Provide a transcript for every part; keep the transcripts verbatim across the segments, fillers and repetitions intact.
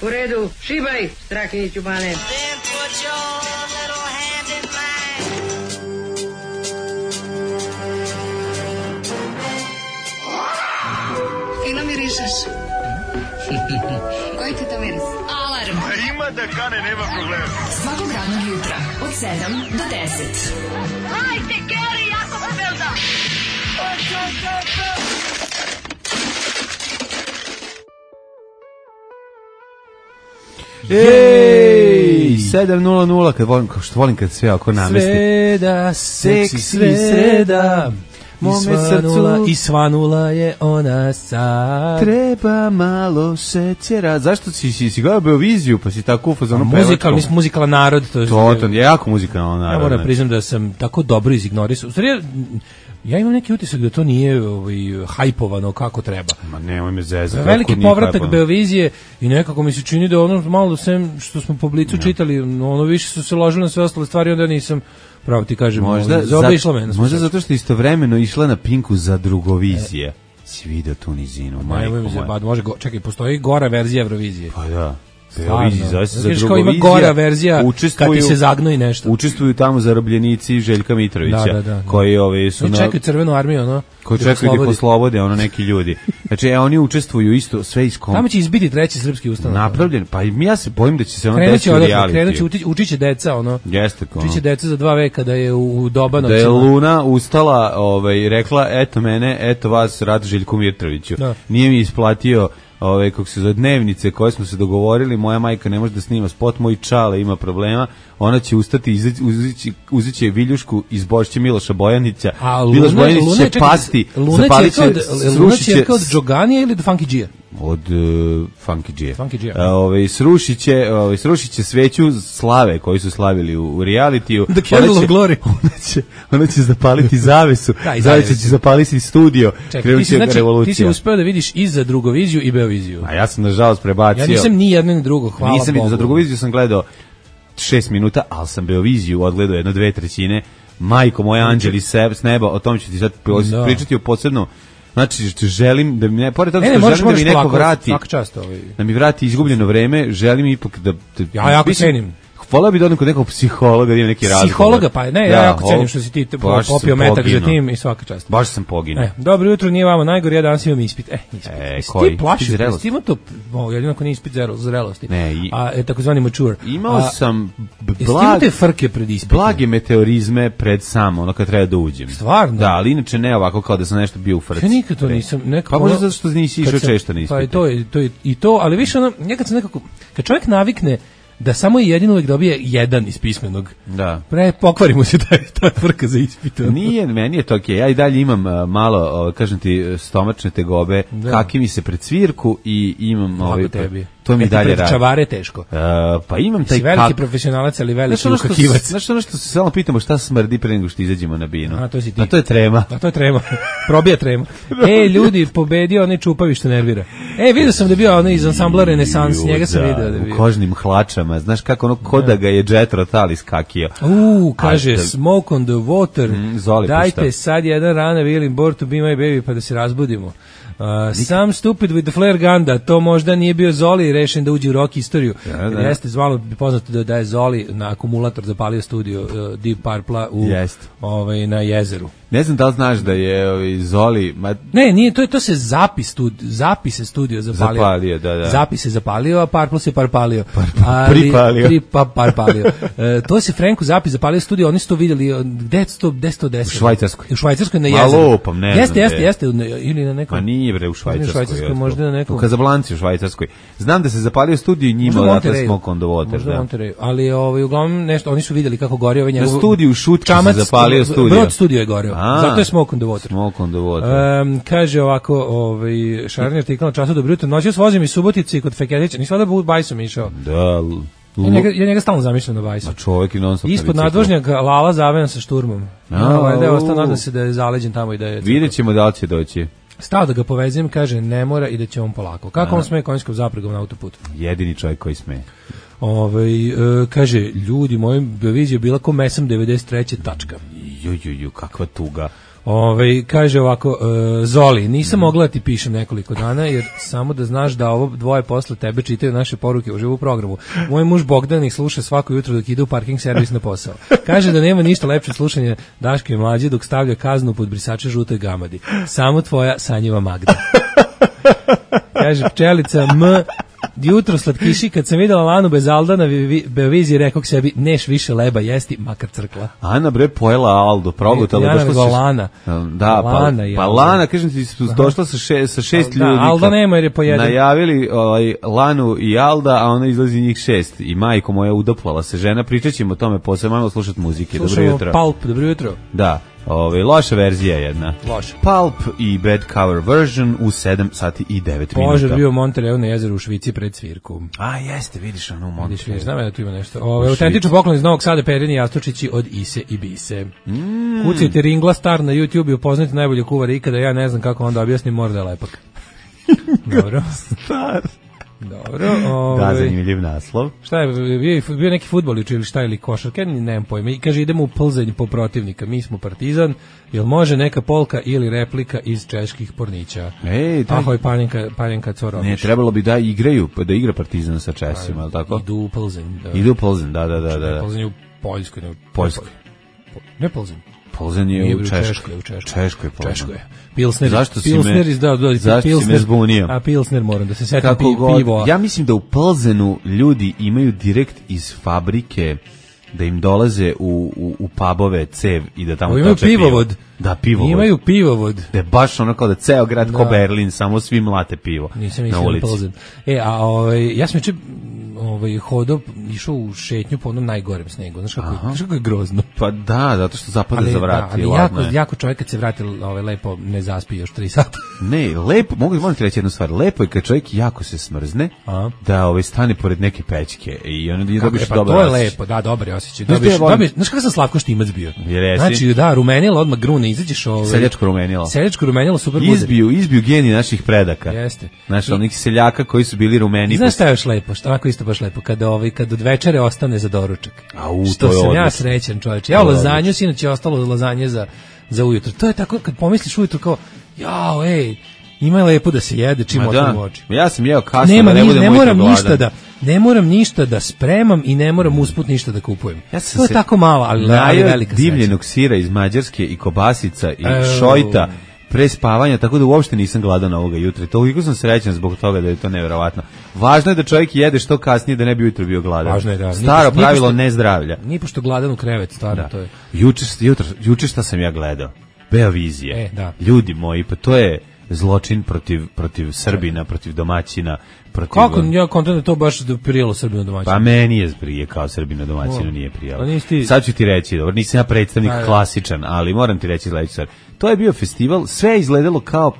U redu, šibaj, Strakiniću Bane. Fino mirišeš. Koji ti to miris? Alarm. Ima da kane, nema problema. Svakog radnog jutra, od sedam do deset. Hajde, Geri, jako se velda. Ej, sedam nula nula, kad volim, što volim kad sve ako namesti. Sreda, seksi sreda, mome srcu i svanula je ona sad. Treba malo šećera. Zašto si, si, si gledao Beoviziju, pa si tako ufazonom pevačkom? Muzikal, nisam muzikalan narod. To, to, to je jako muzikalan narod. Ja moram znači. priznam da sam tako dobro izignorisao. U stvari, ja imam neki utisak da to nije ovaj, hajpovano kako treba. Ma nemoj me zezati. Veliki povratak Beovizije i nekako mi se čini da ono malo sem što smo po Blicu ja. čitali, ono više su se ložili na sve ostale stvari, onda nisam pravo ti kažem, možda, zaobišla mene. Možda zato što istovremeno išla na Pinku za Drugovizije. E. Si vidio tu nizinu, majko moja. Može, go, čekaj, postoji gora verzija Eurovizije. Pa da. Beoviziji, zove se za Drugovizija. Ima gora verzija kad ti se zagnoji nešto. Učestvuju tamo zarobljenici Željka Mitrovića, da, da, da, koji ove su na... čekaju crvenu armiju, ono. Koji čekaju da poslobode, ono, neki ljudi. Znači, e, oni učestvuju isto, sve iz kom... Tamo će izbiti treći srpski ustanak. Napravljen, pa ja se bojim da će se ono desiti u realitiju. Krenut će, uči, učit će deca, ono. Jeste, ono. Učit će deca za dva veka da je u, u Dobanovcima. Da je Luna ustala, ovaj, rekla, eto mene, eto vas, rad Željku Mitroviću. Da. Nije mi isplatio ove, kako se zove, dnevnice koje smo se dogovorili, moja majka ne može da snima spot, moj čale ima problema, ona će ustati, uzići, uzit će viljušku iz Bošće Miloša Bojanića, Miloš Bojanić će pasti, zapalit će, srušit će... Luna će od Džoganija ili od Funky G-a? Od uh, Funky G-a. Funky G-a. Ove, srušit će, ove, srušit će sveću slave koji su slavili u, u realitiju. The Candle of Glory. Ona će, ona će zapaliti zavesu, da, zavesu će zapaliti studio, krenut će znači, revolucija. Ti si uspeo da vidiš i za Drugoviziju i Beoviziju. A ja sam nažalost prebacio. Ja nisam ni jedno ni drugo, hvala nisam Bogu. Za Drugoviziju sam gledao šest minuta, ali sam Beoviziju odgledao jedno dve trećine. Majko moja, anđeli s neba, o tom ću ti sad da. pričati o posebno. Znači, želim da mi ne, pored toga što ne, želim da mi neko plako, vrati, čast, ovaj. da mi vrati izgubljeno vreme, želim ipak da... da ja jako cenim. Volao bi da odem kod nekog psihologa, da ima neki razgovor. Psihologa, pa ne, ja jako cenim što si ti popio metak za tim i svaka čast. Baš sam poginuo. E, dobro jutro, nije vama najgore, ja danas imam ispit. E, ispit. E, koji? Ti plašiš, ti ima to, o, jedino ako nije ispit zrelosti. Ne, i... A, je takozvani mature. Imao a, sam blag... te frke pred ispitom? Blage meteorizme pred sam, ono kad treba da uđem. Stvarno? Da, ali inače ne ovako kao da sam nešto bio u frci. Ja nikad to nisam, nekako... Pa možda zato što nisi išao često na ispite. Pa i to, i to, i to, ali više ono, nekad sam nekako, kad čovjek navikne da samo jedino uvijek dobije jedan iz pismenog. Da. Pre pokvarimo se taj ta frka za ispit. Nije, meni je to okej. Okay. Ja i dalje imam uh, malo, uh, kažem ti, stomačne tegobe, da. Kaki mi se pred svirku i imam ovaj tebi. To mi ja dalje radi. Čavare teško. Uh, pa imam taj si veliki profesionalac, ali veliki ukakivac. Znaš ono što se samo pitamo šta smrdi pre nego što izađemo na binu. A to si ti. A to je trema. A to je trema. Probija trema. Ej, ljudi, pobedio onaj Čupavi što nervira. Ej, vidio sam da je bio onaj iz ansambla Renesans, njega sam vidio da je bio. U kožnim hlačama, znaš kako ono ko da ga je Jetro Tull iskakio. U, kaže, smoke on the water, mm, Zoli, dajte pušta. sad jedan rana Willing Born to be my baby pa da se razbudimo. Uh, sam stupid with the flare gun, da to možda nije bio Zoli rešen da uđe u rock istoriju. Ja, da. Jeste zvalo poznato da, da je Zoli na akumulator zapalio studio uh, Deep Purple u, ovaj, na jezeru. Ne znam da li znaš da je ovaj, Zoli... Ma... Ne, nije, to je to se zapis studi, zapise studio zapalio. Zapalio, da, da. Zapise zapalio, a Purple se parpalio. Par, ali, pripalio. Pri, pa, parpalio. e, to se Franku zapis zapalio studio, oni su to vidjeli, gde je to, gde je to desilo? U Švajcarskoj. U Švajcarskoj na jezeru. Malo opam, ne jeste, znam. Jeste, jeste, jeste, ili na nekom... Ma nije bre u Švajcarskoj. U Švajcarskoj, možda na nekom... U Kazablanci u Švajcarskoj. Znam da se zapalio studio i njima odatle smoke on the water. Možda da. Monterey, ali ovaj, uglavnom nešto, oni su vidjeli kako gori ovaj njegov... Na studiju u Šutki se zapalio studio. Brod studio je goreo, zato je smoke on the water. Smoke on the water. Um, kaže ovako, ovaj, šarni artikl na času dobro jutro, noćas vozim iz Subotice kod Feketića, nisam da bu bajsom išao. Da, Ja njega, ja njega stalno zamišljam na bajsu. A čovjek i non stop. Ispod nadvožnjaka Lala zavejan sa šturmom. No, valjda je ostao, nadam se da je zaleđen tamo i da je... Vidjet ćemo da li će doći. Stao da ga povezim, kaže ne mora i da će on polako. Kako on sme konjskom zapregom na autoputu? Jedini čovjek koji sme. Ove, e, kaže, ljudi, moja Beovizija bila ko Mesam devedeset treće tačka. Ju, ju, ju, kakva tuga. Ove, kaže ovako, uh, Zoli, nisam mogla da ti pišem nekoliko dana, jer samo da znaš da ovo dvoje posle tebe čitaju naše poruke u živu programu. Moj muž Bogdan ih sluša svako jutro dok ide u parking servis na posao. Kaže da nema ništa lepše slušanje Daške i Mlađe dok stavlja kaznu pod brisače žutoj gamadi. Samo tvoja sanjiva Magda. Kaže pčelica M. Jutro slatkiši, kad sam videla Lanu bez Alda na Beoviziji, rekao k sebi, neš više leba jesti, makar crkla. Ana bre pojela Aldo, progutala. Ja nego Lana. Da, Lana pa, pa Lana, kažem ti, došla sa, še, sa šest da, ljudi. Alda nema jer je pojedan. Najavili ovaj, Lanu i Alda, a ona izlazi njih šest. I majko moja udoplala se žena, pričat ćemo o tome, posebno malo slušati muzike. Slušamo dobro jutro. Pulp, dobro jutro. Da. Ove, loša verzija jedna. Loša. Pulp i bad cover version u sedam sati i devet minuta. Požar bio u Montereu na jezeru u Švici pred svirku. A jeste, vidiš ono u Montereu. Vidiš, vidiš, znam ja da tu ima nešto. Ove, autentično poklon iz Novog Sada, Perini Jastučići od Ise i Bise. Mm. Kucajte Ringla Star na YouTube i upoznajte najbolje kuvara ikada, ja ne znam kako onda objasnim, mora da je lepak. Dobro. Star. Dobro, ovaj. Da, zanimljiv naslov. Šta je, bio, bio neki fudbal ili šta ili košarka, nemam pojma. I kaže idemo u Plzeň po protivnika. Mi smo Partizan. Jel može neka polka ili replika iz čeških pornića? Ej, taj... Ahoj, Panjenka, Panjenka Corović. Ne, trebalo bi da igraju, da igra Partizan sa Česima, al tako? Idu u Plzeň. Da. Idu u Plzeň, da, da, da, da. Plzeň je u Poljskoj, ne u Poljskoj. Ne Plzeň. Plzeň je u Češkoj. Češkoj, u Češkoj. Češkoj, Češkoj. Pilsner, zašto si Pilsner me, izdao, da, zašto Pilsner, si me zbunio? A Pilsner moram da se setim pi, pivo. Ja mislim da u Plzenu ljudi imaju direkt iz fabrike da im dolaze u, u, u pubove cev i da tamo imaju pivovod. Pivo. Da, pivovod. Imaju pivovod. Da je baš ono kao da ceo grad da. Ko Berlin, samo svi mlate pivo. Nisam išao na Plzeň. E, a ovaj, ja sam juče ovaj, hodao, išao u šetnju po onom najgorem snegu. Znaš kako, znaš kako je grozno? Pa da, zato što zapada ali, za vrati. Da, ali jako, jako čovjek kad se vrati ovaj, lepo ne zaspi još tri sata. Ne, lepo, mogu, mogu ti reći jednu stvar. Lepo je kad čovjek jako se smrzne, a? Da ovaj, stane pored neke pećke i onda je dobiš pa, dobar to je osjećaj. lepo, da, dobar je osjećaj. Dobiš, dobiš, znaš kako sam Slavko Štimac bio? Jeresi? Znači, da, rumenilo, odmah grune, izađeš ovaj... Seljačko rumenilo. Seljačko rumenilo, super bude. Izbiju, izbiju geni naših predaka. Jeste. Znaš, onih seljaka koji su bili rumeni. Znaš šta je još lepo, što onako isto baš lepo, kada, ovaj, kad od večere ostane za doručak. A u, što to je sam odlično. Ja srećan čovječ. Ja lazanju, sinoć je ostalo lazanje za, za ujutro. To je tako, kad pomisliš ujutro kao, jao, ej, ima je lepo da se jede čim otvorim oči. Ja sam jeo kasno, Nema, da ne, budem ne moram gladan. ništa da ne moram ništa da spremam i ne moram usput ništa da kupujem. Ja sam to je tako malo, ali, ali velika sreća. Divljenog sira iz Mađarske i kobasica i e, šojta pre spavanja, tako da uopšte nisam gladan ovoga jutra. Toliko sam srećan zbog toga da je to neverovatno. Važno je da čovjek jede što kasnije da ne bi ujutro bio gladan. Važno je da. Staro nipošto, pravilo nipošto, ne zdravlja. Ni pošto gladan u krevet, stvarno da. To je. Juče jutro, juče šta sam ja gledao? Beovizije. E, da. Ljudi moji, pa to je zločin protiv protiv Srbina, protiv domaćina, protiv... Kako ja kontam da to baš da prijelo Srbinu domaćinu? Pa meni je prije kao Srbinu domaćinu o, nije prijelo. Ti... Sad ću ti reći, dobro, nisam ja predstavnik a, klasičan, ali moram ti reći sledeću stvar. To je bio festival, sve je izgledalo kao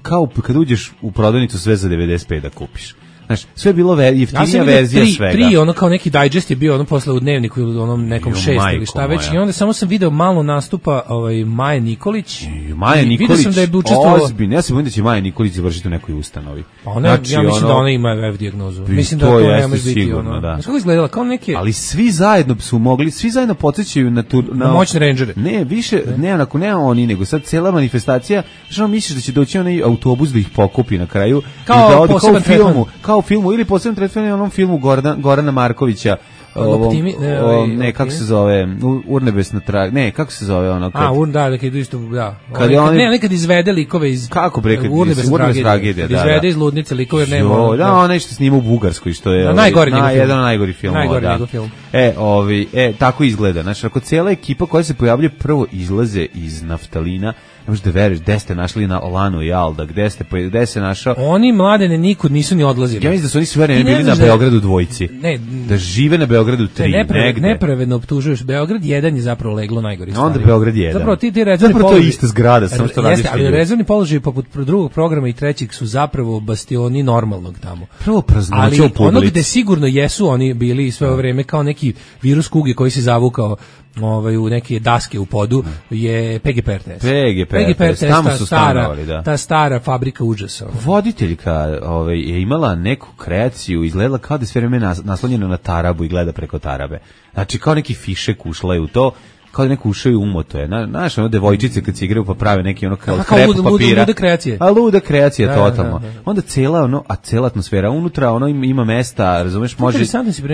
kao kad uđeš u prodavnicu sve za devedeset pet da kupiš. Znaš, sve je bilo ve, jeftinija ja verzija tri, svega. Tri, ono kao neki digest je bio ono posle u dnevniku ili onom nekom šest ili šta već. I onda samo sam video malo nastupa ovaj, Maje Nikolić. I Maja Nikolić, vidio sam da je učestvovao... ozbiljno. Ja se bojim da će Maja Nikolić završiti u nekoj ustanovi. Pa ona, znači, ja mislim ono, da ona ima F dijagnozu. Mislim da to to nema biti sigurno, ono. Da. Znaš kako izgledala? Kao neke... Ali svi zajedno su mogli, svi zajedno podsjećaju na, tu, na, na moćne rangere. Ne, više, ne, ne, onako, ne oni, nego sad cela manifestacija, što misliš da će doći onaj autobus da ih pokupi na kraju? Kao, da ode, poseban kao u filmu, kao u filmu, ili poseban tretman je onom filmu Gordan, Gorana Markovića, ovom, Optimi, ne, o, ne kako se zove, Urnebesna trag, ne, kako se zove ono kad... A, urn, da, kad idu isto, da. Kad oni, ne, nekad izvede likove iz... Kako bre, kad Urnebesna tragedija, da, izvede iz ludnice likove, nema... Jo, da, onaj što snima u Bugarskoj, što je... Da, najgori na, jedan od najgori filmova, najgori da. film. E, ovi, e, tako izgleda, znači, ako cijela ekipa koja se pojavlja prvo izlaze iz naftalina, ne možeš da veriš, gde ste našli na Olanu i Alda, gde ste, gde se našao... Oni mladene nikud nisu ni odlazili. Ja mislim da su oni sve vreme bili na Beogradu dvojici. Ne, da žive na Beogradu tri, neprave, negde. Nepravedno optužuješ. Beograd jedan je zapravo leglo najgori stvari. Onda Beograd jedan. Zapravo ti ti rezervni zapravo položaj. To je ista zgrada, samo što radiš. Jeste, ali rezervni položaj poput drugog programa i trećeg su zapravo bastioni normalnog tamo. Prvo praznoća u publici. Ali ono gde sigurno jesu oni bili sve ovo vreme kao neki virus kuge koji se zavukao ovaj u neke daske u podu je P G P R T S. P G P R T S, tamo su stanovali, da. Ta stara fabrika užasa. Voditeljka ovaj, je imala neku kreaciju, izgledala kao da je sve vreme naslonjena na tarabu i gleda preko tarabe. Znači kao neki fišek ušla je u to. kao da neko ušao i umoto je. Znaš, ono devojčice kad se igraju pa prave neki ono kao kao krep luda, papira. Luda kreacije. A luda kreacija da, totalno. Da, da, da. Onda cela ono, a cela atmosfera unutra, ono ima, ima mesta, razumeš, može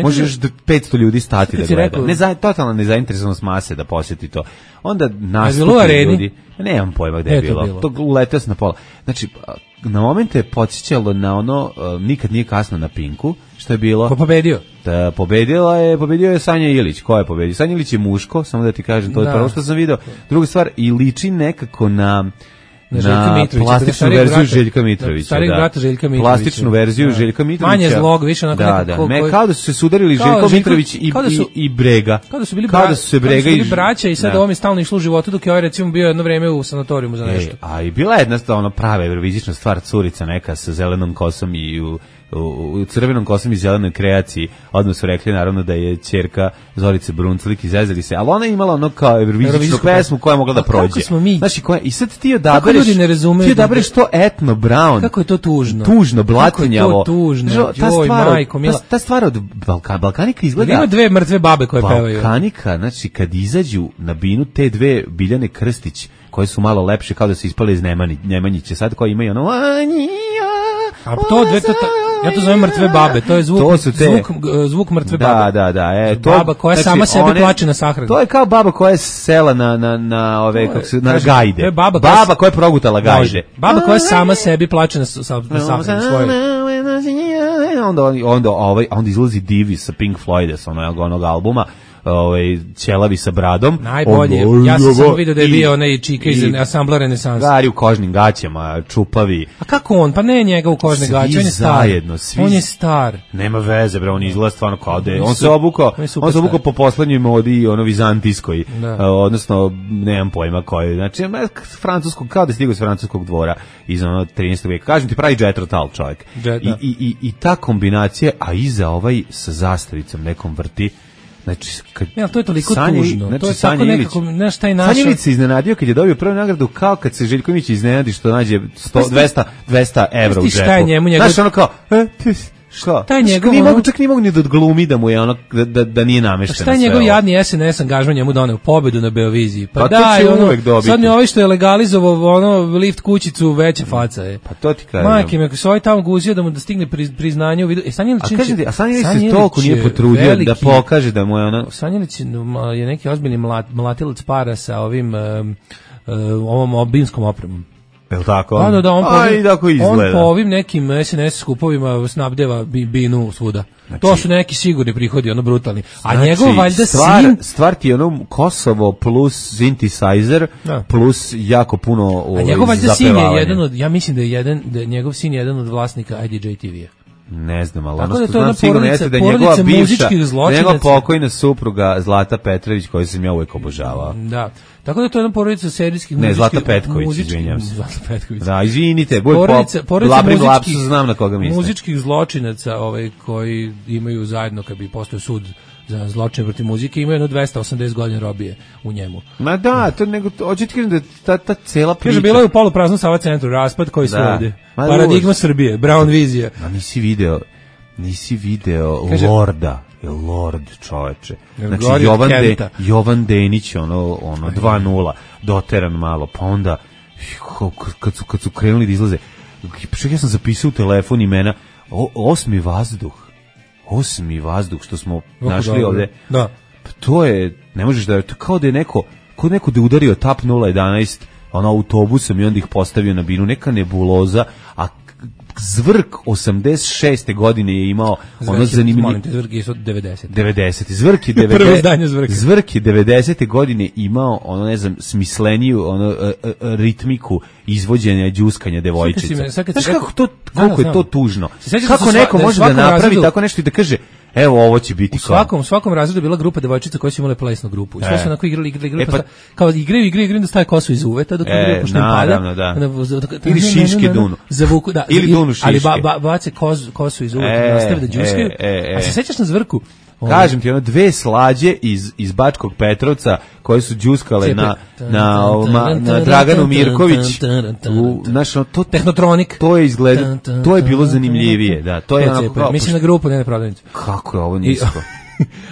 može još petsto ljudi stati da gleda. Ne za totalna nezainteresovanost mase da posjeti to. Onda nastupi ljudi. Nemam pojma gde je bilo. bilo. To uleteo se na pola. Znači, na momente je podsjećalo na ono uh, nikad nije kasno na Pinku, što je bilo. Pa pobedio. Da, pobedila je, pobedio je Sanja Ilić. Ko je pobedio? Sanja Ilić je muško, samo da ti kažem, to je prvo što sam video. Druga stvar, i liči nekako na na, na plastičnu verziju brata, Željka Mitrovića. Starijeg da. brata Željka Mitrovića. Plastičnu verziju da. Željka Mitrovića. Manje zlog, više onako da, nekako. Da, me, kao da su se sudarili Željko Mitrović i, da su, i, i Brega. Kao da su bili, kao bra, da su se Brega kao da su bili braća i sad da. Ovo mi stalno išlo u životu dok je ovaj recimo bio jedno vreme u sanatorijumu za nešto. E, a i bila je jedna ono prava evrovizična stvar, curica neka sa zelenom kosom i u U, u crvenom kosom i zelenoj kreaciji. Odmah su rekli naravno da je ćerka Zorice Brunclik, izezali se, ali ona je imala ono kao evrovizičnu pesmu koja je mogla da prođe. Znači, koja, i sad ti odabereš, ti odabereš to etno brown. Kako je to tužno? Tužno, blatinjavo. Kako je to tužno? Žo, ta, Joj, stvar, majko, mila. ta, ta stvar od Balka, Balkanika izgleda... Ima dve mrtve babe koje pevaju. Balkanika, znači, kad izađu na binu te dve Biljane Krstić, koje su malo lepše, kao da se ispale iz Nemani, Nemanjiće, sad koje imaju ono... A to dve, to, to, ja to zovem mrtve babe, to je zvuk, to su te, zvuk, zvuk mrtve da, babe. Da, da, da. E, to, baba koja znači, sama sebe one, plače na sahranu. To je kao baba koja je sela na, na, na, ove, kako se, na kažem, gajde. To je baba, baba koja, koja je progutala gajde. Može. Baba koja sama sebi plače na, na sahranu svoje. Onda, onda, ovaj, onda izlazi Divi sa Pink Floyda, sa onog, onog albuma, ovaj ćelavi sa bradom. Najbolje. On, ja sam samo video da je bio onaj čika iz ansambla Renesansa. Gari u kožnim gaćama, čupavi. A kako on? Pa ne njega u kožne gaće, on je star. Zajedno, svi on je star. Nema veze, bre, on izgleda stvarno kao da je. On se obukao, on se obukao po poslednjoj modi, ono vizantijskoj, uh, odnosno nemam pojma koji. Znači, francuskog, kao da stigao iz francuskog dvora iz ono trinaestog veka. Kažem ti, pravi jet rotal čovjek. Jet, I, i, i, I ta kombinacija, a iza ovaj sa zastavicom nekom vrti. Znači, kad ja, to je toliko Sanji, tužno. Znači, to je tako nekako, znaš, taj naša... Sanja Ilić se iznenadio kad je dobio prvu nagradu, kao kad se Željković iznenadi što nađe sto, dvesta, dvesta evra u džepu. Šta je njemu njegov... Znaš, ono kao, e, ti, šta? Šta je njegov... Čak, ono... čak nije mogu ni da odglumi da mu je ono, da, da, da nije namešteno sve. Šta je njegov jadni S N S angažman njemu doneo? Pobedu na Beoviziji. Pa, pa da, će ono, uvek dobiti. Sad mi ovaj što je legalizovao ono lift kućicu veća faca je. Pa to ti kažem. Majke mi, ako se ovaj tamo guzio da mu da stigne priznanje u vidu... E, Sanjelić... A kažem ti, a Sanjelić se toliko nije potrudio veliki, da pokaže da mu je ono... Sanjelić je neki ozbiljni mlat, mlatilac para sa ovim um, um, ovom obinskom opremom. Je li tako? Da, da, da, on, po ovim, tako on po ovim nekim S N S skupovima snabdeva binu svuda. Znači, to su neki sigurni prihodi, ono brutalni. A znači, njegov valjda stvar, sin... Stvar ti je ono Kosovo plus synthesizer da. Plus jako puno ovaj, a njegov valjda sin je jedan od, ja mislim da je jedan, da je njegov sin je jedan od vlasnika I D J T V-a. Ne znam, ali tako ono što da znam sigurno jeste da je njegova bivša, njegova pokojna pokojna supruga Zlata Petrović, koju sam ja uvijek obožavao. Da. Tako da to je jedna porodica serijskih ne, Zlata Petković, izvinjam se. Zlata Petković. Da, izvinite, boj porodica, pop, porodica labri muzičkih, lapsu, znam na koga mislim. Muzičkih zločinaca ovaj, koji imaju zajedno, kad bi postao sud za zločine protiv muzike, imaju jedno dvesta osamdeset godina robije u njemu. Ma da, to nego, hoću ti kažem da ta, ta cela priča... Kaže, bilo je u polupraznom Sava centru, raspad koji su ovde. Paradigma Srbije, Brown vizija. A nisi video, nisi video kaže, Lorda. Lord, čoveče. Znači Jovan, De, Jovan Denić, ono, ono dva nula, doteran malo, pa onda kad su, kad su krenuli da izlaze, čak ja sam zapisao u telefon imena, o, osmi vazduh, osmi vazduh, što smo Oko našli da, ovde. Da. To je, ne možeš da, to kao da je neko, kao neko da je udario tap nula jedanaest, ono autobusom i onda ih postavio na binu, neka nebuloza, a Zvrk osamdeset šeste godine je imao Zvrk ono zanimljivo. Molim te, Zvrk je devedeset. devedeset. Zvrk je devedeset. Zvrk je devedesete godine imao ono ne znam smisleniju ono uh, uh, ritmiku izvođenja đuskanja devojčica. Znaš kako to koliko je to tužno. Kako neko može da napravi tako nešto i da kaže evo ovo će biti u svakom, kao. svakom razredu je bila grupa devojčica koje su imale plesnu grupu. I sve su onako igrali, igrali, igrali e, pa, kao igraju, igraju, igraju da staje kosu iz uveta dok igraju pošto im pada. Da. Ili šiške dunu. Zavuku, da. Ili dunu šiške. Ali ba, ba, bace kosu, kosu iz uveta, e, nastave da đuskaju. E, e, e. A se sećaš na Zvrku? Kažem ti, ono dve slađe iz, iz Bačkog Petrovca koje su đuskale na, na, na, na Draganu Mirković. U, znaš, to, Tehnotronik. To je izgleda, to je bilo zanimljivije. Da, to je onako kao... Mislim na grupu, ne na prodavnicu. Kako je ovo nisko?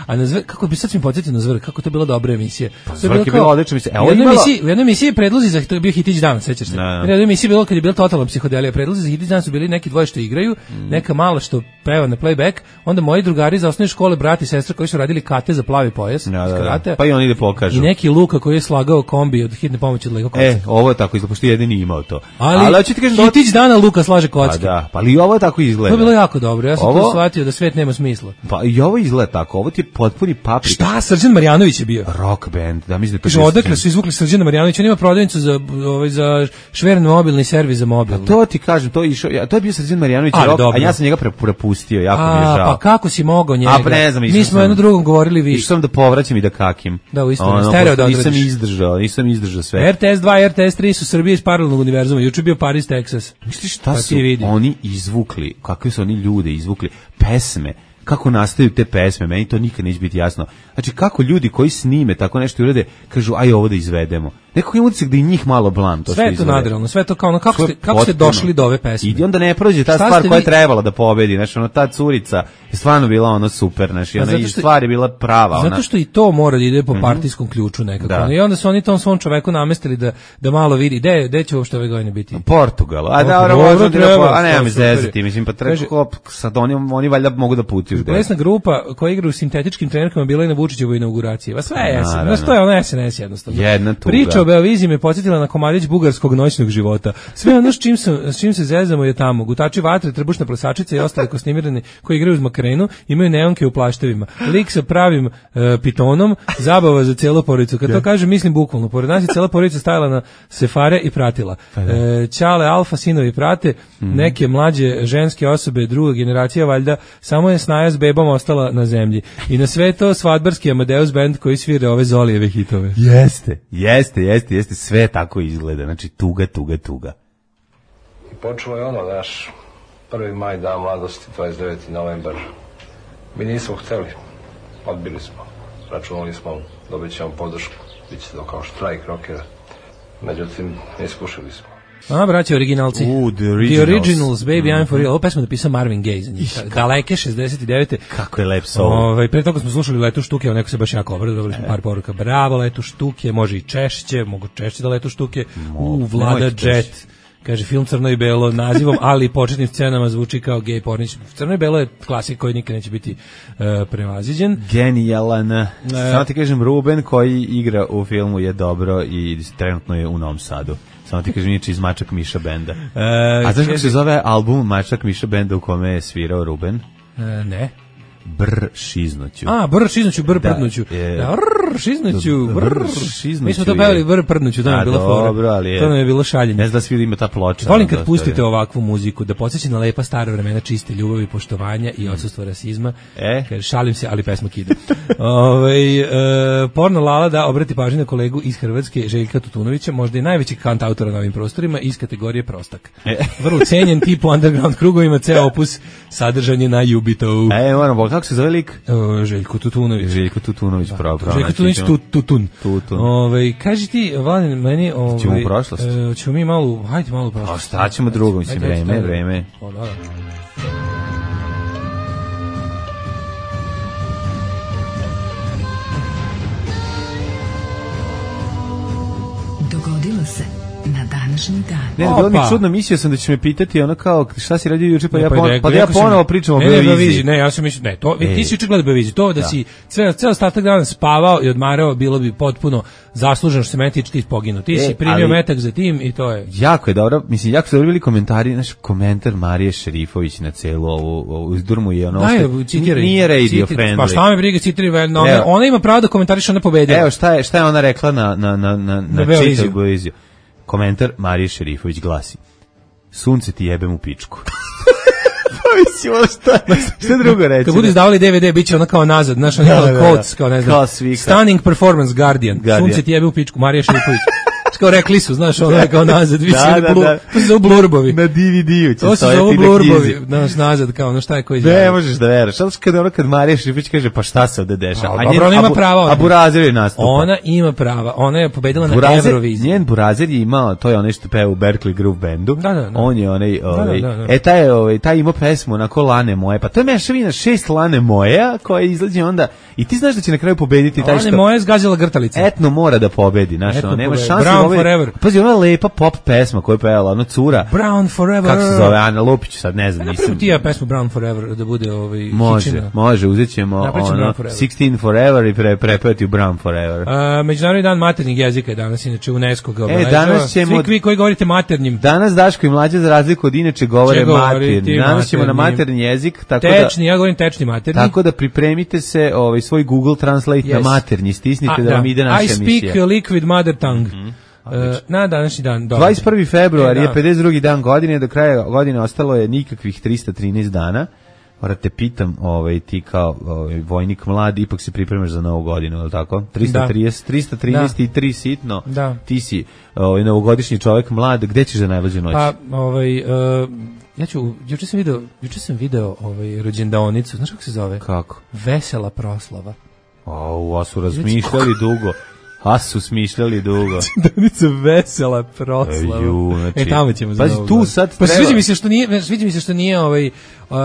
A na Zver, kako bi sad mi podsjetio na Zver, kako to bila dobra emisija. Pa Zvrk je bila odlična emisija. U jednoj emisiji, u jednoj emisiji predlozi za, to je bio Hitić dan, sećaš se? U jednoj emisiji bilo kad je bila totalna psihodelija, predlozi za Hitić dan su bili neki dvoje što igraju, mm. neka mala što peva na playback, onda moji drugari za osnovne škole, brati i sestra koji su radili kate za plavi pojas, da, da, da. Pa i oni da pokažu. I neki Luka koji je slagao kombi od hitne pomoći od Lego kocka. E, ovo je tako izgleda, pošto jedini imao to. Ali, ali ti kažem, Hitić dana Luka slaže kocke. Pa da, pa ali ovo tako izgleda. To je bilo jako dobro, ja sam ovo... to shvatio da svet nema smisla. Pa i ovo izgleda tako, ovo ti je potpuni paprika. Šta, Srđan Marjanović je bio? Rock band, da mislim da to. Odakle su izvukli Srđana Marjanovića, on ima prodavnicu za ovaj za šveren mobilni servis za mobil. Pa to ti kažem, to je išao, ja, to je bio Srđan Marjanović rock, a ja sam njega prepustio, jako a, mi je žao. Pa kako si mogao njega? A ne znam, mi smo jedno drugom govorili vi. Išao sam da povraćam i da kakim. Da, u isto, stereo da nisam izdržao, nisam izdržao sve. R T S dva, R T S tri su Srbije iz paralelnog univerzuma. Juče bio Paris, Texas. Misliš šta su oni izvukli? Kakvi su oni ljude izvukli? Pesme. Kako nastaju te pesme, meni to nikad neće biti jasno. Znači, kako ljudi koji snime tako nešto urede, kažu, aj ovo da izvedemo. Nekako je utisak da i njih malo blam. To sve je to nadrealno, sve to kao ono, kako, ste, kako ste došli do ove pesme? I onda ne prođe ta Šta stvar koja je trebala da pobedi, znači, ono, ta curica je stvarno bila ono super, znači, ona i stvar je bila prava. Zato što i to mora da ide po partijskom ključu nekako. Da. I onda su oni tom svom čoveku namestili da, da malo vidi, gde, gde će uopšte ove godine biti? Portugal, a da, dobro, treba, a nema mi zezati, mislim, pa treba, sad oni, oni valjda mogu da putuju. Plesna grupa koja igra u sintetičkim trenerkama bila je na Vučićevoj inauguraciji. Va sve je, znaš, to je ono S N S jednostavno. Jedna tuga. Priča o Beoviziji me podsjetila na komadić bugarskog noćnog života. Sve ono s čim, sam, s čim se zezamo je tamo. Gutači vatre, trbušna plesačica i ostale kosnimirani koji igraju uz makrenu imaju neonke u plaštevima. Lik sa pravim uh, pitonom, zabava za cijelu porodicu. Kad to kažem, mislim bukvalno. Pored nas je cijela porodica stajala na sefare i pratila. E, Ćale, alfa, sinovi prate, mm. neke mlađe ženske osobe, druga generacija, valjda, samo je Snaja s bebom ostala na zemlji. I na sve to svadbarski Amadeus band koji svira ove Zolijeve hitove. Jeste, jeste, jeste, jeste, sve tako izgleda. Znači, tuga, tuga, tuga. I počelo je ono, naš prvi maj, dan mladosti, dvadeset deveti novembar. Mi nismo hteli, odbili smo. Računali smo, dobit ćemo podršku, bit će to kao štrajk rokera. Međutim, iskušili smo. A, braći originalci. Uh, the originals. The Originals, Baby, mm-hmm. I'm for real. Ovo pesmu napisao Marvin Gaye za njih. Daleke, šezdeset devete. Kako je lep solo. Ove, pre toga smo slušali Letu štuke, a neko se baš jako obrado, dobili smo par poruka. Bravo, Letu štuke, može i češće, mogu češće da Letu štuke. U, Vlada Jet. Kaže, film Crno i belo nazivom, ali početnim scenama zvuči kao gej pornić. Crno i belo je klasik koji nikad neće biti uh, prevaziđen. Genijalan. Uh, Samo ti kažem, Ruben koji igra u filmu je dobro i trenutno je u Novom Sadu. Samo ti kažem, niče iz Mačak Miša benda. Uh, A znaš kako se zove album Mačak Miša benda u kome je svirao Ruben? Uh, ne. Brr šiznuću. A, brr šiznuću, brr prdnuću. Da, je, da brr šiznuću, brr šiznuću. Mi smo to pevali brr prdnuću, to nam je bila fora. Dobro, ali je. To nam je bilo šaljenje. Ne znam da svi ima ta ploča. Volim kad pustite ovakvu muziku, da podsjeća na lepa stara vremena čiste ljubavi, poštovanja i odsustva rasizma. E? Kaže, šalim se, ali pesma kida. Ove, e, porno Lala da obrati pažnju na kolegu iz Hrvatske, Željka Tutunovića, možda i najveći kantautora na ovim prostorima, iz kategorije prostak. E? Vrlo cenjen tip u underground krugovima, ceo opus sadržan je na Jubitovu. E, moram, kako se zove lik? Uh, Željko Tutunović. Željko Tutunović, da, pravo, pravo. Željko Tutunović, tu, tutun. Tutun. Ove, kaži ti, Vladin, meni... Ove, ćemo u prošlost? Uh, ćemo mi malo, hajde malo u prošlost. A šta ćemo drugo, mislim, vreme, vreme. O, da, da. Dogodilo se na današnji dan. Ne, bilo mi čudno, mislio sam da će me pitati ono kao šta si radio juče, pa, ja, pon, pa da ja ponovo pričam o ne, Beoviziji. Ne, ja sam mislio, ne, to, e. ti si juče gledao Beoviziju, to da, da. si ceo, ceo ostatak dana spavao i odmarao, bilo bi potpuno zasluženo što se meni tiče ti poginu. Ti e, si primio ali, metak za tim i to je. Jako je dobro, mislim, jako su dobili komentari, naš komentar Marije Šerifović na celu ovu, ovu izdurmu je ono, da, citiraj, nije radio citiraj, friendly. Pa šta me briga, citiraj, no, ona, ona ima pravo da komentariše, ona pobedila. Evo, šta je, šta je ona rekla na, na, na, na, na čitav Beoviziju? Komentar Marije Šerifović glasi: sunce ti jebem u pičku. Mislim, šta, šta drugo reći? Kad budu izdavali D V D, bit će ono kao nazad, znaš, ono quotes, kao ne znam, Stunning Performance, Guardian, Guardian. Sunce ti jebe u pičku, Marija Šerifović. Kao rekli su, znaš, ono je kao nazad, vi Da, se da, blur, da. to se zove blurbovi. Na D V D-u će To se stojati zove na blurbovi, knjizi. znaš, nazad, kao ono šta je koji Ne izjavio. možeš da veruješ. Zato što kada ono kad Marija Šipić kaže pa šta se ovde dešava? A, dobro, ona ima prava, ona. A Burazer je nastupa. Ona ima prava, ona je pobedila na Burazer, Euroviziji. njen Burazer je imao, to je onaj što peva u Berkeley Groove Bandu. Da, da, da. On je onaj, ovaj, da, da, da. e taj je, ovaj, taj ima pesmu onako Lane moje. Pa to je mešavina šest Lane moja koja izlazi onda i ti znaš da će na kraju pobediti taj Ona što je moja zgazila grtalice. etno mora da pobedi, znaš, Etno ono, nema pobedi. šanse. Brown da pobedi. forever. Pazi, ona lepa pop pesma koju je pevala, ona cura. Brown Forever. Kako se zove, Ana Lupić, sad ne znam, Napravimo nisam. ti ja pesmu Brown Forever da bude ovaj Može, hičina. može, uzet ćemo Napravit ćemo ono, Brown Forever. šesnaest Forever i pre, prepevati u Brown Forever. A, Međunarodni dan maternjeg jezika je danas, inače UNESCO ga obeležava. danas ćemo- Svi vi koji govorite maternjim. Danas Daško i Mlađa za razliku od inače govore Će govoriti maternji. Danas ćemo na maternji. maternji jezik, tako Tečni, ja govorim tečni da materni. tako da pripremite se, ovaj svoj Google Translate na Yes. maternji, stisnite A, da vam ide naša I speak emisija. liquid mother tongue. Uh, na današnji dan. Dobro. dvadeset prvi februar E, je da. pedeset drugi dan godine, do kraja godine ostalo je nikakvih trista trinaest dana. Moram te pitam, ovaj, ti kao ovaj, vojnik mlad, ipak se pripremaš za novu godinu, je li tako? trista trideset, trista trinaest i tri sitno, Da. ti si ovaj, novogodišnji čovjek mlad, gde ćeš za najluđu noć? Pa, ovaj, uh, ja ću, juče sam video, juče sam video ovaj, rođendaonicu, znaš kako se zove? Kako? Vesela proslava. Au, a su razmišljali dugo. A su smišljali dugo. Danica vesela proslava. E, ju, znači, e, tamo ćemo za pazi, Novu tu godinu. sad Pa treba- sviđa mi se što nije, sviđa mi se što nije ovaj, uh,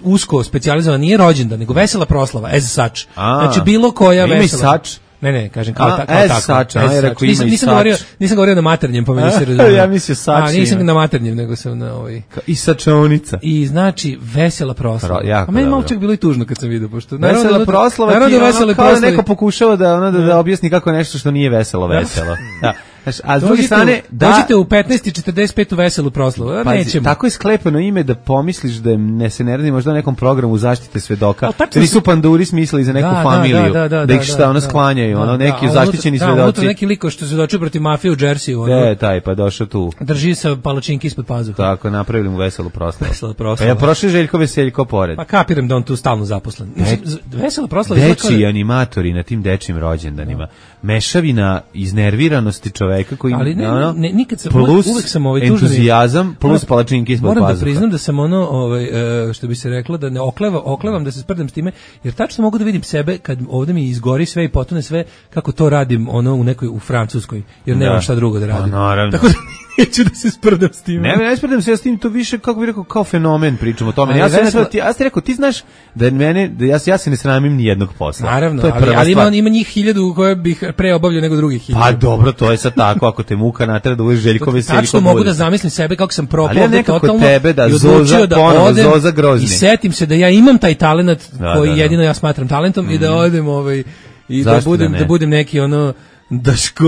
usko specijalizovan, nije rođendan, nego vesela proslava, as such. A, Znači, bilo koja ima i vesela. such? Ne, ne, kažem kao, A, ta, kao as tako. such, a, As ja such. rekao, ima nisam, i nisam such. govorio, nisam govorio na maternjem, pa me nisi A, razumio. ja mislio such A, nisam ima. na maternjem, nego sam na ovaj... I sačaonica. I znači vesela proslava. Pro- jako A meni malo dobro. čak bilo i tužno kad sam vidio, pošto Vesela proslava ti naravno je da ono vesele kao da proslave. neko pokušava da, ono, da, da objasni kako je nešto što nije veselo, veselo. Da. Znaš, a s druge Dođite, strane, da... dođite u petnaest i četrdeset pet u veselu proslavu. A Pazi, nećemo. tako je sklepano ime da pomisliš da je ne se ne radi možda o nekom programu zaštite svedoka. Ali tačno Da nisu su- panduri smislili za neku Da, da, familiju, da, da, da ih da, šta da, ono da. sklanjaju, ono Da, neki da, a zaštićeni unutra- Da, unutra svedoci. neki liko što se dočio protiv mafije u Jersey, Da ono, je taj, pa došao tu. drži sa palačinki ispod pazuha. Tako, napravili mu veselu proslavu. Vesela Pa proslava. ja prošli Željko Veseljko pored. Pa kapiram da on tu stalno zaposlen. Mislim, z- vesela proslava izgleda kao da- Dečiji animatori na tim dečijim rođendanima. Mešavina iznerviranosti čoveka koji Ali ne, ono, ne, nikad sam, plus uvek, uvek sam ovaj tužan i- entuzijazam plus Moram- palačinke ispod Moram da pazuha. priznam da sam ono, ovaj, e, što bi se reklo, da ne okleva, oklevam da se sprdam s time, jer tačno mogu da vidim sebe kad ovde mi izgori sve i potone sve, kako to radim ono u nekoj, u Francuskoj, jer nemam Da. šta drugo da radim. Pa, naravno. Tako da neću da se sprdam s time. Ne, ne spredam se ja s tim, to više, kako bih rekao, kao fenomen pričamo o tome. Ali Ja sam vesela- rekao, ti, ja sam rekao, ti znaš da mene, da ja, se- ja se ne sramim ni jednog posla. Naravno, to je ali, prva ali ima, stvar. ima njih hiljadu koje bih pre obavljao nego drugih hiljadu. Pa dobro, to je sad tako, ako te muka natera da uveš Željko Veseljko. Tačno mogu bude. da zamislim sebe kako sam propao Ali ja ovde nekako totalno tebe da i odlučio Zoza da ponovo, odem Zoza Grozni. i setim se da ja imam taj talenat Da, koji da, da. jedino ja smatram talentom i da odem ovaj i da Zašto budem da da, ne? budem neki ono Daško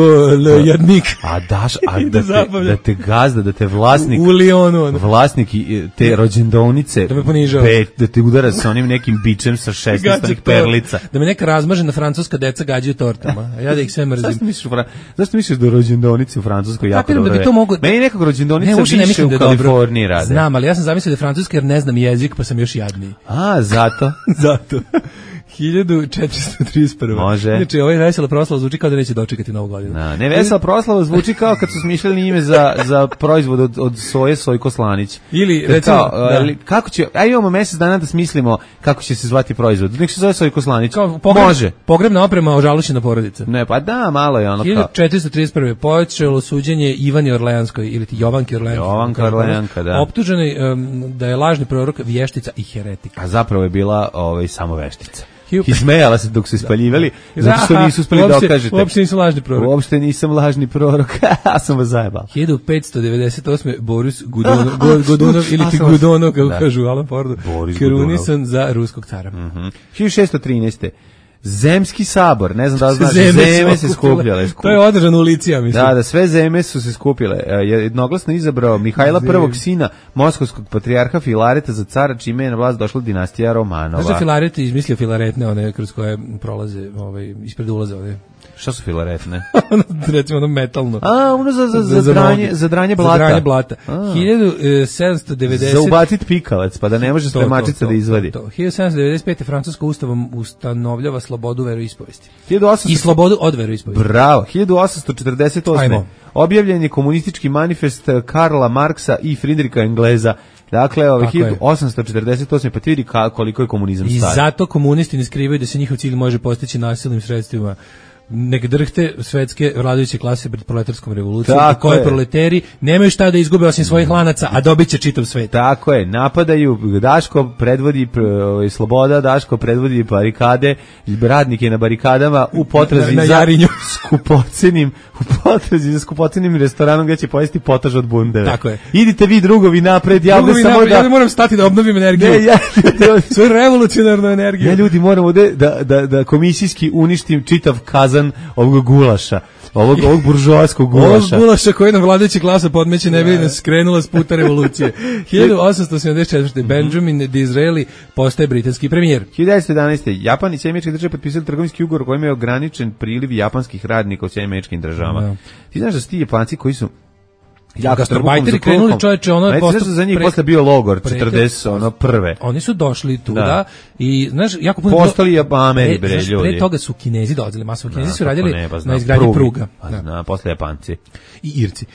Ljarnik A daš, a I da, da te, zabavljam. da te gazda, da te vlasnik, u Lionu ono. vlasnik i, te rođendovnice, Da me ponižava. be- da te udara sa onim nekim bičem sa šesnaest Gađa tort. perlica. Da me neka razmažena francuska deca gađaju tortama, a ja da ih sve mrzim. Zašto misliš, u Fra- zašto misliš da rođendovnice u Francuskoj jako Kapiram da dobro bi to rade? mogu- Meni nekako rođendovnice Ne, uopšte ne više mislim u da je dobro. Kaliforniji rade. Znam, ali ja sam zamislio da je francuski jer ne znam jezik, pa sam još jadniji. A, zato. Zato. hiljadu četiristo trideset prva. Može. Znači, ovaj vesela proslava zvuči kao da neće dočekati novu godinu. Na, ne, vesela proslava zvuči kao kad su smišljali ime za, za proizvod od, od soje, Sojko Slanić. Ili, Jer recimo, kao, da. ali kako će, aj imamo mjesec dana da smislimo kako će se zvati proizvod. Nek se zove Sojko Slanić. Kao pogreb, Može. Pogrebna oprema ožalošćena porodica. Ne, pa da, malo je ono kao. hiljadu četiristo trideset prve počelo suđenje Ivani Orleanskoj ili ti Jovanki Orleanki. Jovanka Orleanka, da. Optuženi um, da je lažni prorok, vještica i heretik. A zapravo je bila ovaj, samo veštica. Hiu- Ismejala se dok su ispaljivali, zato što nisu uspeli da Uopšte- okažete. Uopšte nisu lažni prorok. Uopšte nisam lažni prorok, ja sam vas zajebao. hiljadu petsto devedeset osme Boris Gudonov, Go- Godunov ili ti A, sam vas- Gudonov, kako Da. kažu u Alan Fordu, Boris krunisan za ruskog cara. hiljadu šessto trinaeste. Zemski sabor, ne znam da li znaš, Zeme zeme, su se okupile. skupljale. To je održano u Licija, mislim. Da, da, sve zeme su se skupile. E, Jednoglasno izabrao Mihajla Zem. prvog sina moskovskog patrijarha Filareta za cara, čime je na vlast došla dinastija Romanova. Znaš da Filaret je izmislio filaretne, one kroz koje prolaze, ovaj, ispred ulaze, one Šta su filaretne? Recimo ono metalno. A, ono za, za, za, za, dranje, za dranje blata. Za dranje blata. hiljadu sedamsto devedeset Za ubacit pikavac, pa da ne može spremačica da izvadi. To, to. hiljadu sedamsto devedeset pete. Francuska ustavom ustanovljava slobodu veroispovesti. hiljadu osamsto I slobodu od veroispovesti. Bravo. hiljadu osamsto četrdeset osme. Ajmo. Objavljen je komunistički manifest Karla Marksa i Friedricha Engleza. Dakle, ove hiljadu osamsto četrdeset osme. pa ti vidi koliko je komunizam I star. I zato komunisti ne skrivaju da se njihov cilj može postići nasilnim sredstvima. Nek drhte svetske vladajuće klase pred proletarskom revolucijom, i koje proleteri nemaju šta da izgube osim svojih lanaca, a dobit će čitav svet. Tako je, napadaju, Daško predvodi ovaj, sloboda, Daško predvodi barikade, radnik je na barikadama u potrazi na, na za skupocenim, u potrazi za skupocenim restoranom gdje će pojesti potaž od bundeve. Tako je. Idite vi drugovi napred, ja drugovi samo napred, da... Ja moram stati da obnovim energiju. Ne, ja, svoju revolucionarnu energiju. Ja ljudi moram ovde da, da, da komisijski uništim čitav kazan ovog gulaša, ovog, ovog buržoaskog gulaša. Ovog gulaša koji nam vladajući klasa podmeće ne bi nas skrenula s puta revolucije. hiljadu osamsto sedamdeset četvrte. Benjamin Disraeli postaje britanski premijer. hiljadu devetsto jedanaeste. Japan i Sjedinjene Američke Države potpisali trgovinski ugovor kojim je ograničen priliv japanskih radnika u Sjedinjenim Američkim Državama. Da. Ti znaš da su ti Japanci koji su gastarbajteri krenuli čoveče ono je posto za njih posle bio logor četrdeset ono prve. Oni su došli tu da i znaš jako puno postali Japameri bre ljudi. Pre toga su Kinezi dolazili, masovno Kinezi su radili na izgradnji pruga. Na posle Japanci i Irci.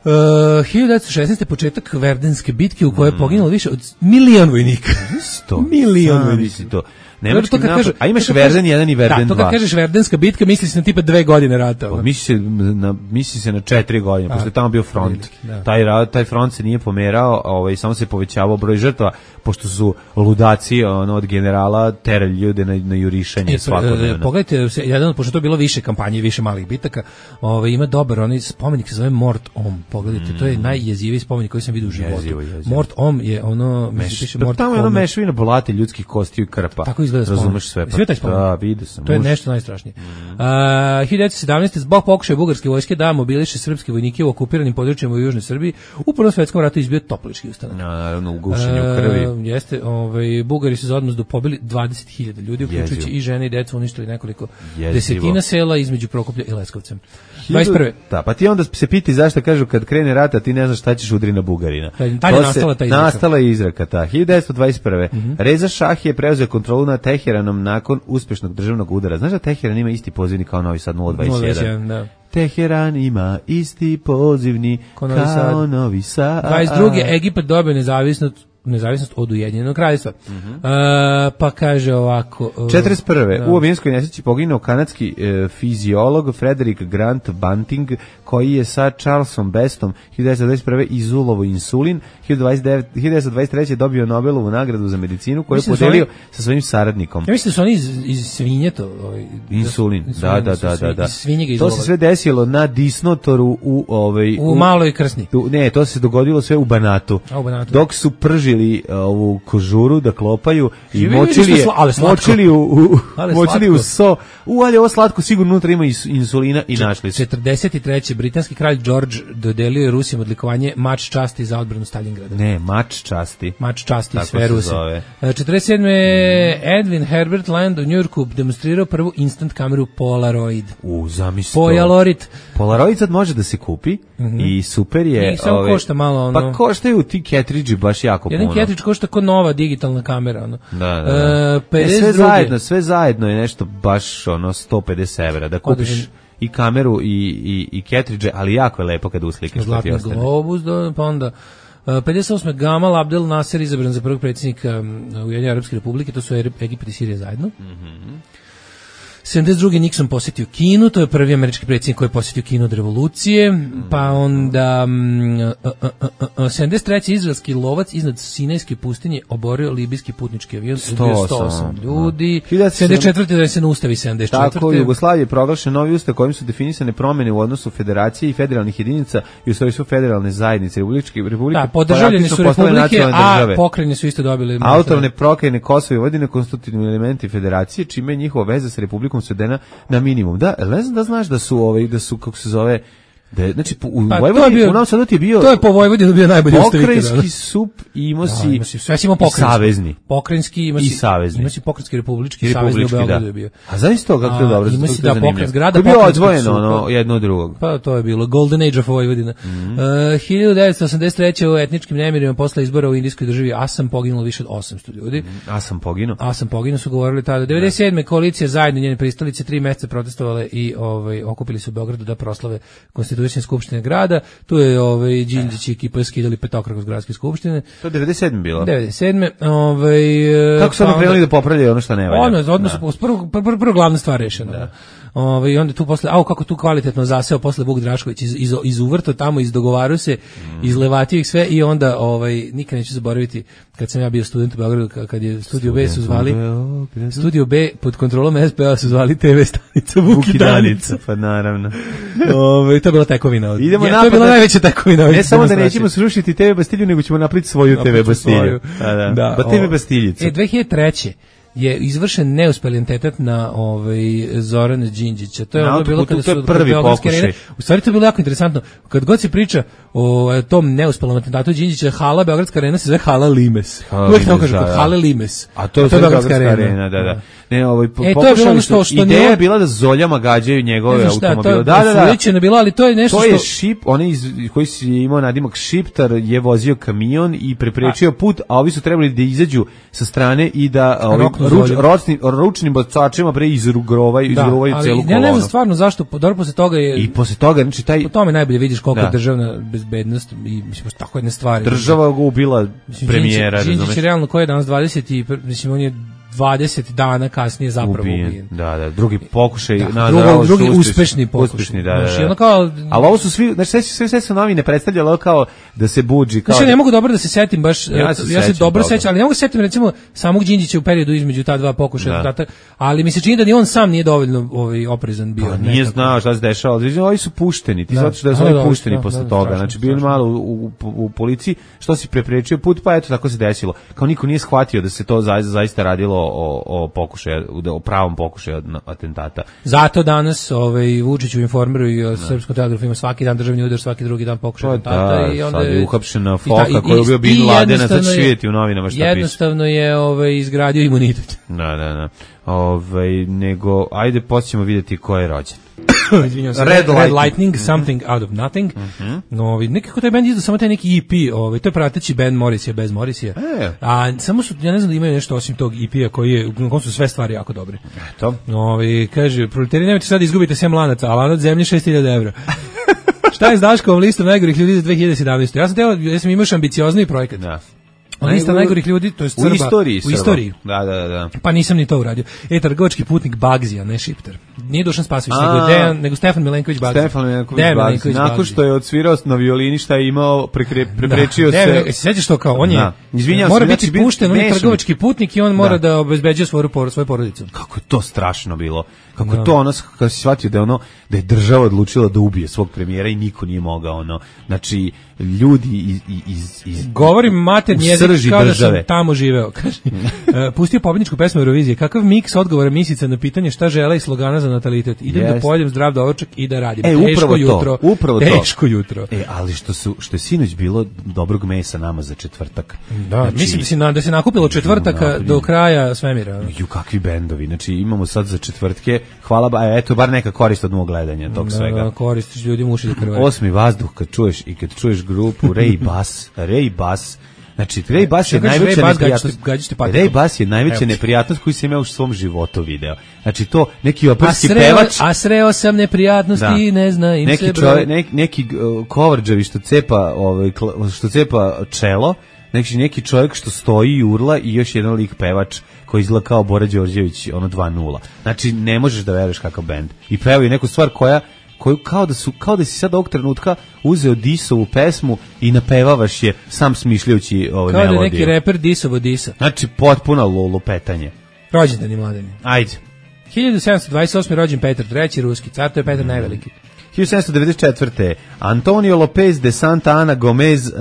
Uh, hiljadu devetsto šesnaeste. početak Verdenske bitke u kojoj je poginulo više od milion vojnika. sto milion vojnika. To. Nemački napad, a imaš Verden jedan i Verden dva. Da, to kad kažeš Verdenska bitka, misli se na tipa dve godine rata. Pa, misli, se na, misli se na četiri godine, pošto je tamo bio front. Da. Taj, taj front se nije pomerao, ovaj, samo se povećavao broj žrtva, pošto su ludaci ono, od generala terali ljude na, na jurišanje e, svakodnevno. Pogledajte, jedan, pošto to je bilo više kampanje, više malih bitaka, ovaj, ima dobar, onaj spomenik se zove Mort Om. Pogledajte, mm. to je najjeziviji spomenik koji sam vidio u životu. Jezivo, jezivo. Mort Om je ono... Meš, piše, Mort tamo je ono mešavina blate ljudskih kostiju i krpa. Tako izgleda spomenik. Razumeš sve. Sve taj spomenik. Da, vidio sam. To je nešto najstrašnije. Mm. Uh, hiljadu devetsto sedamnaeste. zbog pokušaja bugarske vojske da mobiliše srpske vojnike u okupiranim područjima u Južnoj Srbiji, u Prvom svetskom ratu izbio toplički ustanak. Naravno, u gušenju krvi. Uh, jeste, ovaj, Bugari su za odmazdu pobili dvadeset hiljada ljudi, uključujući i žene i decu, uništili nekoliko Jezivo. desetina sela između Prokuplja i Leskovca. dvadeset prve. Da, pa ti onda se piti zašto kažu kad krene rat, a ti ne znaš šta ćeš udri na Bugarina. Ta je nastala ta izraka. Nastala je izraka ta. hiljadu devetsto dvadeset prve. Mm-hmm. Reza Šah je preuzeo kontrolu nad Teheranom nakon uspešnog državnog udara. Znaš da Teheran ima isti pozivnik kao Novi Sad nula dvadeset jedan? Da. Teheran ima isti pozivni kao Novi Sad. Novi Sad. dvadeset druge. Egipat dobio nezavisnost nezavisnost od Ujedinjenog kraljevstva. Mm-hmm. Uh, pa kaže ovako... Uh, četrdeset prve. Da. U avijanskoj nesreći poginuo kanadski uh, fiziolog Frederick Grant Bunting, koji je sa Charlesom Bestom hiljadu devetsto dvadeset prve izulovo insulin. hiljadu devetsto dvadeset treće. dobio Nobelovu nagradu za medicinu koju je podelio oni, sa svojim saradnikom. Ja mislim da su oni iz, iz svinje to... Ovaj, insulin, da, da, da, da. da, da. To se sve desilo na disnotoru u... Ovaj, u, u Maloj Krsni. Tu, ne, to se dogodilo sve u Banatu. A, u Banatu. Dok su pržili ovu kožuru da klopaju i Živi, močili je, močili u, u močili u so. U, ali ovo slatko sigurno unutra ima insulina i našli su. četrdeset treće. britanski kralj George dodelio je Rusima odlikovanje Mač časti za odbranu Stalingrada. Ne, Mač časti. Mač časti sve Ruse. četrdeset sedme. Mm. Edwin Herbert Land u Njujorku demonstrirao prvu instant kameru Polaroid. U, zamisli to. Polaroid. Polaroid sad može da se kupi mm-hmm. i super je. I samo košta malo ono. Pa koštaju ti cartridge baš jako puno. Jedan cartridge košta kao nova digitalna kamera. Ono. Da, da, da. E, e, sve zajedno, sve zajedno je nešto baš ono sto pedeset evra da kupiš Odrežen. i kameru i, i, i cartridge, ali jako je lepo kada uslikaš što ti ostane. Globus, da, pa onda pedeset osme. Gamal Abdel Nasser izabran za prvog predsjednika Ujedinjene Arapske Republike, to su Egipat i Sirija zajedno. Mhm. sedamdeset druge. Nixon posjetio Kinu, to je prvi američki predsjednik koji je posjetio Kinu od revolucije, pa onda um, uh, uh, uh, sedamdeset treće. izraelski lovac iznad Sinajske pustinje oborio libijski putnički avion, ubio sto osam ljudi. sedamdeset četvrte. da se ne ustavi sedamdeset četvrte. Tako, u Jugoslaviji je proglašen novi ustav kojim su definisane promjene u odnosu federacije i federalnih jedinica i u svojstvu federalne zajednice Republičke Republike. Da, podržavljeni su republike, a pokrajine su isto dobili. Autonomne pokrajine Kosovo i Vojvodina konstitutivni elementi federacije, čime je njihova veza sa Republikom svedena na minimum. Da, ne znam da znaš da su ovaj da su kako se zove Da, znači, u Pa, Vojvodini, bio, u Novom Sadu ti je bio... To je po Vojvodini bio najbolji ustavitelj. Pokrajinski sup i imao si... Da, ima si sve si imao pokrajinski. Savezni. Pokrajinski ima si... I savezni. Ima si pokrajinski, republički, I savezni u Beogradu da. je bio. A zaista to kako je dobro? Ima si da pokrajinski grada, to je bio pokrajinskog odvojeno supa. ono, jedno od drugog. Pa to je bilo Golden Age of Vojvodina. Mm-hmm. Uh, hiljadu devetsto osamdeset treće u etničkim nemirima posle izbora u indijskoj državi Asam poginulo više od osamsto ljudi. Mm-hmm. Asam poginuo? Asam poginuo su govorili tada. devedeset sedme koalicija zajedno njene pristalice tri meseca protestovale i ovaj okupili se u Beogradu da proslave konstitutivne skupštine grada. Tu je ovaj Đinđić i ekipa skidali petokraku iz gradske skupštine. To je devedeset sedme bilo. devedeset sedme Ovaj kako su oni krenuli da popravljaju ono što ne valja? Ono, odmah su prvo prvo prvo glavna stvar rešena. Da. Ovaj i onda tu posle, au kako tu kvalitetno zaseo posle Vuk Drašković iz iz, iz uvrta tamo izdogovarao se, mm. izlevatio ih sve i onda ovaj nikad neću zaboraviti kad sam ja bio student u Beogradu kad je Studio B su zvali Studio B pod kontrolom es pe a su zvali te ve stanica Vuk i Danica. Pa naravno. Ovaj to je bila tekovina. Idemo ja, to je bila najveća tekovina. Ne samo da nećemo srušiti te ve Bastilju, nego ćemo napraviti svoju te ve Bastilju. Da, da. Da, ba te ve Bastiljicu. E dve hiljade treće je izvršen neuspeli atentat na ovaj Zorana Đinđića. To je na ono bilo kada su prvi pokušaj. U stvari to je bilo jako interesantno. Kad god se priča o tom neuspelom atentatu Đinđića, hala Beogradska arena se zove hala Limes. Uvek tako kaže, kod hale Limes. A to je Beogradska arena, da, da. Ne, ovaj e, to je bilo ono što, što ideja je bila da zoljama gađaju njegove automobile. Da, da, da. To je bilo, ali to je nešto to što je šip, onaj koji si imao nadimak Šiptar je vozio kamion i preprečio put, a ovi su trebali da izađu sa strane i da ovim ruč, ručnim, ručnim bacačima pre izrugrovaju, izrugrovaju da, celu kolonu. Ja ne znam stvarno zašto, dobro posle toga je... I posle toga, znači taj... Po tome najbolje vidiš koliko da. državna bezbednost i mislim, tako jedne stvari. Država ga ubila premijera, razumeš? Đinđić je realno koji je danas dvadeset i mislim, on je dvadeset dana kasnije zapravo ubijen. ubijen. Da, da, drugi pokušaj, da, na, drugo, da, drugi uspešni, uspešni pokušaj. Uspešni, da, da, da. Ono kao, ali ovo su svi, znači sve, sve, sve su novine predstavljalo kao da se budži. Kao znači, da, ne mogu dobro da se setim baš, ja se, ja se dobro sećam, ali ne mogu se setim recimo samog Đinđića u periodu između ta dva pokušaja, da. ali mi se čini da ni on sam nije dovoljno ovaj, oprezan bio. Pa, nije znao šta se dešava, ovi su pušteni, ti zato što da su oni pušteni posle toga, znači bili malo u, u, u policiji, što si preprečio put, pa eto tako se desilo. Kao niko nije shvatio da se to zaista, zaista radilo o, o pokušaju, o pravom pokušaju atentata. Zato danas ovaj Vučić u Informeru i o Srpskom telegrafu ima svaki dan državni udar, svaki drugi dan pokušaj atentata da, i onda je uhapšena Foka koji je bio Bin Ladena, sad šijeti u novinama šta piše. Jednostavno je ovaj izgradio imunitet. Da, da, da. Ovaj nego ajde počnemo vidjeti ko je rođen. Izvinjavam se. Red, Red Lightning, Lightning Something Out of Nothing. Mm-hmm. No, nekako taj bend izdao samo taj neki E P, ovaj, to je prateći band Morrissey bez Morrisseya. E. A samo su, ja ne znam da imaju nešto osim tog E P-a koji je, u kom su sve stvari jako dobre. Eto. Ovaj, kaže, proletari, nemojte sad izgubite sem lanaca, a lanac zemlje šest hiljada evra. Šta je s Daškovom listom najgorih ljudi za dve hiljade sedamnaeste. Ja sam teo, ja sam imao ambiciozni projekat. Da. Lista najgorih ljudi, to je Srba. U istoriji. U istoriji. Da, da, da. Pa nisam ni to uradio. E, trgovački putnik Bagzija, ne Šiptar. Nije Dušan Spasović, nego, Dejan, nego Stefan Milenković Bagzija. Stefan Milenković Bagzija. Nakon što je odsvirao na violini šta je imao, prekre, preprečio da, se... Ne, se sjećaš to kao, on je... Izvinjam mora se, biti znači, pušten, on je trgovački putnik i on mora da, da obezbeđuje svoju, svoju porodicu. Kako je to strašno bilo. Kako da. to ono, kako si shvatio da je ono, da je država odlučila da ubije svog premijera i niko nije mogao, ono, znači, ljudi iz... iz, iz Govorim maternji jezik kao države. Da sam tamo živeo, kaže. uh, pustio pobjedničku pesmu Eurovizije, kakav miks odgovora misica na pitanje šta žele i slogana za natalitet. Idem yes. da pojedem zdrav doručak i da radim. E, teško upravo jutro, to, upravo teško to. jutro. E, ali što, su, što je sinoć bilo dobrog mesa nama za četvrtak. Da, znači, mislim da se, na, da se nakupilo četvrtaka do kraja svemira. Ju, kakvi bendovi, znači imamo sad za četvrtke, hvala ba, eto, bar neka korist od mog gledanja tog svega. Da, koristiš ljudima uši da krvari. Osmi vazduh kad čuješ i kad čuješ grupu Ray Bass, Ray Bass, znači Ray Bass je najveća neprijatnost. Ray Bass je najveća neprijatnost koju sam imao u svom životu video. Znači to neki operski pevač, a sreo sam neprijatnosti, da. ne zna im neki se čovjek, neki, neki uh, coverđavi što cepa, ovaj što cepa čelo, neki neki čovjek što stoji i urla i još jedan lik pevač koji izgleda kao Bora Đorđević, ono dva nula. Znači ne možeš da veruješ kakav bend. I pevaju neku stvar koja koju kao da su kao da si sad ovog trenutka uzeo Disovu pesmu i napevavaš je sam smišljajući ovaj melodiju. Kao da neki reper Disovo Disa. Znači potpuno lupetanje. Rođendan i mladeni. Ajde. hiljadu sedamsto dvadeset osme rođen Petar treći ruski car, to je Petar mm. najveliki. hiljadu sedamsto devedeset četvrte Antonio Lopez de Santa Ana Gomez, uh,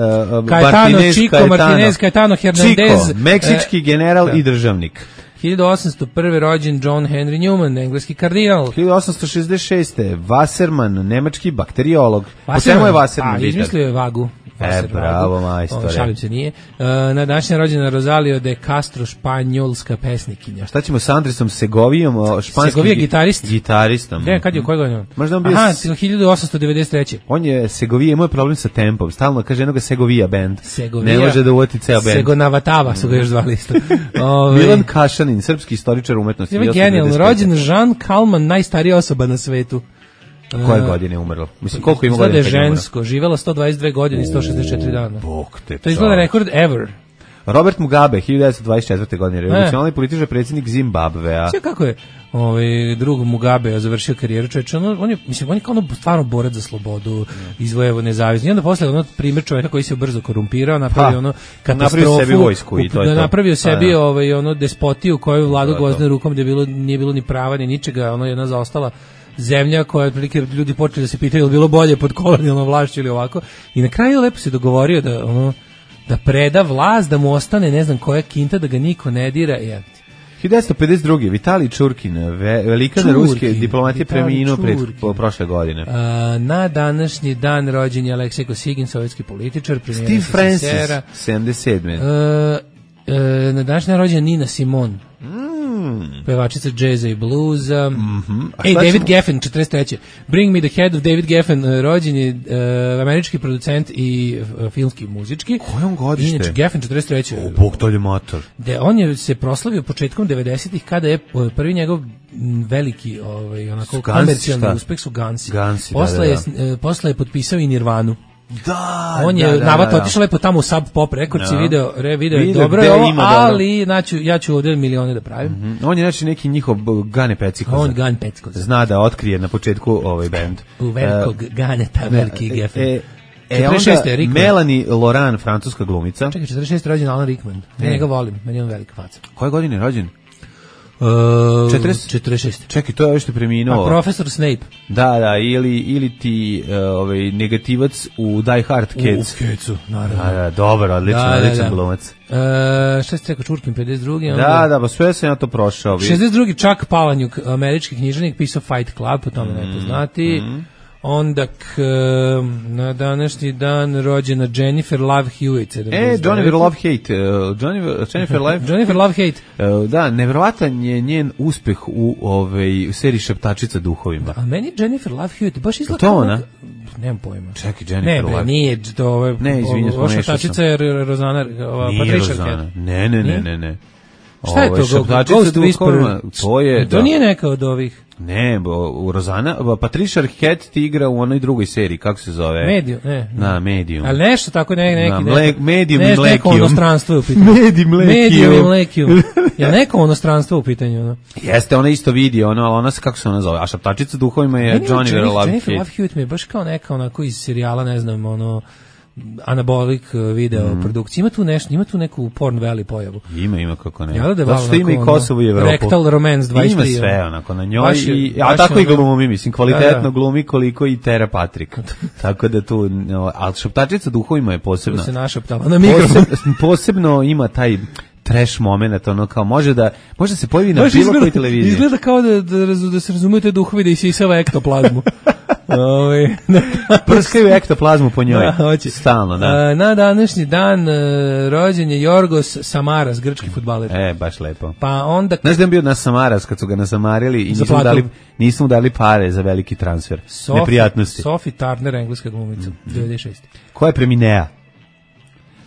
Caetano, Martinez, Chico, Caetano, Martinez, Caetano Hernandez, Chico, meksički general uh, i državnik. hiljadu osamsto prve rođen John Henry Newman, engleski kardinal. hiljadu osamsto šezdeset šeste Wasserman, nemački bakteriolog. Po čemu je Wasserman? A, izmislio je vagu. E, bravo, majstore. Šalim se, nije. Uh, na današnja rođena Rosalio de Castro, španjolska pesnikinja. Šta ćemo s Andresom Segovijom, španskim Segovija gitarist. Gitaristom. Ne, kad je, koje godine? Možda on bio... Aha, hiljadu osamsto devedeset treće On je Segovija, imao je problem sa tempom. Stalno kaže jednoga Segovija band. Segovija. Ne može da uvoti ceo band. Segonavatava su ga još zvali isto. Ove... Milan Kašanin, srpski istoričar umetnosti. Je genijalno. Rođen Jean Kalman, najstarija osoba na svetu. Koje godine je umrlo? Mislim, koliko ima godina? Izgleda je žensko, živjela sto dvadeset dve godine i sto šezdeset četiri dana. Bog te to izgleda rekord ever. Robert Mugabe, hiljadu devetsto dvadeset četvrte godine, revolucionalni političar, predsjednik Zimbabvea. Sve kako je ovaj drug Mugabe završio karijeru, čovječe, on, on je, mislim, on je kao ono stvarno borac za slobodu, izvojevao nezavisnost. I onda posle ono primjer čovjeka koji se brzo korumpirao, napravio ono katastrofu, napravio sebi vojsku i to je to. Napravio sebi da. ovaj ono despotiju koju vladu gvozdenom rukom gdje bilo nije bilo ni prava ni ničega, ono jedna zaostala zemlja koja otprilike ljudi počeli da se pitaju je li bilo bolje pod kolonijalnom vlašću ili ovako. I na kraju lepo se dogovorio da ono da preda vlast, da mu ostane ne znam koja kinta, da ga niko ne dira. Ja. hiljadu devetsto pedeset druge Vitalij Čurkin, ve, velikan ruske diplomatije, preminuo pred prošle godine. A, na današnji dan rođen je Aleksej Kosygin, sovjetski političar, Steve Francis, sedamdeset sedme A, a, na današnji rođen Nina Simone. Mm. Pevačica džeza i bluza. Mm-hmm. Ej, David ćemo... Geffen, četrdeset treće Bring Me the Head of David Geffen, rođen je uh, američki producent i uh, filmski muzički. Kojom godište? Inače, Geffen, četrdeset treće O, bog to je motor. De, on je se proslavio početkom devedesetih kada je prvi njegov veliki ovaj, onako komercijalni uspeh su Gansi. Gansi posle, da, da, da. Je, posle je potpisao i Nirvanu. Da, on je da, da, navatno da, da. otišao lepo tamo u Sub Pop Records i da. video, re, video je Video dobro, gde je ovo, ima ali znači, ja ću ovdje milione da pravim. Mm-hmm. On je znači neki njihov Gane Pecikoza. On Gane Pecikoza. Zna da otkrije na početku ovaj band. U velikog uh, Ganeta, veliki e, Geffen. E, e onda Melanie Laurent, francuska glumica. Čekaj, četrdeset šeste rođen Alan Rickman. Ja njega volim, meni je on velika faca. Koje godine je rođen? Uh, četrdeset šeste Čekaj, to je ovo što je preminuo. A profesor Snape. Da, da, ili, ili ti uh, ovaj, negativac u Die Hard Kids. U Kidsu, naravno. Da, da, dobar, odlično, da, odličan da, da. glumac. Uh, šta si rekao, Čurkin, pedeset drugi Da, onda... da, pa sve sam ja to prošao. šezdeset drugi Chuck Palahniuk, američki književnik, pisao Fight Club, po tome mm, neko znati. Mm. Onda k, na današnji dan rođena Jennifer Love Hewitt. E, Jennifer Love Hate. Uh, Jennifer, Jennifer Love... Jennifer Love Hate. Uh, da, nevjerovatan je njen uspeh u ovaj, seriji Šeptačica duhovima. Da, a meni Jennifer Love Hewitt baš izgleda to ona? Nemam pojma. Čekaj, Jennifer Love. Ne, bre, nije to ove... Ne, izvinjam, ovo Šeptačica je Rozana, ova Patricia Arquette. Ne, ne, ne, ne, ne. Šta je to? Ghost Whisperer? To je, to da. nije neka od ovih. Ne, bo, u Rozana, Patricia Arquette ti igra u onoj drugoj seriji, kako se zove? Medium, ne. Na, Medium. Ali nešto tako, ne, neki, na, mle, Medium ne, i Mlekium. Neko onostranstvo je u pitanju. Medium, Medium i Mlekium. Ja neko onostranstvo u pitanju, no. Jeste, ona isto vidi, ono, ali ona se, kako se ona zove, a Šaptačica duhovima je Jennifer Love Hewitt. Jennifer Love Hewitt mi je baš kao neka onako iz serijala, ne znam, ono, Anabolic video mm. produkcija. Ima tu nešto, ima tu neku Porn Valley pojavu. Ima, ima kako ne. Ja da Zato što ima i Kosovo i Evropu. Rectal Romance dvadesет tri. Ima sve onako na njoj. I, a tako i glumi, mislim, kvalitetno da, da. glumi koliko i Tera Patrik. Tako da tu, no, ali Šaptačica duhovima je posebno. Tu se našaptala na mikrofon. Posebno, posebno ima taj trash moment, ono kao može da može da se pojavi na bilo kojoj televiziji. Izgleda kao da, da, da se razumiju te duhovi da isisava ektoplazmu. Ove, prskaju ektoplazmu po njoj. Da, stalno, da. A, na današnji dan uh, rođen je Jorgos Samaras, grčki fudbaler. E, baš lepo. Pa onda... Znaš da je bio na Samaras kad su ga nasamarili i nismo dali, nismo dali pare za veliki transfer. Sophie, neprijatnosti. Sophie Turner, engleska glumica, mm-hmm. devedeset šeste. Ko je Preminea?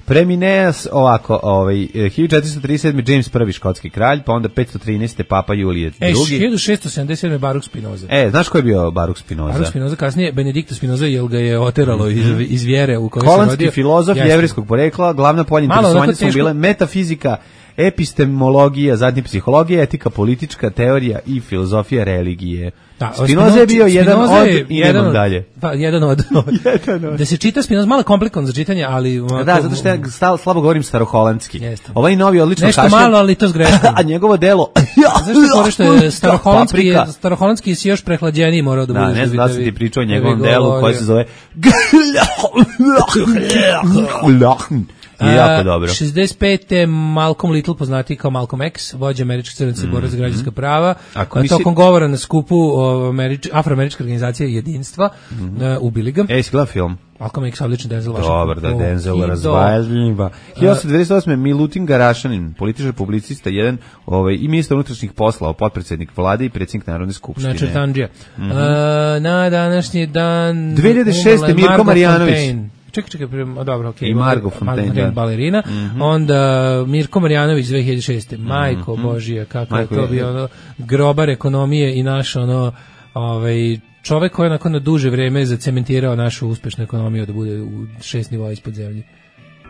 Premineas ovako, ovaj hiljadu četiristo trideset sedme James prvi škotski kralj, pa onda petsto trinaeste Papa Julije drugi. E, hiljadu šessto sedamdeset sedme Baruch Spinoza. E, znaš ko je bio Baruch Spinoza? Baruch Spinoza, kasnije Benedikto Spinoza, jel ga je oteralo mm-hmm. iz, iz vjere u kojoj se rodio. Holandski filozof jevrejskog porekla, glavna polja interesovanja su bile metafizika, epistemologija, zatim psihologija, etika, politička teorija i filozofija religije. Da, Spinoza je bio jedan od, je jedan od dalje. Pa, jedan od. jedan od. Da se čita Spinoza, malo komplikovan za čitanje, ali... Da, da, zato što ja stal, slabo govorim staroholandski. Jeste. Ovaj novi odlično nešto kašlje. Nešto malo, ali to s greškom. A njegovo delo... Zašto koriš što je staroholandski, staroholandski si još prehlađeniji morao da, da budeš. Da, ne znam da sam ti pričao o njegovom delu koji se zove... je jako dobro. šezdeset pete Malcolm Little, poznati kao Malcolm X, vođa američkih crnaca mm. borac za građanska prava, a misli... tokom govora na skupu Američ... afroameričke organizacije Jedinstva, mm. uh, ubili ga. Ej, si gledao film? Malcolm X, odličan Denzel Washington. Dobar, da, Denzel razvaljiva. hiljadu osamsto devedeset osme. Milutin Garašanin, političar, publicista, jedan ovaj, i ministar unutrašnjih poslova, potpredsjednik vlade i predsjednik Narodne skupštine. Znači, Tanđija. Mm -hmm. uh, na današnji dan... dve hiljade šeste. Mirko Marjanović. Čekaj, čekaj, prema, dobro, okej. Okay. I Margo Fontaine, balerina. Mm -hmm. Onda Mirko Marjanović dve hiljade šeste. Majko mm -hmm. Božija, kako Majko je to bio ono, grobar ekonomije i naš ono, ovaj, čovek koji je nakon na duže vreme zacementirao našu uspešnu ekonomiju da bude u šest nivoa ispod zemlje.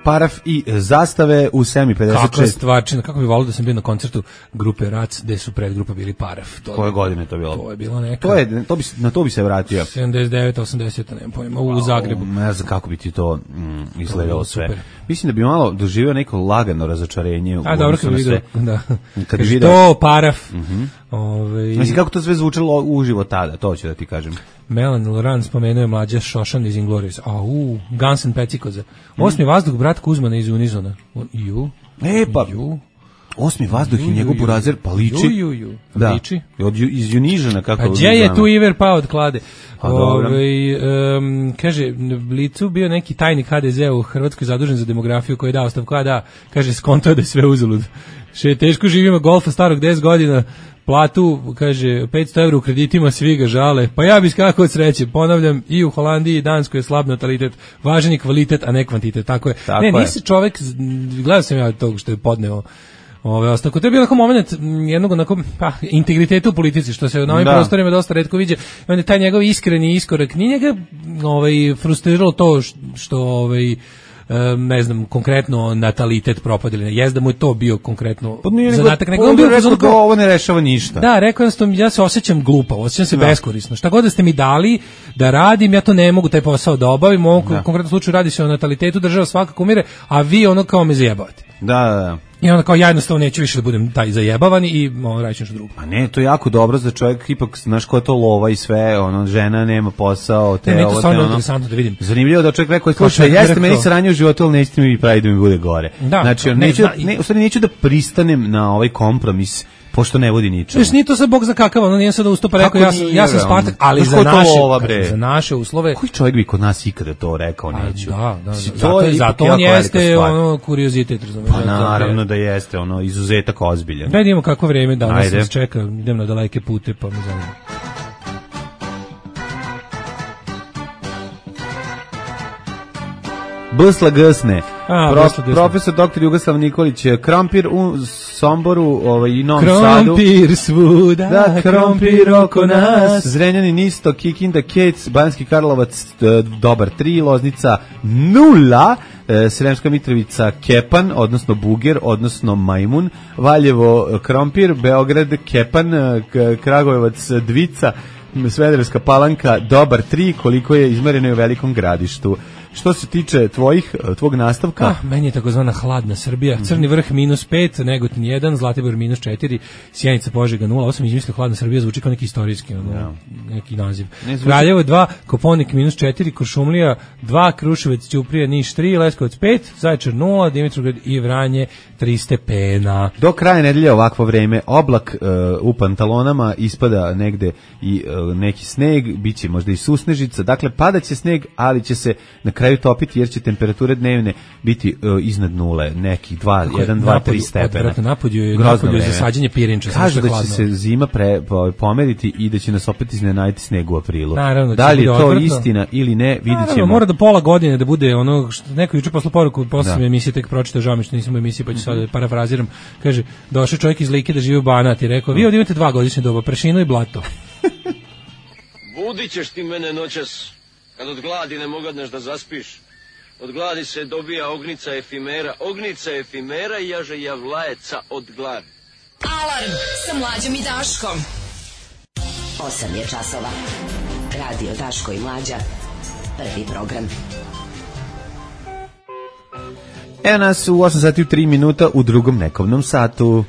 Paraf i zastave u sedam pedeset šest. Kakva stvarčina, kako bi volio da sam bio na koncertu grupe Rac, gde su predgrupa bili Paraf. To Koje godine to bilo? To je bilo neka. To je, to bi, na to bi se vratio. sedamdeset devet osamdeset, nemam pojma, u Zagrebu. Ne znam kako bi ti to mm, izgledalo sve. Super. Mislim da bi malo doživio neko lagano razočarenje. A dobro, kad bi vidio, da. Kad bi vidio to, Paraf. Uh -huh. Ove... Mislim kako to sve zvučalo uživo tada, to ću da ti kažem. Melanie Laurent spomenuo je mlađa Šošan iz Inglourious. Au, Guns N' Pecikoza. Osmi mm. vazduh, brat Kuzmana iz Unizona. Ju. E, pa, ju. Osmi vazduh ju, i njegov burazer, pa liči. Ju, ju, ju. Da. Liči. Od, iz Unižana, kako... Pa gdje je tu Iver pao od klade? Ove, um, kaže, Blicu bio neki tajnik ha de ze u Hrvatskoj zadužen za demografiju koji je dao ostavku, a da, kaže, skonto da je sve uzalud. Še teško živimo golfa starog deset godina, platu, kaže, petsto evra u kreditima, svi ga žale. Pa ja bih skakao od sreće. Ponavljam, i u Holandiji i Danskoj je slab natalitet. Važan je kvalitet, a ne kvantitet. Tako je. Tako ne, nisi čovek, gledao sam ja tog što je podneo ove ostavku. To je bio onako moment jednog onako, pa, integriteta u politici, što se na ovim da. prostorima dosta retko viđe. I onda taj njegov iskreni iskorak, nije njega ovaj, frustriralo to što ovaj, ne znam, konkretno natalitet propadili. Jez da mu je to bio konkretno pa zadatak. Nego on bio rekao da ovo ne rešava ništa. Da, rekao jednostavno, ja se osjećam glupo, osjećam se da. beskorisno. Šta god da ste mi dali da radim, ja to ne mogu taj posao da obavim. U ovom da. konkretnom slučaju radi se o natalitetu, država svakako umire, a vi ono kao me zajebavate. Da, da, da. I onda kao ja jednostavno neću više da budem taj zajebavani i ono radit ću nešto drugo. A ne, to je jako dobro za čovjek, ipak znaš ko je to lova i sve, ono, žena nema posao, te ne, ovo, to te ono. Interesantno da vidim. Zanimljivo da čovjek rekao, slušaj, jeste meni sranje u životu, ali nećete mi pravi da mi bude gore. Da, znači, ne, neću, da, ne, u stvari neću da pristanem na ovaj kompromis, pošto ne vodi ničemu. Znaš, nije to sad Bog za kakav, ono nije sad da ustupa, rekao, ja, ja sam Spartak, ali za naše, lova, za naše uslove... Koji čovjek bi kod nas ikada to rekao, neću? A, da, da, da. Zato, zato on jeste ono kuriozitet, razumiješ. Pa naravno da jeste, ono, izuzetak ozbiljan. Da idemo kako vreme danas nas čeka, idem na daleke pute, pa me zanima. Bsla Gsne. A, Pro, profesor doktor Jugoslav Nikolić, Krompir u Somboru, ovaj, i Novom Sadu. Krompir svuda, da, krompir oko nas. Zrenjanin isto, Kikinda, Kec, Banjski Karlovac, dobar tri, Loznica nula, Sremska Mitrovica Kepan, odnosno Buger, odnosno Majmun, Valjevo Krompir, Beograd Kepan, Kragujevac Dvica, Svederevska Palanka, dobar tri, koliko je izmereno u Velikom Gradištu. Što se tiče tvojih, tvog nastavka? Ah, meni je takozvana hladna Srbija. Crni vrh minus pet, Negotin jedan, Zlatibor minus četiri, Sjenica Požega nula osam, izmislio hladna Srbija, zvuči kao neki istorijski, ono, ja. neki naziv. Kraljevo dva, Koponik minus četiri, Kuršumlija dva, Kruševac, Ćuprija, Niš tri, Leskovac pet, Zaječar nula, Dimitrovgrad i Vranje tri stepena. Do kraja nedelje ovakvo vreme, oblak uh, u pantalonama, ispada negde i uh, neki sneg, biće možda i susnežica, dakle padaće sneg, ali će se na kraju topiti jer će temperature dnevne biti uh, iznad nule, nekih dva, jedan, dva, tri stepena. Napolju je, napolju je zasađenje pirinča. Kažu da će se zima pre, pomeriti i da će nas opet iznenaditi sneg u aprilu. Naravno, da li je to odvrtno istina ili ne, vidjet ćemo. Naravno, mora da pola godine da bude ono, što neko juče posle poruku, posle da. emisije tek pročitao, žao mi što nisam u emisiji, pa ću sad da parafraziram, kaže, došao čovjek iz Like da živi u Banat i rekao, vi ovdje imate dva godišnje doba, prašinu i blato. Budit ćeš ti mene noćas, kad od gladi ne mogadneš da zaspiš. Od gladi se dobija ognica efimera, ognica efimera i jaže javlajeca od gladi. Alarm sa Mlađom i Daškom. osam je časova. Radio Daško i Mlađa. Prvi program. Evo nas u osam sati u tri minuta u drugom nekovnom satu.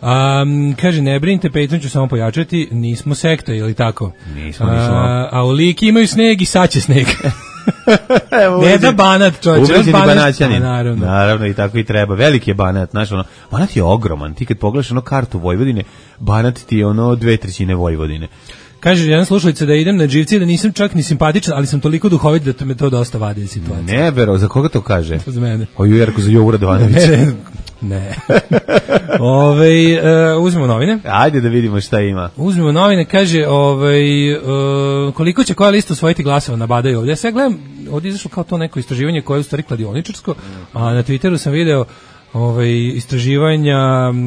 Um, kaže, ne brinite, Patreon ću samo pojačati, nismo sekta, ili tako? Nismo, nismo. A, a u Liki imaju sneg i sad će sneg. Ne da Banat, čovječe. Ubeđeni Banaćanin. Naravno. Naravno, i tako i treba. Veliki je Banat, znaš, ono, Banat je ogroman. Ti kad pogledaš ono kartu Vojvodine, Banat ti je ono dve trećine Vojvodine. Kaže jedan slušalica da idem na živci, da nisam čak ni simpatičan, ali sam toliko duhovit da to me to dosta vadi iz situacije. Ne, vero, za koga to kaže? Za mene. O Jerko, za Jovu Radovanovića. Ne, ne. ne. Ove, uh, uzmemo novine. Ajde da vidimo šta ima. Uzmemo novine, kaže, ovaj, uh, koliko će koja lista osvojiti glasova na badaju ovdje. Ja sad gledam, ovdje izašlo kao to neko istraživanje koje je u stvari kladioničarsko, a na Twitteru sam video ovaj istraživanja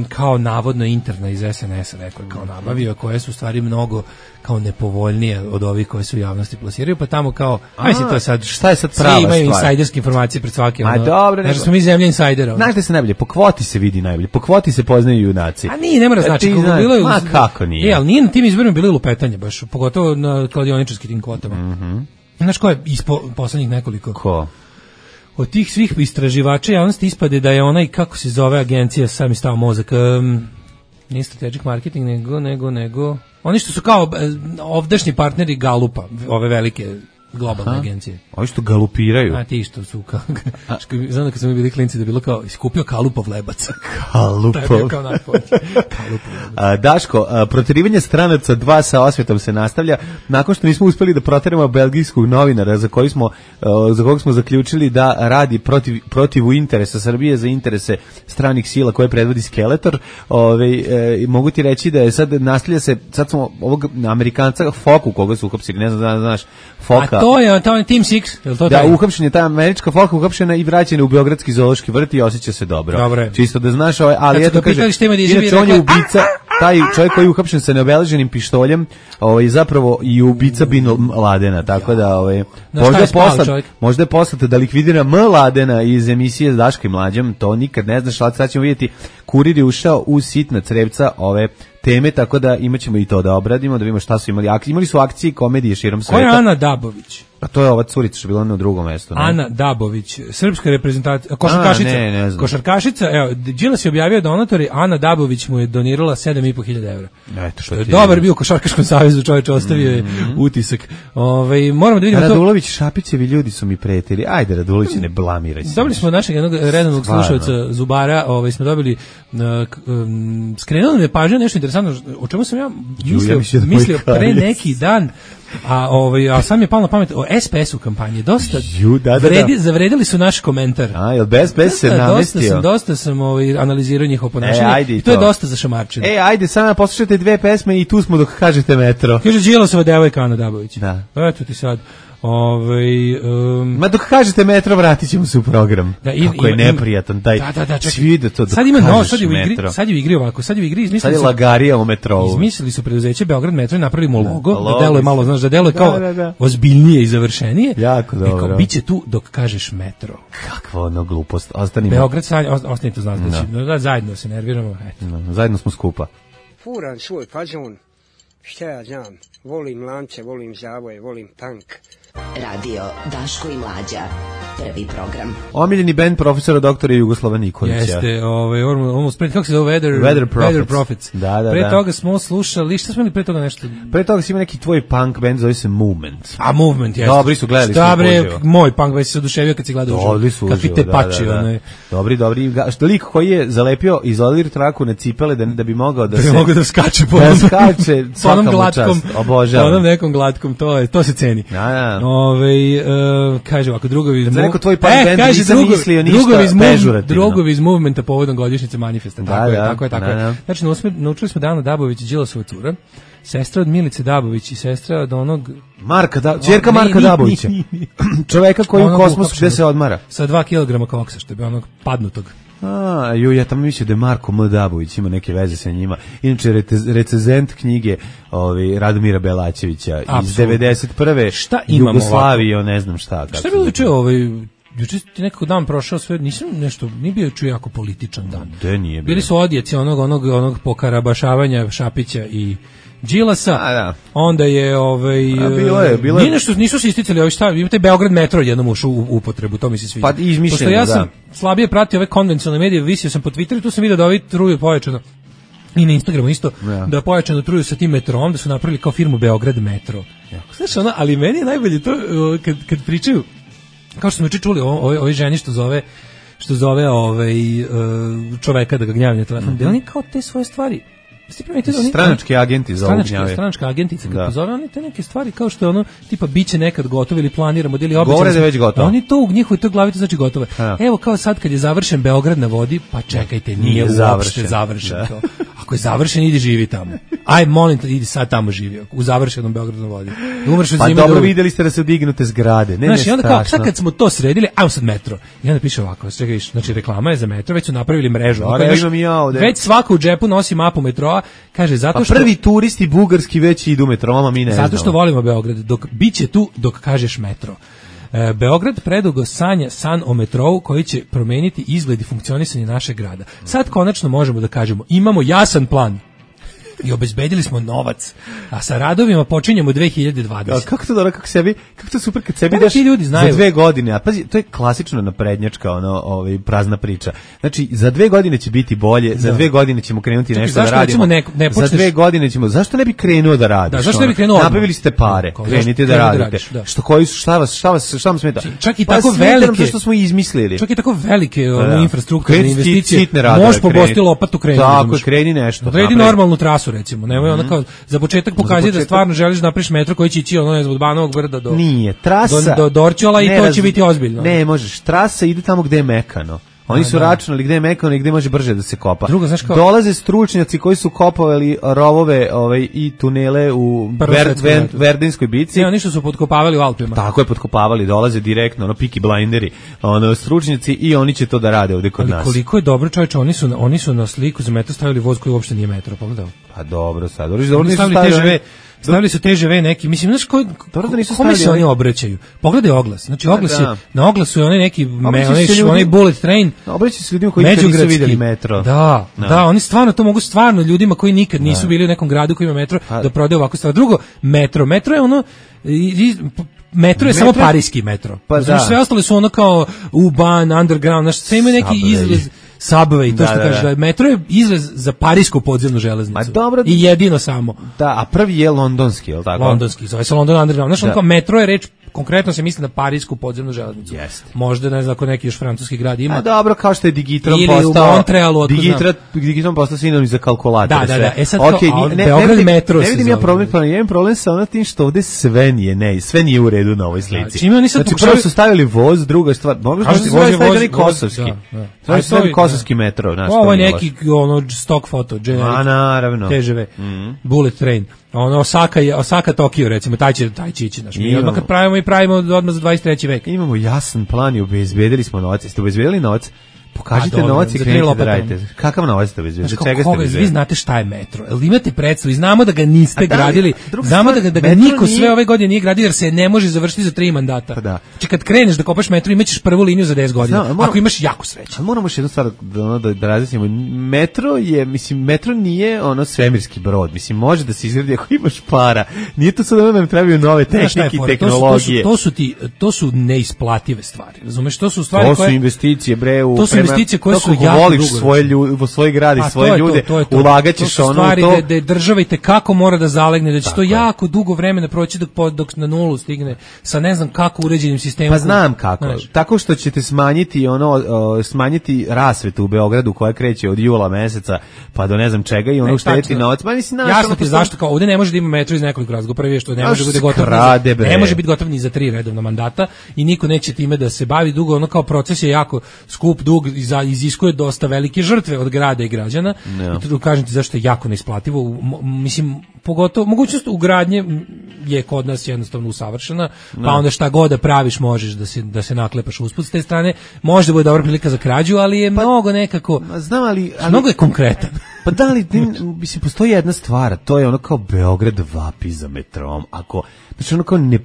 kao navodno interna iz es en es rekao kao nabavio, koje su u stvari mnogo kao nepovoljnije od ovih koje su u javnosti plasiraju, pa tamo kao aj se to sad šta je sad prava stvar, imaju stvar? Insajderske informacije pred svake. A dobro, znači smo mi zemlja insajdera. Znaš da se najbolje po kvoti se vidi najbolje, po kvoti se poznaju junaci. A nije, ne mora znači kako zna, bilo je. Ma kako nije? E, al nije na tim izborima bilo lupetanje baš, pogotovo na kladioničarskim tim kvotama. Mhm. Mm Znaš ko je ispo poslednjih nekoliko? Ko? Od tih svih istraživača javnosti ispade da je onaj, kako se zove agencija, sad mi stao mozak, um, nije strategic marketing, nego, nego, nego, oni što su kao ovdašnji partneri Galupa, ove velike globalne Aha. agencije. Oni što galupiraju. A ti što su kao, znam da kad smo mi bili klinci da je bilo kao, iskupio Kalupov lebac. Kalupov. To je bio kao najpođe. Kalupov lebac. Daško, a, proterivanje stranaca dva sa osvetom se nastavlja, nakon što nismo uspeli da proterimo belgijskog novinara za koji smo, a, za kojeg smo zaključili da radi protiv, protivu interesa Srbije za interese stranih sila koje predvodi Skeletor. Ove, e, mogu ti reći da je sad nastavlja se, sad smo ovog Amerikanca Foku koga su uhapsili, ne znam da znaš, Foka. To je, to je Team Six, je li to da, taj? uhapšen je ta američka Foka, uhapšena i vraćena u Beogradski zoološki vrt i osjeća se dobro. Dobre. Čisto da znaš, ovaj, ali eto kaže, inače on je ubica, taj čovjek koji je uhapšen sa neobeleženim pištoljem, ovaj, zapravo i ubica Bin Ladena, tako da, ovaj, možda je poslat, možda je poslat da likvidira M. Ladena iz emisije s Daškom i Mlađom, to nikad ne znaš, ali sad ćemo vidjeti, Kurir je ušao u sitna crevca ove teme, tako da imaćemo i to da obradimo, da vidimo šta su imali. Imali su akcije i komedije širom sveta. Ko je Ana Dabović? A to je ova curica što je bila na drugom mestu. Ne? Ana Dabović, srpska reprezentacija, košarkašica. A, ne, ne znam. Košarkašica, evo, Đilas je objavio donatori, Ana Dabović mu je donirala sedam i po hiljada evra. Eto što ti dobar je bio u Košarkaškom savezu, čovjek ostavio je mm-hmm. utisak. Ovaj moramo da vidimo to. Radulović, Šapićevi ljudi su mi pretili. Ajde Radulović, ne blamiraj se. Dobili smo našeg jednog redovnog slušaoca Zubara, ovaj smo dobili uh, um, skrenulo me pažnju nešto interesantno, o čemu sam ja mislio, Ju, ja mislio pre neki dan. A ovaj a sam je palo na pamet o es pe es u kampanji. Dosta Ju, da, da, da. Vredi, zavredili su naš komentar. A, jel bez bez se namestio? Dosta sam, dosta sam ovaj analizirao njihovo ponašanje. E, I to, to je dosta za šamarčine. E, ajde, samo poslušajte dve pesme i tu smo dok kažete metro. Kaže Đilasova devojka Ana Dabović. Da. Eto ti sad. Ovaj um, ma dok kažete metro vratićemo se u program. Da, i, kako je neprijatan taj. Da, da, da, svi da to. Sad ima no, sad je u igri, sad je u igri ovako, sad je u igri izmislili. Sad je lagarija u metrou. Izmislili su preduzeće Beograd metro i napravili mu logo, da, da deluje malo, znaš, da deluje kao da, da, da. ozbiljnije i završenije. Jako dobro. Kao biće tu dok kažeš metro. Kakva ono glupost. Ostanimo. Beograd sad ostanite uz nas, no. da zajedno se nerviramo, eto. No, zajedno smo skupa. Furan svoj fazon. Šta ja znam, volim lance, volim zavoje, volim tank. Radio Daško i Mlađa, prvi program. Omiljeni bend profesora doktora Jugoslava Nikolića. Jeste, ovaj, ono spred, kako se zove, Weather, Weather Prophets. Weather Prophets. Da, da, pre da. toga smo slušali, šta smo imali pre toga nešto? Pre toga si ima neki tvoj punk band, zove se Movement. A Movement, jeste. Dobri su, gledali šta, smo bre, uživo. Moj punk band se oduševio kad si gledao uživo. Dobri su kakvi te pači, da, da, da. Onaj. Dobri, dobri. Što lik koji je zalepio izolir traku na cipele da, da bi mogao da, da se... Da mogao da skače po da skače, onom glatkom, obožavam. onom nekom glatkom, to je, to se ceni. Da, da. Ove, uh, kaže ovako, drugovi iz Movementa. Tvoj punk e, band kaže, nisam drugo, mislio ništa drugovi iz pežurativno. Drugovi iz Movementa povodom godišnjice manifesta. Da, tako da, je, tako je, tako da, je. da. Znači, naučili smo da Ana Dabović i Đilasova cura, sestra od Milice Dabović i sestra od onog... Marka, da, ćerka Marka Dabovića. Čoveka koji u kosmosu gde se odmara. Sa dva kilograma koksa, što je bio onog padnutog. A, ju, ja tamo mislio da je Marko M. Dabović ima neke veze sa njima. Inače, recenzent knjige ovi, Radomira Belačevića iz Absolut. devedeset prve. Šta imamo Jugoslavije, ne znam šta. Šta je bilo juče ovaj... Juče ti nekako dan prošao sve, nisam nešto, nije bio juče jako političan dan. De nije bio. Bili su odjeci onog, onog, onog pokarabašavanja Šapića i Đilasa. A, da. Onda je ovaj A, bilo je, bilo je. Nije nešto, nisu se isticali ovi šta, imate Beograd metro jednom ušao u upotrebu, to mi se sviđa. Pa izmišljeno, ja sam da. slabije pratio ove konvencionalne medije, visio sam po Twitteru, tu sam vidio da ovi truju pojačano. I na Instagramu isto, ja. Da pojačano truju sa tim metrom, da su napravili kao firmu Beograd metro. Ja. Znaš, ona, ali meni je najbolje to kad, kad pričaju kao što smo juče čuli, ovoj ovoj ženi što zove što zove ovaj čoveka da ga gnjavi na telefon, da oni kao te svoje stvari stranački agenti za stranački stranačka agentica kad pozove oni te neke stvari kao što je ono tipa biće nekad gotovo ili planiramo ili obično da već gotovo. Oni to u njihovoj toj glavi to znači gotovo. Evo kao sad kad je završen Beograd na vodi, pa čekajte, nije uopšte završen to. Ako je završen, idi živi tamo. Aj molim te, idi sad tamo živi u završenom Beogradu na vodi. Umreš od zime. Pa dobro, videli ste da se dignute zgrade. Ne, znači, onda kao sad kad smo to sredili, ajmo sad metro. I onda piše ovako, čekaj, znači reklama je za metro, već su napravili mrežu. Već svako u džepu nosi mapu metroa. Kaže zato što pa prvi turisti bugarski već idu metroma, mi ne znamo. Zato što volimo Beograd, dok biće tu dok kažeš metro. E, Beograd predugo sanja san o metrou koji će promeniti izgled i funkcionisanje našeg grada. Sad konačno možemo da kažemo imamo jasan plan. I obezbedili smo novac, a sa radovima počinjemo dve hiljade dvadesete. Kako to dobro, kako sebi, kako to super kad sebi daš ljudi znaju. Za dve godine, a pazi, to je klasično naprednjačka, ono, ovaj, prazna priča. Znači, za dve godine će biti bolje, za da. dve godine ćemo krenuti nešto da radimo. Ne, ne počneš... Za dve godine ćemo, zašto ne bi krenuo da radiš? Da, zašto ne bi krenuo odmah? Napravili ste pare, Ko, krenite da radite. Da radiš, da. Što koji su, šta vas, šta vas, šta vam smeta? Čak i pa tako velike, što smo izmislili. Čak i tako velike da. infrastrukturne investicije. Možeš pobosti lopatu kreni. Tako, kreni nešto. Redi normalnu trasu, recimo, nemoj kao za početak pokazuje da stvarno želiš da napraviš metro koji će ići ono ne znam od Banovog brda do nije trasa do, do Dorćola i to će biti ozbiljno. Ne, možeš, trasa ide tamo gde je mekano. Oni su računali gde je mekano i gde može brže da se kopa. Drugo, znaš kao... Dolaze stručnjaci koji su kopovali rovove ovaj, i tunele u Ver, Ver, Verdinskoj bici. Ne, oni što su potkopavali u Alpima. Tako je, potkopavali, dolaze direktno, ono, Peaky Blinderi, ono, stručnjaci i oni će to da rade ovde kod ali nas. Koliko je dobro, čovječe, oni su, oni su na sliku za metro stavili voz koji uopšte nije metro, pogledao. Pa dobro, sad, dobro, dobro nisu stavili T Ž V. Stavili su T Ž V neki, mislim, znaš koji, kome se oni obraćaju? Pogledaj oglas, znači oglas je, na oglasu je onaj neki, onaj bullet train. Obraćaju se ljudima koji nikad nisu vidjeli metro. Da, da, oni stvarno, to mogu stvarno ljudima koji nikad nisu bili u nekom gradu koji ima metro, da prodaju ovako stvar. Drugo, metro, metro je ono, metro je samo parijski metro. Sve ostale su ono kao U-Bahn, underground, znaš, sve ima neki izgled. Subway, to što kažeš, da metro je izlaz za parijsku podzemnu železnicu. Dobro, i jedino samo. Da, a prvi je londonski, je li tako? Londonski, zove se London Underground. Znaš, ono kao metro je reč, konkretno se misli na parijsku podzemnu železnicu. Jeste. Možda, ne znam, ako neki još francuski grad ima. A dobro, kao što je Digitron ili postao... u Montrealu, Digitron, Digitron postao sinonim za kalkulator. Da, da, da. E sad okay, kao, ne, Beograd ne, metro ne vidim ja problem, pa imam problem sa ono tim što ovde sve nije, ne, sve nije u redu na ovoj slici. Čime oni sad znači, pokušali... prvo su stavili voz, druga stvar, možda su stavili kosovski. To je stavili kosovski metro, znaš. Ovo je neki ono stock foto, generic. A naravno. T Ž V. Bullet train. Ono Osaka je Osaka Tokio recimo, taj će taj će ići naš. Mi odmah kad pravimo i pravimo odmah za dvadeset treći vek. Imamo jasan plan i obezbedili smo novac. Ste obezbedili novac? Pokažite novac i krenite da radite. Kakav novac ste obezbedili? Čega ste obezbedili? Vi znate šta je metro. Jel imate predstavu? Znamo da ga niste gradili. Znamo da ga, da ga niko sve ove godine nije gradio jer se ne može završiti za tri mandata. Pa da. Znači kad kreneš da kopaš metro imaćeš prvu liniju za deset godina. Znam, moram, ako imaš jako sreće. Ali moramo još jednu stvar da, da, da razjasnimo. Metro je, mislim, metro nije ono svemirski brod. Mislim, može da se izgradi ako imaš para. Nije to sad da nam trebaju nove tehnike i tehnologije. To su, to, su, to, su ti, to su neisplative stvari. Razumeš? To su stvari to koje... su investicije, bre, u... To su investicije koje su jako voliš svoje ljude, svoj grad i svoje ljude, ulagaćeš ono to. To da država i te kako mora da zalegne, da će to jako dugo vremena proći dok dok na nulu stigne sa ne znam kako uređenim sistemom. Pa znam kako. Tako što ćete smanjiti ono smanjiti rasvetu u Beogradu koja kreće od jula meseca pa do ne znam čega i ono šteti novac. Pa mislim naš. Jasno ti zašto kao ovde ne može da ima metro iz nekoliko razloga. Prvi je što ne može biti gotov. Ne može biti gotov ni za tri redovna mandata i niko neće time da se bavi dugo, ono kao proces je jako skup, dug i iziskuje dosta velike žrtve od grada i građana. No. I tu kažem ti zašto je jako neisplativo. Mislim, pogotovo, mogućnost ugradnje je kod nas jednostavno usavršena, no. Pa onda šta god da praviš možeš da se, da se naklepaš usput s te strane. Može da bude dobra prilika za krađu, ali je pa, mnogo nekako... Znam, ali... ali mnogo je konkretan. Pa da li, mislim, postoji jedna stvar, to je ono kao Beograd vapi za metrom. Ako, znači ono kao, ne,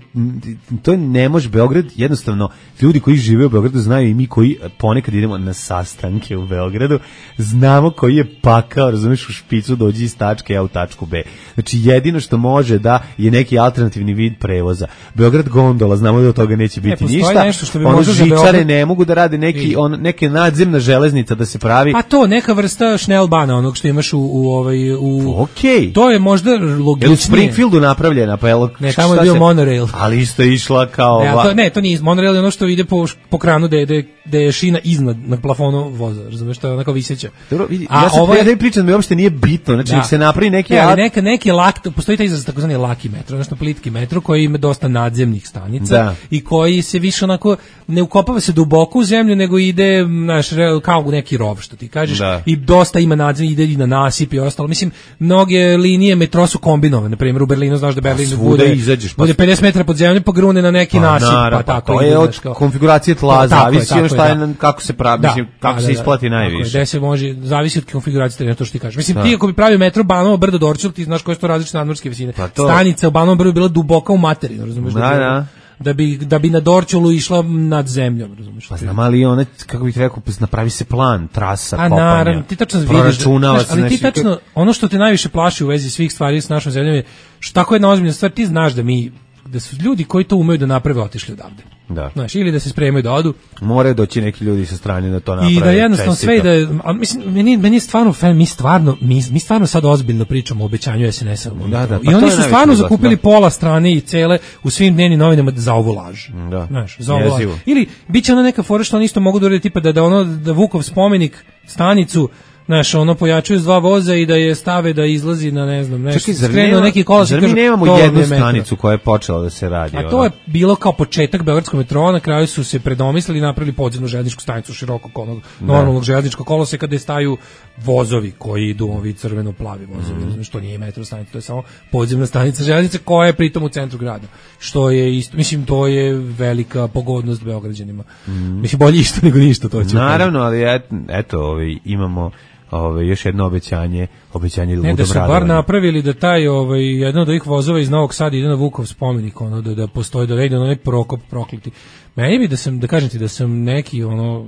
to je, ne može Beograd, jednostavno, ljudi koji žive u Beogradu znaju i mi koji ponekad idemo na sastanke u Beogradu, znamo koji je pakao, razumiješ, u špicu dođi iz tačke A u tačku B. Znači jedino što može da je neki alternativni vid prevoza. Beograd gondola, znamo da od toga neće biti ne, ništa. Nešto što bi ono žičare Beograd... ne mogu da rade neki, on, neke nadzemna železnica da se pravi. Pa to, neka vrsta šnelbana, onog što što imaš u, u ovaj u okay. To je možda logičnije. U Springfieldu napravljena, pa jel? Ne, tamo je bio se... monorail. Ali isto je išla kao... Ne, to, ne, to nije monorail, je ono što ide po, po kranu da je, da je šina iznad, na plafonu voza, razumeš, to je onako viseća. Dobro, vidi, a ja sam ovo je... da pričam, da mi uopšte nije bitno, znači da. Se napravi neki... Ne, ali neka, neki lak, postoji taj izraz takozvani laki metro, odnosno plitki metro, koji ima dosta nadzemnih stanica da. I koji se više onako, ne ukopava se duboko u zemlju, nego ide, znaš, kao u neki rov, što ti kažeš, da. I dosta ima nadzemnih, ide i na nasip i ostalo. Mislim, mnoge linije metro su kombinovane, na primjer u Berlinu, znaš da Berlin bude, izađeš, pa bude pedeset metara pod zemljom, pa grune na neki pa, nasip, naravno, pa tako. To je od konfiguracije tla, zavisi od šta je, kako se pravi, da, mislim, kako da, se isplati da, najviše. Da se može, zavisi od konfiguracije terena, to što ti kažeš. Mislim, da. Ti ako bi pravio metro Banovo brdo Dorćol, ti znaš koje su to različite nadmorske visine. Pa stanica u Banovom brdu je bila duboka u materinu, razumeš? Da, da. Da bi, da bi na Dorćolu išla nad zemljom, razumiješ? Pa znam, ali ona, kako bih rekao, napravi se plan, trasa, a, kopanja, naravno, ti tačno vidiš, znaš, ali ti tačno, ono što te najviše plaši u vezi svih stvari s našom zemljom je, što tako jedna ozbiljna stvar, ti znaš da mi, da su ljudi koji to umeju da naprave otišli odavde. Da. Znaš, ili da se spremaju da odu. Moraju doći neki ljudi sa strane da to naprave. I da jednostavno sve i da, a mislim, meni, meni je stvarno, mi stvarno, mi, mi stvarno sad ozbiljno pričamo o obećanju S N S-a. Da, da, pa i oni su stvarno zakupili da. Pola strane i cele u svim dnevnim novinama za ovu laž. Da. Znaš, za ovu laž. Ili bit će ona neka fora što oni isto mogu da urede tipa da, da ono, da Vukov spomenik, stanicu, znaš, ono pojačuju s dva voza i da je stave da izlazi na, ne znam, nešto, skrenu neki kolosek. Zar mi nemamo jednu stanicu koja je počela da se radi? A to je bilo kao početak beogradskog metroa, na kraju su se predomislili i napravili podzemnu željezničku stanicu širokog onog normalnog željezničkog koloseka gde staju vozovi koji idu, ovi crveno-plavi vozovi, mm. što nije metro stanica, to je samo podzemna stanica željeznice koja je pritom u centru grada. Što je isto, mislim, to je velika pogodnost beograđanima. Mm. Mislim, bolje isto nego ništa, to ću. Naravno, ali et, eto, ovaj, imamo Ove, još jedno obećanje, obećanje ludom radovanja. Ne, da su bar napravili da taj, ovaj, jedan od ovih vozova iz Novog Sada ide na Vukov spomenik, ono, da, da postoji, da ide na onaj Prokop prokleti. Meni bi da sam, da kažem ti, da sam neki, ono,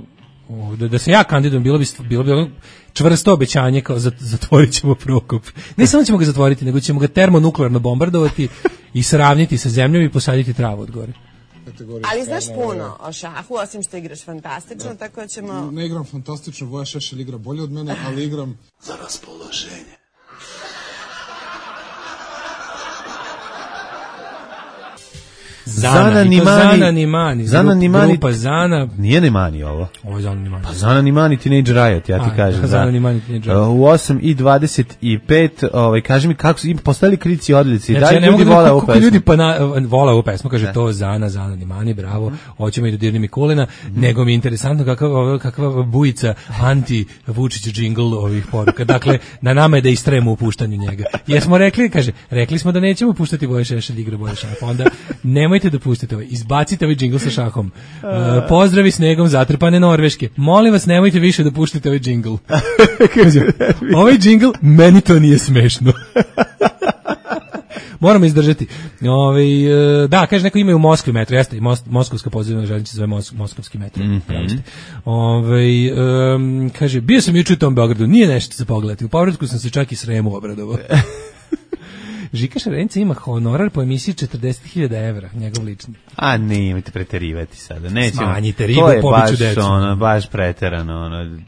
da, da se ja kandidujem, bilo bi, bilo bi ono čvrsto obećanje, kao zatvorit ćemo Prokop. Ne samo ćemo ga zatvoriti, nego ćemo ga termonuklearno bombardovati i sravniti sa zemljom i posaditi travu od gore. Ali znaš puno o šahu, osim što igraš fantastično, da. Tako ćemo... Ne igram fantastično, Voja Šešelj igra bolje od mene, ali igram za raspoloženje. Zana, Zana Nimani, Zana Nimani, Zana Nimani, grupa Zana. Nije Nimani ovo. Ovo je Zana Nimani. Pa Zana Nimani Teenage Riot, ja ti A, kažem. Zana Nimani Teenage Riot. U osam i dvadeset pet, ovaj, kaži mi kako su im postavili kritici odlici. Znači, da li ljudi vole ovu pesmu? Ljudi pa na, vole ovu pesmu, kaže ne. To Zana, Zana Nimani, bravo, mm. hoćemo i dodirni Mikulina, mm. nego mi je interesantno kakva, kakva bujica anti-Vučić džingl ovih poruka. Dakle, na nama je da istremo u puštanju njega. Jer smo rekli, kaže, rekli smo da nećemo puštati Voja Šešelj igra bolje šah, onda nemojte da pustite ovaj, izbacite ovaj džingl sa šahom. Uh, pozdravi snegom zatrpane Norveške. Molim vas, nemojte više da puštate ovaj džingl. Ovaj džingl, meni to nije smešno. Moramo izdržati. Ove, da, kaže, neko ima u Moskvi metro, jeste, i Mos, Moskovska podzemna željeznica zove Mos, Moskovski metro. Mm -hmm. Ove, um, kaže, bio sam juče u tom Beogradu, nije nešto za pogledati. U povratku sam se čak i Sremu obradovao. Žika Šarenica ima honorar po emisiji četrdeset hiljada evra, njegov lični. A ne, imate preterivati sada. Nećemo. Smanjite ribu, pobiću decu. To je baš, ono, baš preterano. Ono.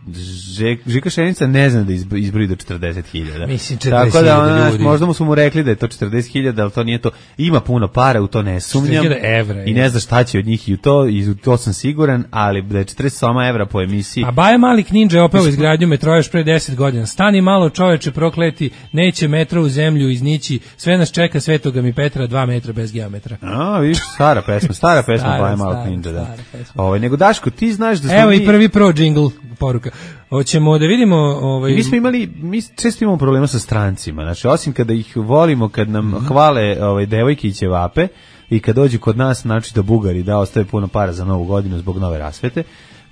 Žika Šarenica ne zna da izbroji do četrdeset hiljada. Mislim, četrdeset hiljada Tako da, ono, ljudi. Možda mu su mu rekli da je to četrdeset hiljada, ali to nije to. Ima puno para, u to ne sumnjam. Evra, I ne zna šta će od njih i u to, i u to sam siguran, ali da je četrdeset sedam evra po emisiji. A Baja Malik Ninja je opeo izgradnju metroa još pre deset godina. Stani malo, čoveče, prokleti, neće metro u zemlju iznići, sve nas čeka Svetoga mi Petra, dva metra bez geometra. A, vidiš, stara pesma, stara pesma Baja Malik Ninja, da. Ovaj, nego Daško, ti znaš da smo Evo mi... i prvi pro jingle poruka. Hoćemo da vidimo... Ovaj... Mi smo imali, mi često imamo problema sa strancima, znači, osim kada ih volimo, kad nam mm-hmm. hvale ovaj, devojke i ćevape, i kad dođu kod nas, znači da Bugari da ostave puno para za novu godinu zbog nove rasvete,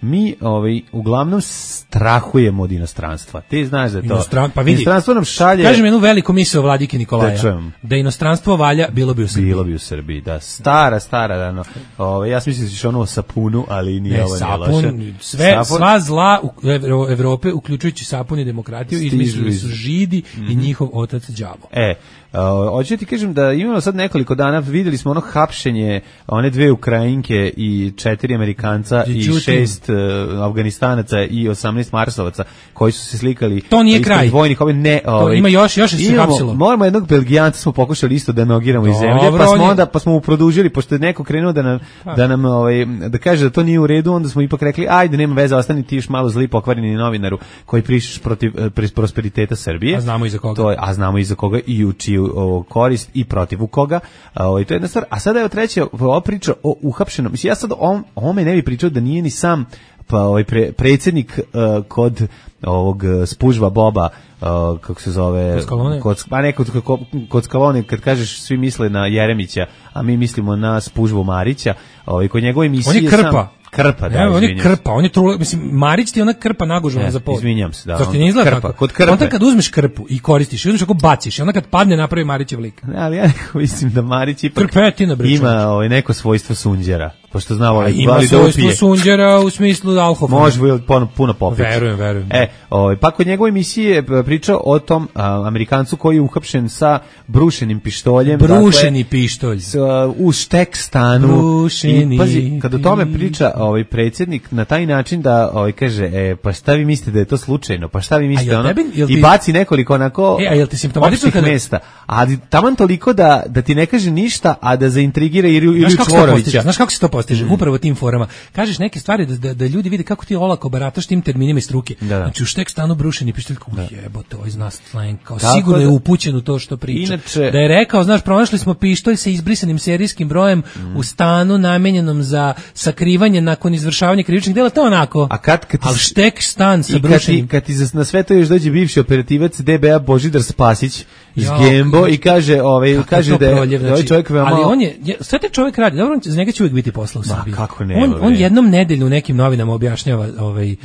mi ovaj uglavnom strahujemo od inostranstva. Ti znaš da je to. Inostran, pa vidi, inostranstvo nam šalje. Kažem jednu veliku misao Vladike Nikolaja. Da, da inostranstvo valja, bilo bi u Srbiji. Bilo bi u Srbiji, da. Stara, stara, da, no. Ovaj, ja mislim da ćeš ono o sapunu, ali nije ne, ovo sapun, nije sve, sapun. Sva zla u Evrope, uključujući sapun i demokratiju, izmislili su Židi mm-hmm. i njihov otac đavo. E, Uh, hoću ti kažem da imamo sad nekoliko dana, videli smo ono hapšenje one dve Ukrajinke i četiri Amerikanca i šest uh, Afganistanaca i osamnaest Marsovaca koji su se slikali. To nije kraj. Vojnih, ovaj, ne, ovaj, to ima još, još se hapsilo. Moramo jednog Belgijanca smo pokušali isto da nogiramo iz zemlje, pa smo onda pa smo mu produžili, pošto je neko krenuo da nam, pa. da nam ovaj, da kaže da to nije u redu, onda smo ipak rekli, ajde, nema veze, ostani ti još malo zli pokvareni novinaru koji prišeš protiv prosperiteta Srbije. A znamo i za koga. To je, a znamo i za koga i u čiju o, korist i protiv u koga. O, to je jedna stvar. A sada je treća ova priča o uhapšenom. Mislim, ja sad o ovome ne bi pričao da nije ni sam pa ovaj pre, predsjednik uh, kod ovog spužva Boba, uh, kako se zove, kod, pa ne, kod, kod, kod Skalone, kad kažeš svi misle na Jeremića, a mi mislimo na spužvu Marića, ovaj, kod njegove emisije... On je krpa. Sam, krpa, da, ne, on je krpa, on je trula, mislim, Marić ti je ona krpa nagužena ne, za pod. Izvinjam se, da. Zašto ti ne izgleda krpa, tako? Kod krpe. Onda kad uzmeš krpu i koristiš, i uzmeš ako baciš, i onda kad padne napravi Marićev lik. Ne, ali ja mislim da Marić ipak Krpetina, ima ovaj, neko svojstvo sunđera. Pošto znamo ali ima svojstvo sunđera u smislu alkohola. Može puno, puno popiti. Verujem, verujem. E, ovaj, pa kod njegove emisije pričao o tom a, Amerikancu koji je uhapšen sa brušenim pištoljem. Brušeni dakle, pištolj. S, a, u štek stanu. Brušeni. I, pazi, kad o tome priča ovaj, predsjednik na taj način da ovaj, kaže, e, pa šta vi mislite da je to slučajno? Pa šta vi mislite? Ono, tebi, I ti... baci nekoliko onako e, a jel ti simptomatično kada... mesta. Ali taman toliko da, da ti ne kaže ništa, a da zaintrigira Iliju Čvorovića. Znaš kako se to postiže? Mm. Upravo tim forama. Kažeš neke stvari da, da, da ljudi vide kako ti olako barataš tim terminima iz struke. Da, da. Znači u štek stanu brušeni pištolj, jebote, ovaj zna slang, kao tako sigurno da, je upućen u to što priča. Inače, da je rekao, znaš, pronašli smo pištolj sa izbrisanim serijskim brojem mm. u stanu namenjenom za sakrivanje nakon izvršavanja krivičnih dela, to onako. A kad, kad ali štek stan sa brušenim. Kad ti, kad ti na sve to još dođe bivši operativac D B A Božidar Spasić iz ja, Gembo i kaže, ovaj, kaže da je proljev, ovaj čovjek veoma... Ali on je, sve te čovjek radi, dobro, za njega će uvijek biti posla u Srbiji. Kako ne, on, on jednom nedeljno u nekim novinama objašnjava ovaj, uh,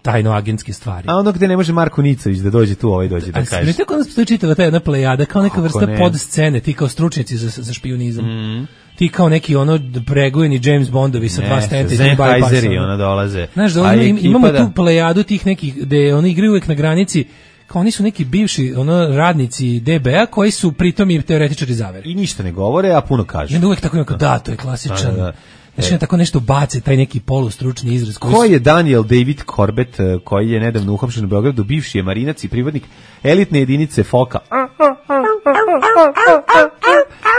tajno agentske stvari. A ono gde ne može Marko Nicović da dođe tu, ovaj dođe da a, kaže. Ali tako da postoji čitava ta jedna plejada, kao neka vrsta podscene, ti kao stručnjaci za, za špijunizam. Mm. Ti kao neki ono pregojeni James Bondovi sa ne, dva stenta i dva bypassa. Ona dolaze. Znaš, da ono, imamo da... tu plejadu tih nekih, gde oni igraju uvek na granici, kao oni su neki bivši ono radnici D B A koji su pritom i teoretičari zavere. I ništa ne govore, a puno kažu. I onda uvek tako kao, da, to je klasičan. Da, da. Znači, tako nešto bace, taj neki polustručni izraz. Ko je Daniel David Corbett, koji je nedavno uhapšen u Beogradu, bivši je marinac i pripadnik elitne jedinice Foka,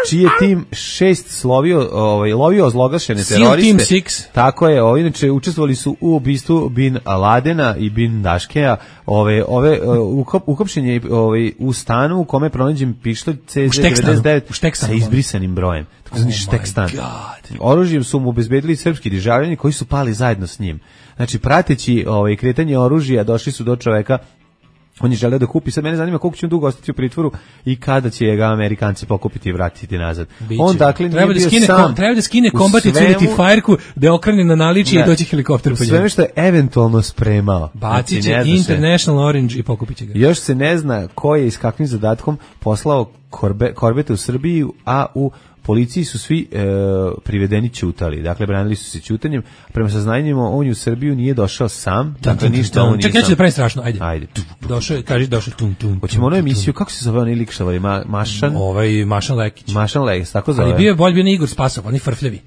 čiji je tim šest slovio, ovaj, lovio ozloglašene teroriste. Tako je, ovaj, inače, učestvovali su u ubistvu Bin Ladena i Bin Daškeja. Ove, ove, uhapšen je ovaj, u stanu u kome je pronađen pištolj C Z devedeset devet sa izbrisanim brojem. Tako zvani štek stan. Oružjem su mu obezbedili srpski državljani koji su pali zajedno s njim. Znači, prateći ovaj, kretanje oružja, došli su do čoveka. On je želeo da kupi, sad mene zanima koliko će on dugo ostati u pritvoru i kada će ga Amerikanci pokupiti i vratiti nazad. Biće. On dakle treba nije da bio skine, sam. Treba da skine Combat Utility Fire-ku, da okrene na naličje i doći helikopter po njemu. Sve što je eventualno spremao. Bacit će znači, International Orange i pokupit će ga. Još se ne zna ko je i s kakvim zadatkom poslao korbe, korbete u Srbiju, a u policiji su svi e, privedeni ćutali. Dakle, branili su se ćutanjem. Prema saznanjima, on u Srbiju nije došao sam. Dakle, ništa on nije sam. Čekaj, ja ću da pravim strašno. Ajde. Ajde. Došao, kaži, došao. Tum, tum, hoćemo onu emisiju, kako se zove onaj lik što voli? Ma, Mašan? Ovaj, Mašan Lekić. Mašan Lekić, tako zove. Ali bio je bolj, bio Igor Spasov, oni frfljevi.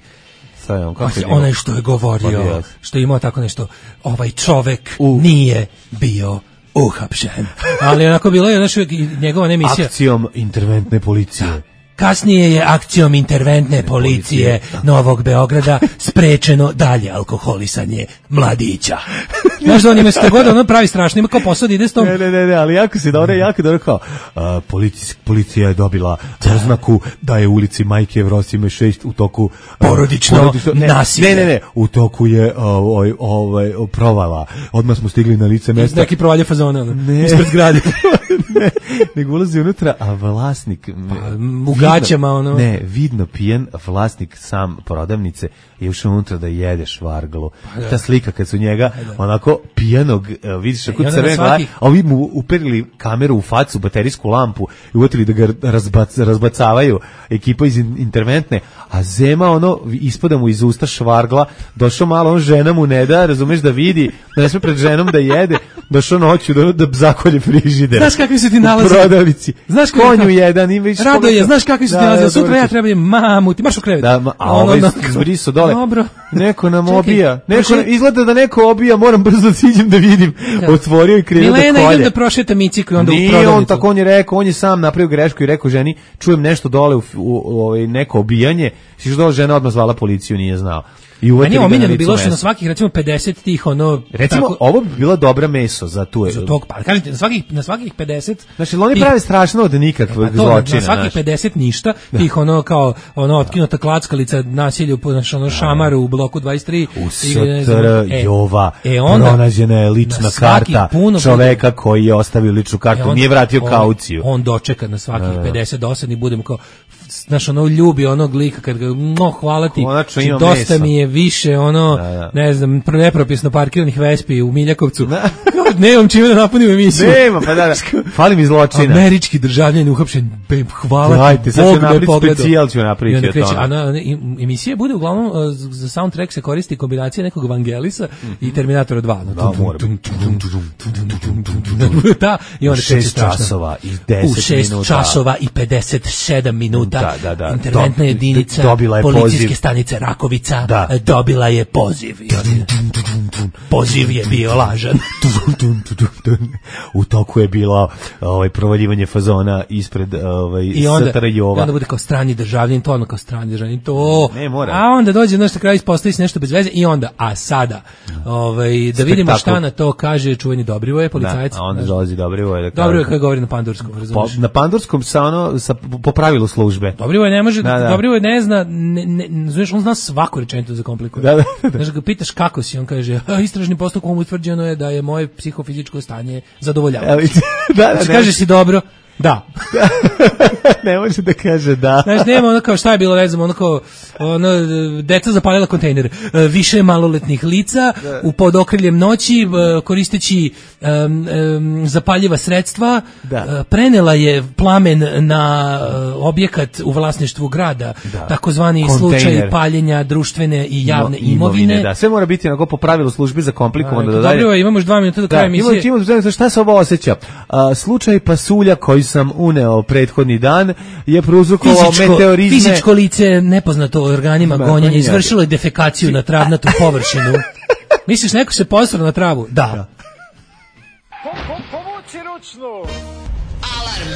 On, onaj što je govorio, što je imao tako nešto, ovaj čovek U. nije bio uhapšen. Ali onako bilo je naša njegova emisija. Akcijom interventne policije. Da. Kasnije je akcijom interventne policije Novog Beograda sprečeno dalje alkoholisanje mladića. Znaš da on ima što god, ono pravi strašno, ima kao posao da ide s tom... Ne, ne, ne, ne, ali jako se dobro, jako dobro kao, a, policija, policija je dobila oznaku da je u ulici Majke Evrosime šest u toku... A, porodično, porodično ne, nasilje. Ne, ne, ne, u toku je ovaj, ovaj, provala. Odmah smo stigli na lice mesta. Neki provalje fazone, ono, ne, ispred zgrade. Ne, nego ulazi unutra, a vlasnik... Pa, u gaćama, ono... Ne, vidno pijen vlasnik sam prodavnice je ušao unutra da jede švarglu. Pa, da. Ta slika kad su njega da. Onako pijanog, vidiš ako crven gleda, a ovi mu uperili kameru u facu, baterijsku lampu i uvetili da ga razbac, razbacavaju ekipa iz interventne, a Zema ono ispada mu iz usta švargla, došao malo, on žena mu ne da, razumeš, da vidi, da ne sme pred ženom da jede, došao noću da, da zakolje frižider. Znaš kakvi su ti nalazi? U prodavnici. Znaš konju jedan, ima više. Radoje, znaš kakvi su ti nalazi? Sutra ja treba mamu, ti marš u krevet. Da, a ovaj zbriso dole. Dobro. Neko nam obija. Neko, izgleda da neko obija, moram brzo da siđem da vidim. Otvorio i krenuo da kolje. Milena, idem da prošeta Miciku i onda Nije u prodavnicu. on tako, on je rekao, on je sam napravio grešku i rekao ženi, čujem nešto dole u, u, u, u neko obijanje, si što dole žena odmah zvala policiju, nije znao. I meni je omiljeno bilo što na svakih recimo pedeset tih ono recimo tako, ovo bi bila dobra meso za tu za tog pa kažete na svakih na svakih pedeset znači oni tih, pravi strašno od nikakvog pa zločina na svakih pedeset ništa tih ono kao ono otkinuta klackalica nasilju po znači ono šamaru u bloku dvadeset tri u S T R Jova e, onda, pronađena je lična karta čoveka koji je ostavio ličnu kartu, e, onda, nije vratio on, kauciju. On dočeka na svakih da, pedeset dosadni budemo kao znaš ono ljubi onog lika kad ga no hvala ti dosta mesa. Mi je više ono da, da. Ne znam nepropisno parkiranih Vespi u Miljakovcu da. Nemam čime da napunim emisiju nema pa da, da. Fali mi zločina američki državljanin uhapšen hvala Dajte, ti Bog me pogledao specijal ću napraviti kreće, a na, na, emisija bude uglavnom za soundtrack se koristi kombinacija nekog Vangelisa mm-hmm. i Terminatora dva no, da, mora da, i onda šest časova i deset u šest minuta časova i pedeset sedam minuta da, da, da. interventna Do, jedinica policijske poziv. Stanice Rakovica da. Dobila je poziv i poziv je bio lažan u toku je bilo ovaj provaljivanje fazona ispred ovaj S T R Jova. I onda bude kao strani državljanin, to ono kao strani državljanin, to. Ne, mora. A onda dođe na kraju ispostavi se nešto bez veze i onda, a sada, ovaj, da Spektakl. Vidimo šta na to kaže čuveni Dobrivoje, policajac. Da, a onda dolazi Dobrivoje. Da Dobrivoje koji govori na pandurskom, razumiješ? Po, na pandurskom sa ono, sa, po pravilu službe. Dobrivoje ne može, da, da. Dobrivoje ne zna, ne, ne, znaš, on zna svaku rečenicu za komplikuje. Da, da, da. Znaš, ga pitaš kako si, on kaže, istražni postupkom utvrđeno je da je moje psihofizičko stanje zadovoljavajuće. da, da, kaže si dobro. Da. Ne može da kaže da. Znaš, nema ono kao šta je bilo, ne znam, ono kao ono, deca zapalila kontejner. Više maloletnih lica da. U pod okriljem noći koristeći um, um, zapaljiva sredstva da. Prenela je plamen na objekat u vlasništvu grada. Da. Takozvani kontejner. Slučaj paljenja društvene i javne no, imovine. imovine. Da, sve mora biti onako po pravilu službi za komplikovano. Da, da dobro, imamo još dva minuta do kraja emisije. Imamo, imamo, šta se ovo osjeća? A, slučaj pasulja koji sam uneo prethodni dan je prouzrokovao meteorizme. Fizičko lice nepoznato organima gonjenja izvršilo je defekaciju na travnatu površinu. Misliš neko se posrao na travu? Da. Povuci ručnu. Alarm.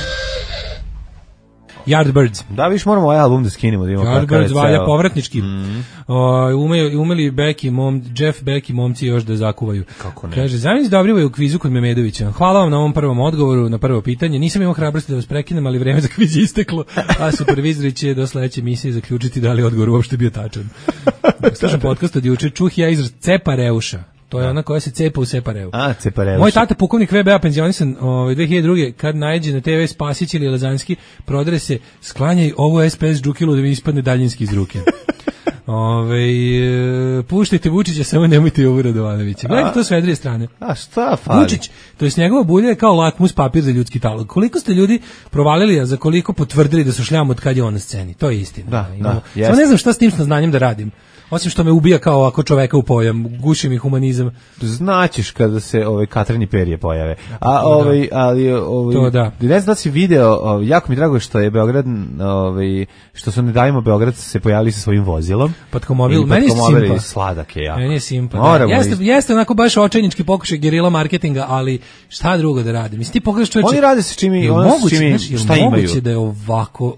Yardbirds. Da, viš moramo ovaj album da skinemo. Da Yardbirds valja povratnički. Mm. O, umeju, umeli Beck i mom, Jeff Beck i momci još da zakuvaju. Kako ne? Kaže, zamisli Dobrivoje u kvizu kod Memedovića. Hvala vam na ovom prvom odgovoru, na prvo pitanje. Nisam imao hrabrosti da vas prekinem, ali vreme za kviz je isteklo. A supervizori će do sledeće emisije zaključiti da li odgovor uopšte bio tačan. Slušam podcast od juče, čuh ja izraz cepa reuša. To je ona koja se cepa u separeu. A, cepareu. Moj tata pukovnik V B A penzionisan ovaj dve hiljade druge kad naiđe na T V Spasić ili Lazanski, prodre se sklanjaj ovo S P S džukilu da mi ispadne daljinski iz ruke. Ove, e, puštajte Vučića, samo nemojte Jovu Radovanovića. Gledajte to s vedrije strane. A šta fali? Vučić, to jest njegova bulja je kao lakmus papir za ljudski talog. Koliko ste ljudi provalili, a za koliko potvrdili da su šljam od kad je on na sceni? To je istina. Da, Imamo. da, samo ne znam šta s tim znanjem da radim. Osim što me ubija kao ovako čoveka u pojam, guši mi humanizam. Znaćeš kada se ovaj Katrani perje pojave. A ovaj ali ovaj to da. Ne znam da si video, ovaj, jako mi drago što je Beograd, ovaj što su ne dajemo Beograd se pojavili sa svojim vozilom. Patkomobil, meni je simpa. Sladak je jako. Meni je simpa. Da. Jeste, jeste onako baš očajnički pokušaj gerila marketinga, ali šta drugo da rade? Mislim ti pogledaš čoveče. Oni rade se čimi, oni su čimi, znaš, šta imaju. Moguće da je ovako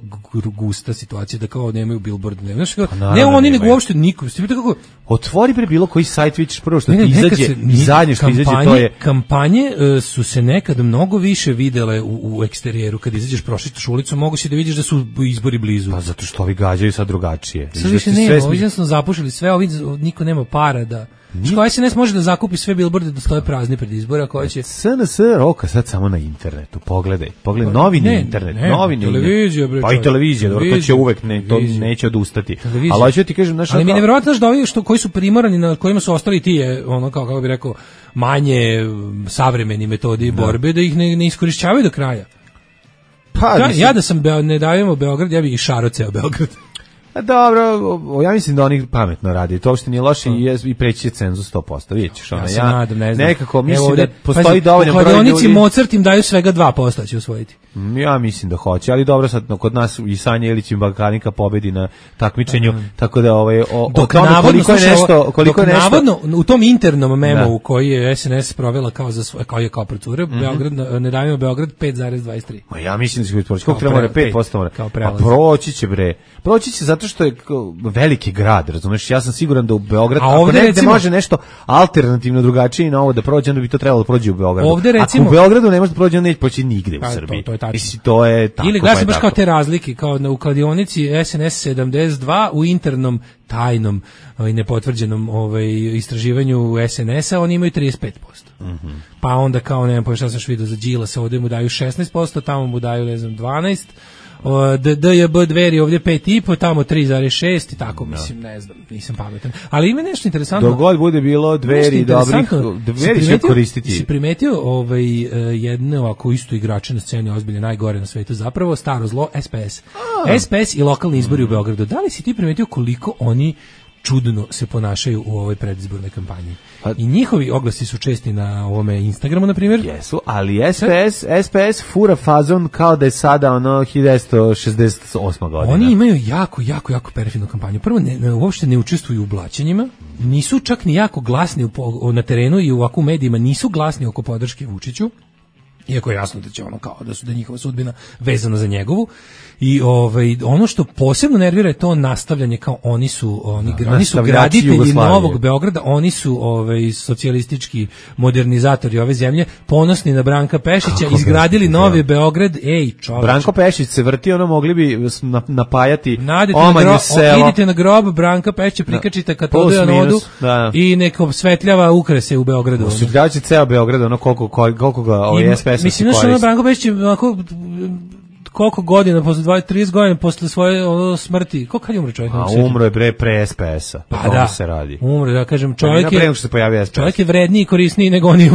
gusta situacija da kao nemaju billboard, ne, znaš, ne oni nego uopšte niko. Kako otvori bre bilo koji sajt, vidiš prvo što ti izađe i zadnje što izađe to je kampanje uh, su se nekad mnogo više videle u, u eksterijeru kad izađeš prošetaš ulicu mogu si da vidiš da su izbori blizu. Pa zato što ovi gađaju sad drugačije. Sad više nema, ovi jednostavno zapušili sve, ovi niko nema para da Što S N S može da zakupi sve bilborde da stoje prazni pred izbora koji će S N S roka sad samo na internetu. Pogledaj, pogledaj novini ne, internet, ne, novini televizija bre. Pa i televizija, dobro, to će uvek ne, to neće odustati. Ali hoću ti kažem, znaš, ali mi je neverovatno da ovi što koji su primorani na kojima su ostali ti je ono kao kako bih rekao manje savremeni metodi da. borbe da ih ne, ne iskorišćavaju do kraja. Pa ja, ja da sam Beo, ne davimo Beograd, ja bih i šaro ceo Beograd. A dobro, ja mislim da oni pametno radi. To uopšte nije loše i, je, i preći je cenzus sto posto. Vidjet ćeš, ona, ja, ja nadam, ne znam. nekako mislim ovde, da postoji pazi, dovoljno broj ljudi. U kladionici Mozart im daju svega dva posto će usvojiti. Ja mislim da hoće, ali dobro sad kod nas i Sanja Ilić i Balkanika pobedi na takmičenju, mm. tako da ovaj o, dok o tome navodno, koliko je nešto, koliko dok je nešto navodno u tom internom memu koji je es en es provela kao za svoj kao je kao procure, mm -hmm. Beograd ne davimo Beograd pet zarez dvadeset tri. Ma ja mislim da će biti proći. Koliko treba pet posto mora. Pa proći će bre. Proći će zato što je veliki grad, razumeš? Ja sam siguran da u Beograd a ako negde recimo, može nešto alternativno drugačije na ovo da prođe, onda bi to trebalo da prođe u Beogradu. Ovde recimo, ako u Beogradu ne može da prođe, onda neće proći nigde pa, u Srbiji. To, to je Mislim, to je tako. Ili gledaj baš kao te razlike, kao na u kladionici es en es sedamdeset dva u internom tajnom i nepotvrđenom ovaj istraživanju es en es-a oni imaju trideset pet posto. Mm-hmm. Pa onda kao ne znam, pa šta sam vidio za Đilasa, ovde mu daju šesnaest posto, tamo mu daju ne znam dvanaest posto. D J B Dveri ovdje pet i po, tamo tri zarez šest i tako, mislim, ne znam, nisam pametan. Ali ima nešto interesantno. Dogod bude bilo Dveri dobrih, Dveri će koristiti. Si primetio ovaj, jedne ovako isto igrače na sceni, ozbiljno najgore na svetu, zapravo staro zlo, es pe es. A. es pe es i lokalni izbori mm. u Beogradu. Da li si ti primetio koliko oni čudno se ponašaju u ovoj predizbornoj kampanji? Pa, i njihovi oglasi su česti na ovome Instagramu, na primjer. Jesu, ali es pe es, es pe es fura fazon kao da je sada ono hiljadu devetsto šezdeset osma godina. Oni imaju jako, jako, jako perfidnu kampanju. Prvo, ne, ne, uopšte ne učestvuju u blaćenjima, nisu čak ni jako glasni u, na terenu i u ovakvu medijima, nisu glasni oko podrške Vučiću, iako je jasno da će ono kao da su da njihova sudbina vezana za njegovu. I ovaj ono što posebno nervira je to nastavljanje, kao oni su oni, da, oni su graditelji novog Beograda, oni su ovaj socijalistički modernizatori ove zemlje, ponosni na Branka Pešića, kako izgradili novi Beograd. Ej, čoveče. Branko Pešić se vrti, ono mogli bi napajati Omanju selo. Idite na grob Branka Pešića, prikačite katode na vodu da. I neko osvetljava ukrase u Beogradu. Osvetljavaće ceo Beograd, ono koliko koliko ga ovaj es pe es mislim da što Branko Pešić onako koliko godina, posle dvadeset trideset godina posle svoje ono, smrti, koliko kad je umro čovjek? A umro je bre pre es pe es-a, pa da se radi. Umro, da kažem, čovjek je, pre se pojavio es pe es. Čovjek je vredniji i korisniji nego oni u,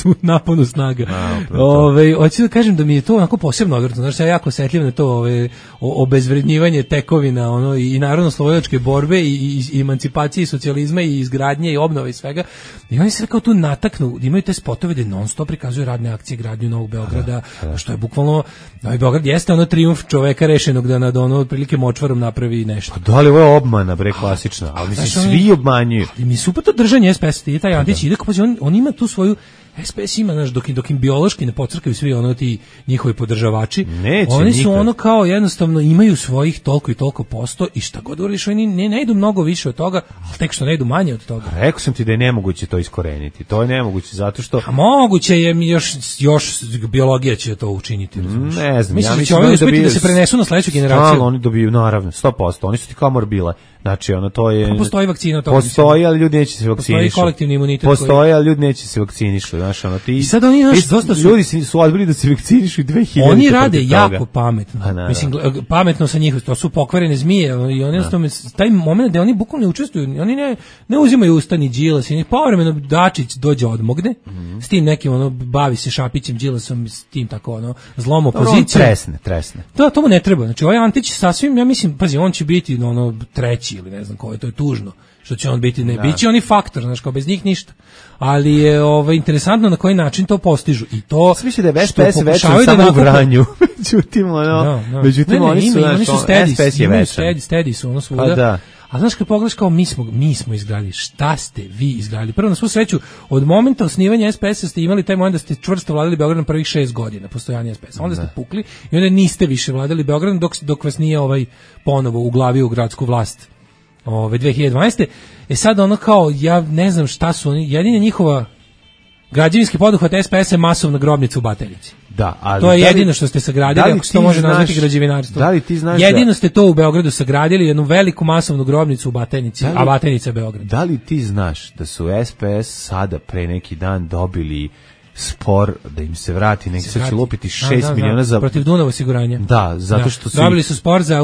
u naponu snaga. Ove, hoću da kažem da mi je to onako posebno odvrtno, znači ja jako osetljiv na to ove, obezvrednjivanje tekovina ono, i, i narodno-slobodačke borbe i, i, i emancipacije i socijalizma i izgradnje i obnove i svega. I oni se kao tu nataknu, imaju te spotove da non stop prikazuju radne akcije, gradnju Novog Beograda, a, a. što je bukvalno, Novi Beograd jeste ono trijumf čoveka rešenog da nad ono otprilike močvarom napravi nešto. Pa da li ovo je obmana, bre, klasična, ali mislim svi obmanjuju. Ali mi super to držanje es pe es, i taj Antić ide, pa on, on ima tu svoju, es pe es ima, znaš, dok, dok im biološki ne pocrkaju svi ono ti njihovi podržavači, neće, oni su nikad. Ono kao jednostavno imaju svojih toliko i toliko posto i šta god uriš, oni ne, ne idu mnogo više od toga, ali tek što ne idu manje od toga. Rekao sam ti da je nemoguće to iskoreniti, to je nemoguće zato što... A moguće je, još, još biologija će to učiniti. Razumiješ? Ne znam, mislim, ja mislim da će oni uspjeti da se prenesu na sledeću generaciju. Stalno oni dobiju, naravno, sto posto, oni su ti kao morbile. Znači, ono, to je... Pa postoji vakcina. To postoji, ali ljudi neće se vakcinišu. Postoji kolektivni imunitet. Postoji, ali ljudi neće se vakcinišu. Znaš, ono, ti... I sad oni, znaš, dosta su... Ljudi su odbili da se vakcinišu i dve hiljade. Oni rade jako pametno. A, mislim, pametno sa njih, to su pokvarene zmije. I oni jednostavno, taj moment da oni bukvalno ne učestvuju, oni ne, ne uzimaju ustani Đilas. I povremeno Dačić dođe odmogne, mm. s tim nekim, ono, bavi se Šapićem, Đilasom, s tim tako, ono, zlom opozicijom. Tresne, tresne. Da, to mu ne treba. Znači, ovaj Antić sasvim, ja mislim, pazi, on će biti, ono, treći ili ne znam ko je, to je tužno, što će on biti, ne, biće oni faktor, znaš, kao bez njih ništa, ali je ovaj, interesantno na koji način to postižu i to sviše da je es pe es večan samo u Vranju, međutim, ono, no, no. međutim, ne, ne, oni su, ima, oni su stedis, es pe es je večan. Stedi su, ono svuda, pa da. A znaš kad pogledaš kao mi smo, mi smo izgradili, šta ste vi izgradili? Prvo na svu sreću, od momenta osnivanja es pe es-a ste imali taj moment da ste čvrsto vladali Beogradom prvih šest godina postojanja es pe es-a. Onda ste pukli i onda niste više vladali Beogradom dok, dok vas nije ovaj ponovo uglavio u gradsku vlast. Ove dve hiljade dvanaeste. E sad ono kao, ja ne znam šta su oni, jedina njihova građevinski poduhvat es pe es-a je masovna grobnica u Batajnici. Da, ali to je jedino što ste sagradili, ako se to može nazvati građevinarstvo. Da li ti znaš jedino da... ste to u Beogradu sagradili, jednu veliku masovnu grobnicu u Batajnici, a Batajnica je Beograd. Da li ti znaš da su es pe es sada pre neki dan dobili spor da im se vrati, nek se će lupiti šest miliona za protiv Dunav osiguranja. Da, zato što su dobili su spor za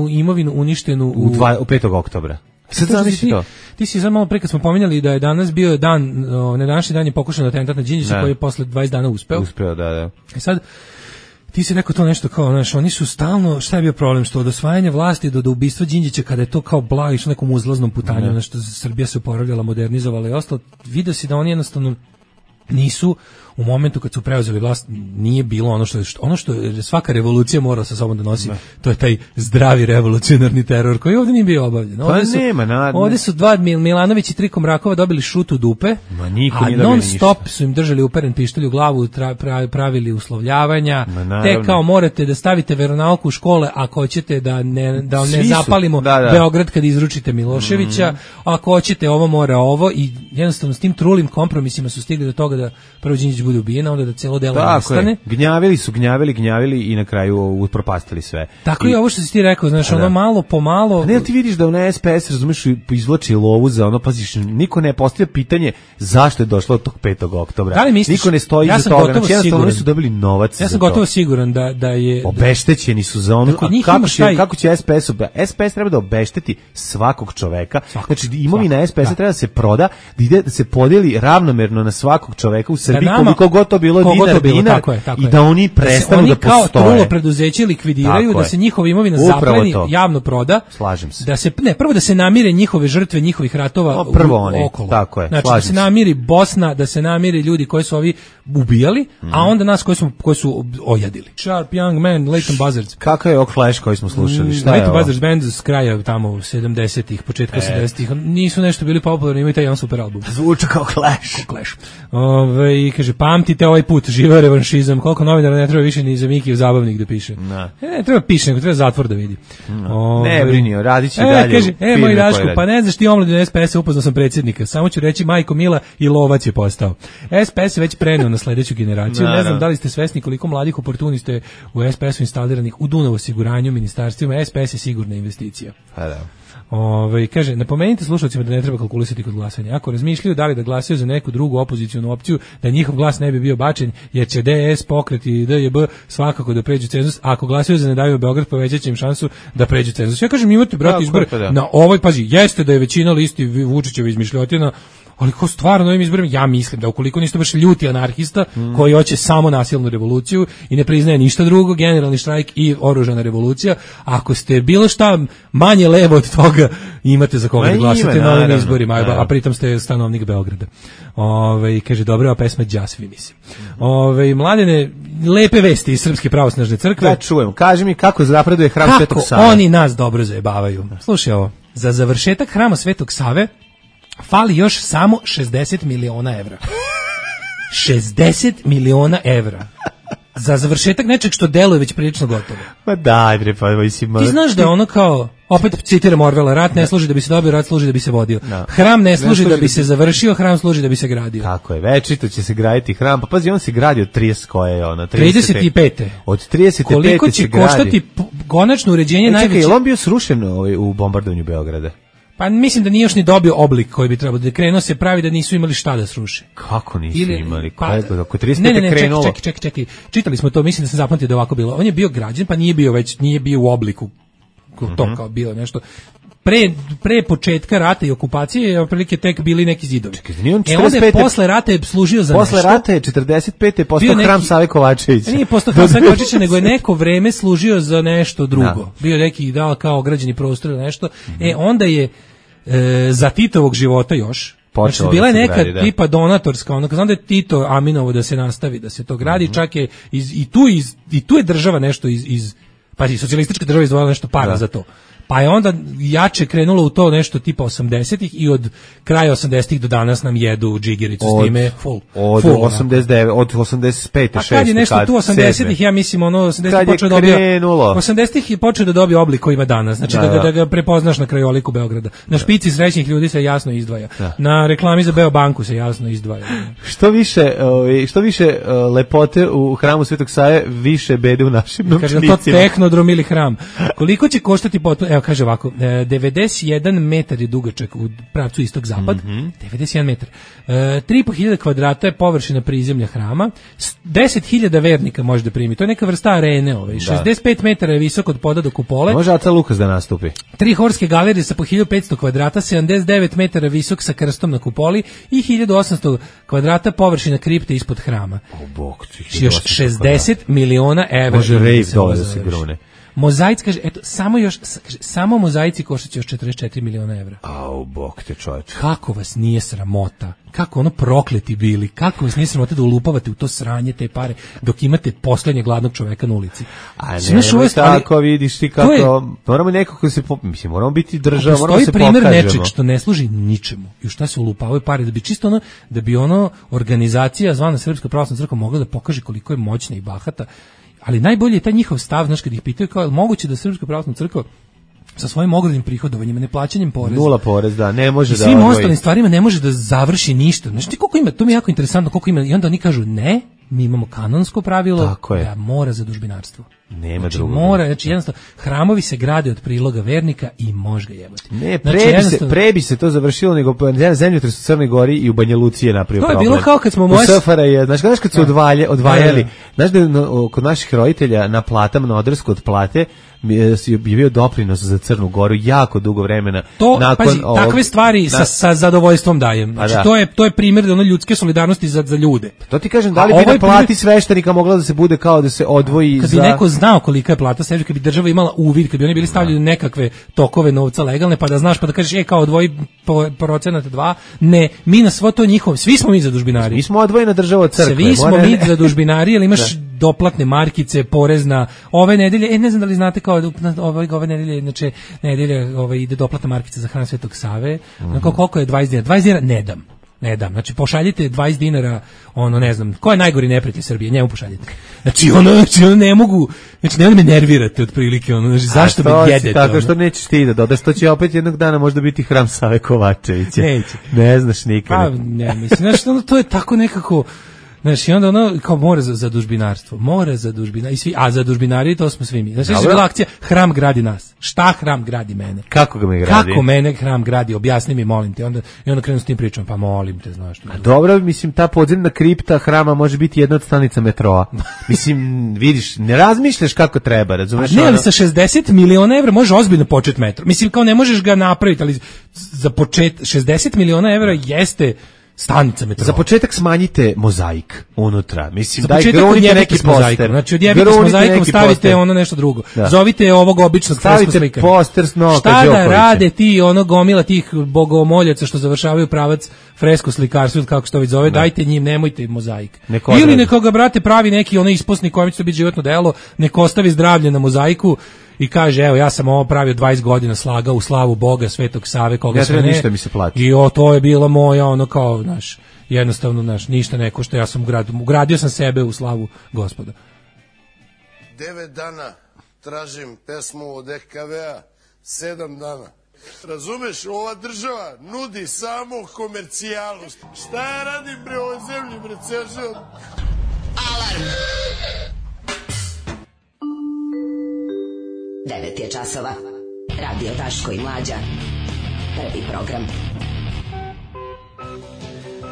imovinu uništenu u, u, dva, u petog oktobra. Sad zamisli to. Ti si sad malo pre kad smo pominjali da je danas bio dan, na današnji dan je pokušan atentat na Đinđića koji je posle dvadeset dana uspeo. Uspeo, da, da. I sad ti si rekao to nešto kao, znaš, oni su stalno, šta je bio problem, što od osvajanja vlasti do, do ubistva Đinđića, kada je to kao blago išlo nekom uzlaznom putanju, mm. nešto Srbija se oporavljala, modernizovala i ostalo, vidio si da oni jednostavno nisu u momentu kad su preuzeli vlast nije bilo ono što je ono što je svaka revolucija mora sa sobom da nosi, ne. To je taj zdravi revolucionarni teror koji ovdje nije bio obavljen. Ovdje su, nema, na, ovdje su dva Milanović i tri Komrakova dobili šut u dupe, ma niko a nije non stop ništa. Su im držali uperen pištolj u glavu, tra, pra, pravili uslovljavanja, te kao morate da stavite veronauku u škole ako hoćete da ne, da ne zapalimo da, da. Beograd kad izručite Miloševića, mm. ako hoćete ovo mora ovo i jednostavno s tim trulim kompromisima su stigli do toga da prvo Đinđić bude ubijen, onda da celo delo nestane. Gnjavili su, gnjavili, gnjavili i na kraju upropastili sve. Tako I, i ovo što si ti rekao, znaš, ono malo po malo... Pa ne, ti vidiš da u S P S, razumeš, izvlači lovu za ono, paziš, niko ne postavlja pitanje zašto je došlo od tog petog oktobra. Da li misliš, niko ne stoji ja iza toga, znači jednostavno oni su dobili novac ja sam gotovo siguran da, da je... Obeštećeni su za ono, a kako će, taj... kako će S P S... S P S treba da obešteti svakog čoveka, svakog, znači imovina S P S da. Treba da se proda, da ide da se podeli ravnomerno na svakog čoveka u Srbiji, da koliko god to bilo Kogo dinar, to bilo, dinar tako je, tako i da oni prestanu da, da postoje. Oni kao trulo preduzeće likvidiraju, tako da se njihova imovina zapleni, javno proda. Slažem se. Da se, ne, prvo da se namire njihove žrtve njihovih ratova no, prvo oni, okolo. Tako je, znači da se namiri Bosna, da se namiri ljudi koji su ovi ubijali, mm. a onda nas koji su, koji su ojadili. Sharp Young Man, Leighton Buzzards. Kakav je ovog Flash koji smo slušali? Šta je Leighton Buzzards band s kraja tamo sedamdesetih, početka e. sedamdesetih. Nisu nešto bili popularni, imaju taj jedan super album. Zvuči kao Clash. Kao Clash. Ove, i kaže, pamtite ovaj put, živeo revanšizam, koliko novinara ne treba više ni za Mikijev zabavnik da piše. No. E, ne treba piše, nego treba zatvor da vidi. No. Ove, ne brinio, radit će e, dalje. Kaže, e, moj Daško, pa ne znaš ti omladinu S P S-a, upoznao sam predsjednika, samo ću reći Majko Mila i lovac je postao. S P S je već preneo na sledeću generaciju, no, ne znam no. da li ste svesni koliko mladih oportunista je u S P S-u instaliranih u Dunav osiguranju, ministarstvima, S P S je sigurna investicija. Pa da. Ove, kaže, napomenite slušalcima da ne treba kalkulisati kod glasanja. Ako razmišljaju da li da glasaju za neku drugu opozicionu opciju, da njihov glas ne bi bio bačen, jer će D S, Pokret i D J B svakako da pređu cenzus, a ako glasaju za Ne daju Beograd, povećat će im šansu da pređu cenzus. Ja kažem, imate, brate, izbore da. Na ovoj, pazi, jeste da je većina listi Vučićeva izmišljotina, ali ko stvarno ovim izborima, ja mislim da ukoliko niste baš ljuti anarhista mm. koji hoće samo nasilnu revoluciju i ne priznaje ništa drugo, generalni štrajk i oružana revolucija, ako ste bilo šta manje levo od toga, imate za koga da glasate na ovim izborima, a, a pritom ste stanovnik Beograda. Ove, kaže, dobra ova pesma Đasvi, mislim. Ove, mladene, lepe vesti iz Srpske pravosnažne crkve. Da čujem, kaži mi kako zapreduje hram kako Svetog Save. Kako oni nas dobro zajebavaju. Slušaj ovo, za završetak hrama Svetog Save fali još samo šezdeset miliona evra. šezdeset miliona evra. Za završetak nečeg što deluje već prilično gotovo. Ma daj bre, pa mislim. Ti znaš da ono kao, opet citiram Orwella, rat ne služi da bi se dobio, rat služi da bi se vodio. No. Hram ne služi, ne služi da bi se završio, hram služi da bi se gradio. Tako je, večito će se graditi hram. Pa pazi, on se gradi od trideset koje je ono, trideset pete. Od trideset pete koliko će koštati konačno uređenje e, najveće? Čekaj, on bio srušen ovaj, u bombardovanju Beograda. Pa mislim da nije još ni dobio oblik koji bi trebalo da krenuo se pravi da nisu imali šta da sruše. Kako nisu Ili, imali? Pa, kako trideset pete ne, ne, ne, krenulo? Čekaj, čekaj, čekaj. Čitali smo to, mislim da sam zapamtio da ovako bilo. On je bio građan, pa nije bio već, nije bio u obliku to mm-hmm. kao bilo nešto. Pre, pre početka rata i okupacije je otprilike tek bili neki zidovi. Čekaj, nije on e onda je posle rata je služio za posle nešto. Posle rata je četrdeset pete postao neki, hram Save Kovačevića. Nije postao hram Save Kovačevića, nego je neko vreme služio za nešto drugo. Da. Bio neki dao kao ograđeni prostor ili nešto. Mm-hmm. E onda je e, za Titovog života još Znači, bila je neka gradi, tipa donatorska, ono, znam da je Tito Aminovo da se nastavi, da se to gradi, mm-hmm. čak je iz, i, tu iz, i tu je država nešto iz, iz pa i socijalistička država izdvojila nešto para da. za to. Pa je onda jače krenulo u to nešto tipa osamdesetih i od kraja osamdesetih do danas nam jedu džigericu s time full. Od full, osamdeset devet, od osamdeset pete, šeste, a kad je nešto kad, tu osamdesetih, ja mislim ono osamdesetih počeo da dobije osamdesetih je počeo da dobije oblik koji ima danas. Znači da, da, ga, da ga prepoznaš na krajoliku Beograda. Na špici srećnih ljudi se jasno izdvaja. Da. Na reklami za Beobanku se jasno izdvaja. Što više, što više lepote u hramu Svetog Save, više bede u našim novčanicima. Kaže to tehnodrom ili hram. Koliko će koštati potom? Evo kaže ovako, e, devedeset jedan metar je dugačak u pravcu istok-zapad, mm-hmm. devedeset jedan metar. E, tri i po hiljade kvadrata je površina prizemlja hrama, deset hiljada vernika može da primi. To je neka vrsta arene, ovaj. šezdeset pet metara je visok od poda do kupole. Može Aca Lukas da nastupi. Tri horske galerije sa po hiljadu petsto kvadrata, sedamdeset devet metara visok sa krstom na kupoli i hiljadu osamsto kvadrata površina kripte ispod hrama. O bog, još šezdeset miliona evra. Može rejv dole da se grune. Mozaic, kaže, eto, samo još, kaže, samo mozaici koštaće još četrdeset četiri miliona evra. Au, bog te čovječe. Kako vas nije sramota? Kako ono prokleti bili? Kako vas nije sramota da ulupavate u to sranje te pare dok imate poslednjeg gladnog čoveka na ulici? A ne, ne tako, vidiš ti kako, je, moramo nekako se, mislim, moramo biti država, moramo se pokažemo. Postoji primer nečeg što ne služi ničemu i u šta se ulupavaju pare, da bi čisto ono, da bi ono organizacija zvana Srpska pravoslavna crkva mogla da pokaže koliko je moćna i bahata. Ali najbolje je taj njihov stav, znaš, kad ih pitaju kao, je moguće da Srpska pravoslavna crkva sa svojim ogromnim prihodovanjima, neplaćanjem poreza, nula porez, da, ne može da svim odvoji. Ostalim stvarima ne može da završi ništa. Znaš ti koliko ima, to mi je jako interesantno, koliko ima, i onda oni kažu ne, mi imamo kanonsko pravilo da mora zadužbinarstvo. Nema znači, drugog. Mora, znači jednostavno, hramovi se grade od priloga vernika i može ga jebati. Ne, pre, znači, bi se, pre bi se to završilo nego zemljotres u Crnoj Gori i u Banja Luci je napravio problem. To je bilo kao kad smo moje... U S F R J, znaš, znaš kad su odvalje, odvajali, znaš da je kod naših roditelja na platama, na Odersku od plate, je bio doprinos za Crnu Goru jako dugo vremena. To, nakon pazi, ovog, takve stvari na, sa, sa zadovoljstvom dajem. Znači, da. to, je, to je primjer da ono ljudske solidarnosti za, za ljude. To ti kažem, da li bi na plati primjer... sveštenika mogla da se bude kao da se odvoji kad za... Kad bi neko znao kolika je plata sveštenika, kad bi država imala uvid, kad bi oni bili stavljeni da. nekakve tokove novca legalne, pa da znaš, pa da kažeš, e, kao odvoji procenat dva, ne, mi na svo to njihovo, svi smo mi zadužbinari. Mi smo odvojena država od crkve. Svi smo mi zadužbinari, ali imaš da. doplatne markice, porezna, ove nedelje, e, ne znam da li znate kao ove, ove nedelje, znači nedelje ove, ide doplatna markica za hram Svetog Save, mm-hmm. Onako, koliko je dvadeset dinara? dvadeset dinara ne dam. Ne dam. Znači pošaljite dvadeset dinara, ono ne znam, ko je najgori neprijatelj Srbije, njemu pošaljite. Znači ono, znači ono ne mogu, znači ne me nervirate otprilike, ono, znači zašto me jedete? Tako ono? Što nećeš ti da dodaš, to će opet jednog dana možda biti hram Save Kovačevića. Neće. Ne znaš nikad. Pa ne, mislim, znači ono, to je tako nekako. Znači, onda ono, kao mora za, za dužbinarstvo, mora za dužbinarstvo, i svi, a za dužbinari to smo svi mi. Znači, je bila akcija, hram gradi nas. Šta hram gradi mene? Kako ga me gradi? Kako mene hram gradi? Objasni mi, molim te. Onda, i onda krenu s tim pričom, pa molim te, znaš. A dobro, mislim, ta podzemna kripta hrama može biti jedna od stanica metroa. Mislim, vidiš, ne razmišljaš kako treba, razumeš? Ne, ali sa šezdeset miliona evra može ozbiljno početi metro. Mislim, kao ne možeš ga napraviti, ali za počet, šezdeset miliona evra jeste stanica metroa. Za početak smanjite mozaik unutra. Mislim, daj grunite neki poster. Znači, odjebite s mozaikom, stavite poster. Ono nešto drugo. Da. Zovite ovog običnog fresku slikara. Stavite poster s Novaka Đokovića. Šta da rade ti, ono gomila tih bogomoljaca što završavaju pravac fresko slikarstva, kako se to već zove, da. Dajte njim, nemojte mozaik. Neko ili nekoga, brate, pravi neki ono isposni kojem će to biti životno delo, neko ostavi zdravlje na mozaiku i kaže, evo, ja sam ovo pravio dvadeset godina, slagao u slavu Boga, Svetog Save, koga ja sve ne. Ništa mi se plati. I o, to je bilo moja, ono kao, znaš, jednostavno, znaš, ništa neko što ja sam ugradio, ugradio sam sebe u slavu Gospoda. Devet dana tražim pesmu od E K V-a, sedam dana. Razumeš, ova država nudi samo komercijalu. Šta ja radim bre ovoj zemlji, bre, ceo život? Alarm! devet je časova. Radio Daško i Mlađa. Prvi program.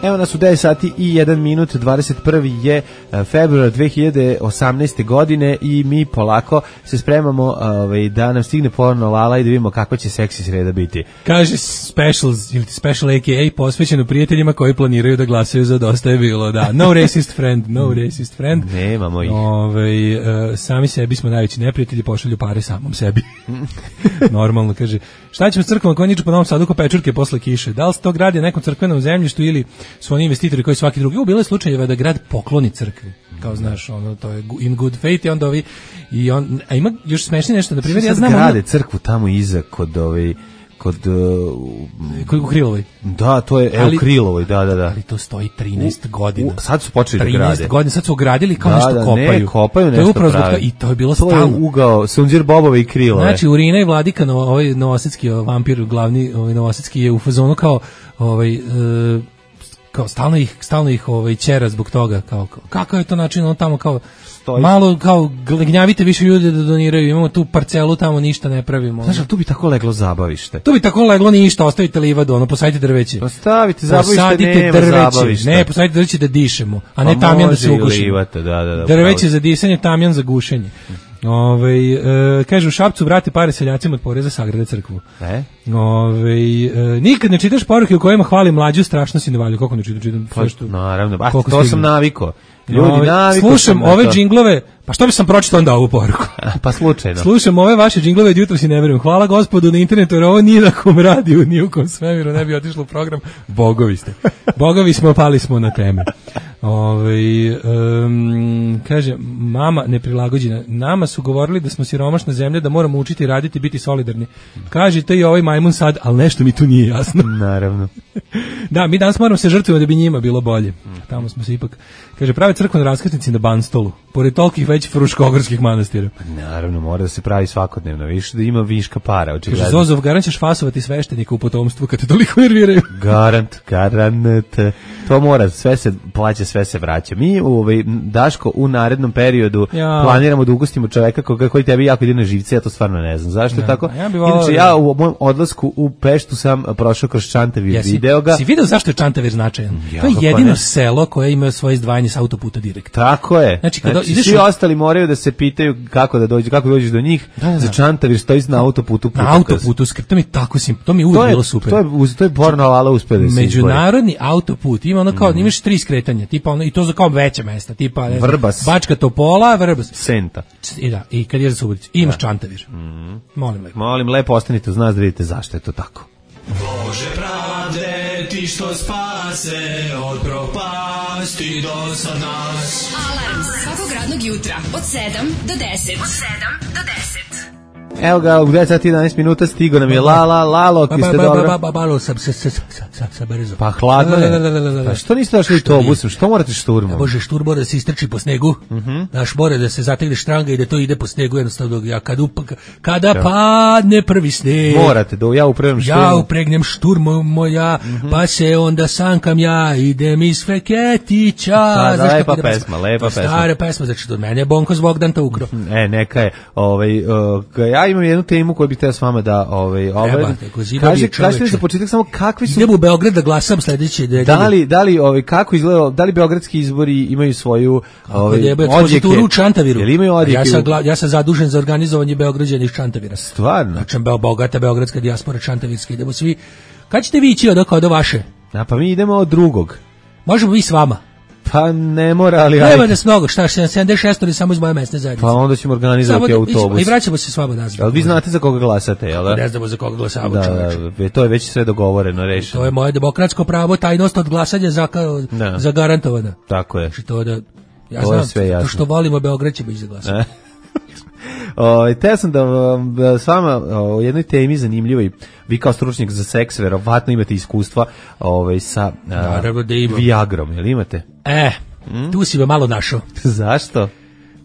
Evo nas u devet sati i jedan minut, dvadeset prvi je februar dve hiljade osamnaeste. godine i mi polako se spremamo ovaj, da nam stigne porno Lala i da vidimo kakva će seksi sreda biti. Kaže specials, ili special A K A posvećeno prijateljima koji planiraju da glasaju za Dosta je bilo, da. No racist friend, no racist friend. Nemamo ih. Ove, uh, sami sebi smo najveći neprijatelji, pošalju pare samom sebi. Normalno, kaže, šta ćemo s crkvom koja niču po Novom Sadu ko pečurke posle kiše? Da li se to gradi na nekom crkvenom zemljištu ili su oni investitori koji svaki drugi? U bilo je slučajeva da grad pokloni crkvi. Kao znaš, ono, to je in good faith i onda ovi, i on, a ima još smešnije nešto, na primjer, ja znam... grade ono, crkvu tamo iza kod ovi, kod... Uh, u Krilovoj. Da, to je, evo, Krilovoj, da, da, da. Ali to stoji trinaest godina. U, sad su počeli da grade. trinaest godina, sad su ogradili kao da, nešto da, kopaju. Ne, kopaju nešto to je pravi. I to je bilo stalno. To je ugao Sunđer Bobove i Krilove. Znači, Urina i Vladika, no, ovaj novosadski vampir, glavni ovaj novosadski je u fazonu kao, ovaj... Uh, kao stalno ih stalno ih ovaj ćera zbog toga, kao, kao kakav je to način, on tamo kao Stoji. malo kao gnjavite više ljudi da doniraju, imamo tu parcelu, tamo ništa ne pravimo. Znaš, tu bi tako leglo zabavište. Tu bi tako leglo ništa, ostavite livadu, ono, posadite drveće. Postavite zabavište, posadite nema drveće. zabavišta. Ne, posadite drveće da dišemo, a pa ne tamjan da se ugušimo. Livate, da, da, da, drveće za disanje, tamjan za gušenje. Ove, e, kaže u Šapcu vrati pare seljacima od poreza, sagrade crkvu. E? Ove, e, nikad ne čitaš poruke u kojima hvali mlađu, strašno si ne valju. Kako ne čitam? čitam pa, što, naravno, a to stigli. sam naviko. Ljudi, ove, naviko slušam ove džinglove, pa što bi sam pročitao onda ovu poruku? Pa slučajno. Slušam ove vaše džinglove od jutro si ne verujem. Hvala Gospodu na internetu, jer ovo nije na kom radiju, ni u kom svemiru ne bi otišlo u program. Bogovi ste. Bogovi smo, pali smo na teme. Ove, um, kaže, mama neprilagođena. Nama su govorili da smo siromašna zemlja, da moramo učiti raditi, biti solidarni. Kaže to i ovaj majmun sad, ali nešto mi tu nije jasno. Naravno. Da, mi danas moramo se žrtvovati da bi njima bilo bolje. Tamo smo se ipak, kaže, prave crkvene raskrsnici na Banstolu, pored tolikih već fruškogorskih manastira. Naravno, mora da se pravi svakodnevno, više da ima viška para. Očigledno. Kaže, Zozov, garant ćeš fasovati sveštenika u potomstvu kad te toliko nerviraju. Garant, garant. To mora, sve se plaća, sve se vraća. Mi, ovaj, Daško, u narednom periodu ja. planiramo da ugostimo čoveka koga, koji tebi jako ide na živce, ja to stvarno ne znam. Zašto je tako? Ja Inače, ja u mom odlasku u Peštu sam prošao kroz Čantavir, ja, video ga. Si video zašto je Čantavir značajan? Ja, to je jedino selo koje ima svoje izdvajanje sa autoputa direkt. Tako je. Znači, kada znači, ideš svi u... ostali moraju da se pitaju kako da dođu, kako dođeš do njih. Da, da. Za Čantavir stoji na autoputu. Na autoputu, to mi tako sim, to mi uvijek bilo super. To je to je porno ala uspeli da se međunarodni autoput ima ono kao mm. imaš tri skretanja, tipa ono i to za kao veća mesta, tipa ne znam, Vrbas, Bačka Topola, Vrbas, Senta. I da, i kad je za Suboticu, imaš da. Čantavir. Mm. Molim lepo. Molim lepo ostanite uz nas da vidite zašto je to tako. Bože pravde, ti što spase od propasti do sad nas. Alarm svakog radnog jutra od sedam do deset. Od sedam do deset. Evo ga, u devet sati i jedanaest minuta stigo nam je Lala, Lalo, ki ste dobro. Ba, ba, ba, sa, sa, sa, sa, sa brzo. Pa hladno je. Pa što niste došli autobusom? Što morate šturmom? Bože, štur mora da se istrči po snegu. Naš mora da se zategne štranga i da to ide po snegu jednostavno. Ja kad upak, kada padne prvi sneg. Morate, da ja upregnem šturmu. Ja upregnem šturmu moja, pa se onda sankam ja, idem iz Feketića. Da, lepa pesma, lepa pesma. Stara pesma, znači od mene je Bonko s Bogdan to ukro. E, neka je, ovaj, ja imam jednu temu koju bih teo s vama da ovaj ovaj kaže kažete za početak samo kakvi su idem u Beograd da glasam sledeće da da li da li ovaj kako izgleda da li beogradski izbori imaju svoju ovaj odjeke u Čantaviru ili imaju odjeke ja sam ja sam zadužen za organizovanje Beograđana iz Čantavira stvarno znači bogata beogradska dijaspora čantavirska idemo svi kad ćete vi ići od oko do vaše a pa mi idemo od drugog možemo vi s vama. Pa ne mora, ali... Nema da s mnogo, šta, sedamdeset šest ili samo iz moje mesne zajednice. Pa onda ćemo organizovati autobus. I vraćamo se s vama nazad. Ali vi znate za koga glasate, jel da? Ne znamo za koga glasamo, da, čoveče. Da, to je već sve dogovoreno, rešeno. To je moje demokratsko pravo, tajnost od glasanja zagarantovana. Tako je. Znači to da... Ja to znam, je sve jasno. To što volimo Beograd ćemo ići za glasanje. O, te sam da, da s vama o jednoj temi zanimljivoj, vi kao stručnjak za seks verovatno imate iskustva ovaj, sa a, da Viagrom, jel imate? E, hmm? Tu si me malo našao. Zašto?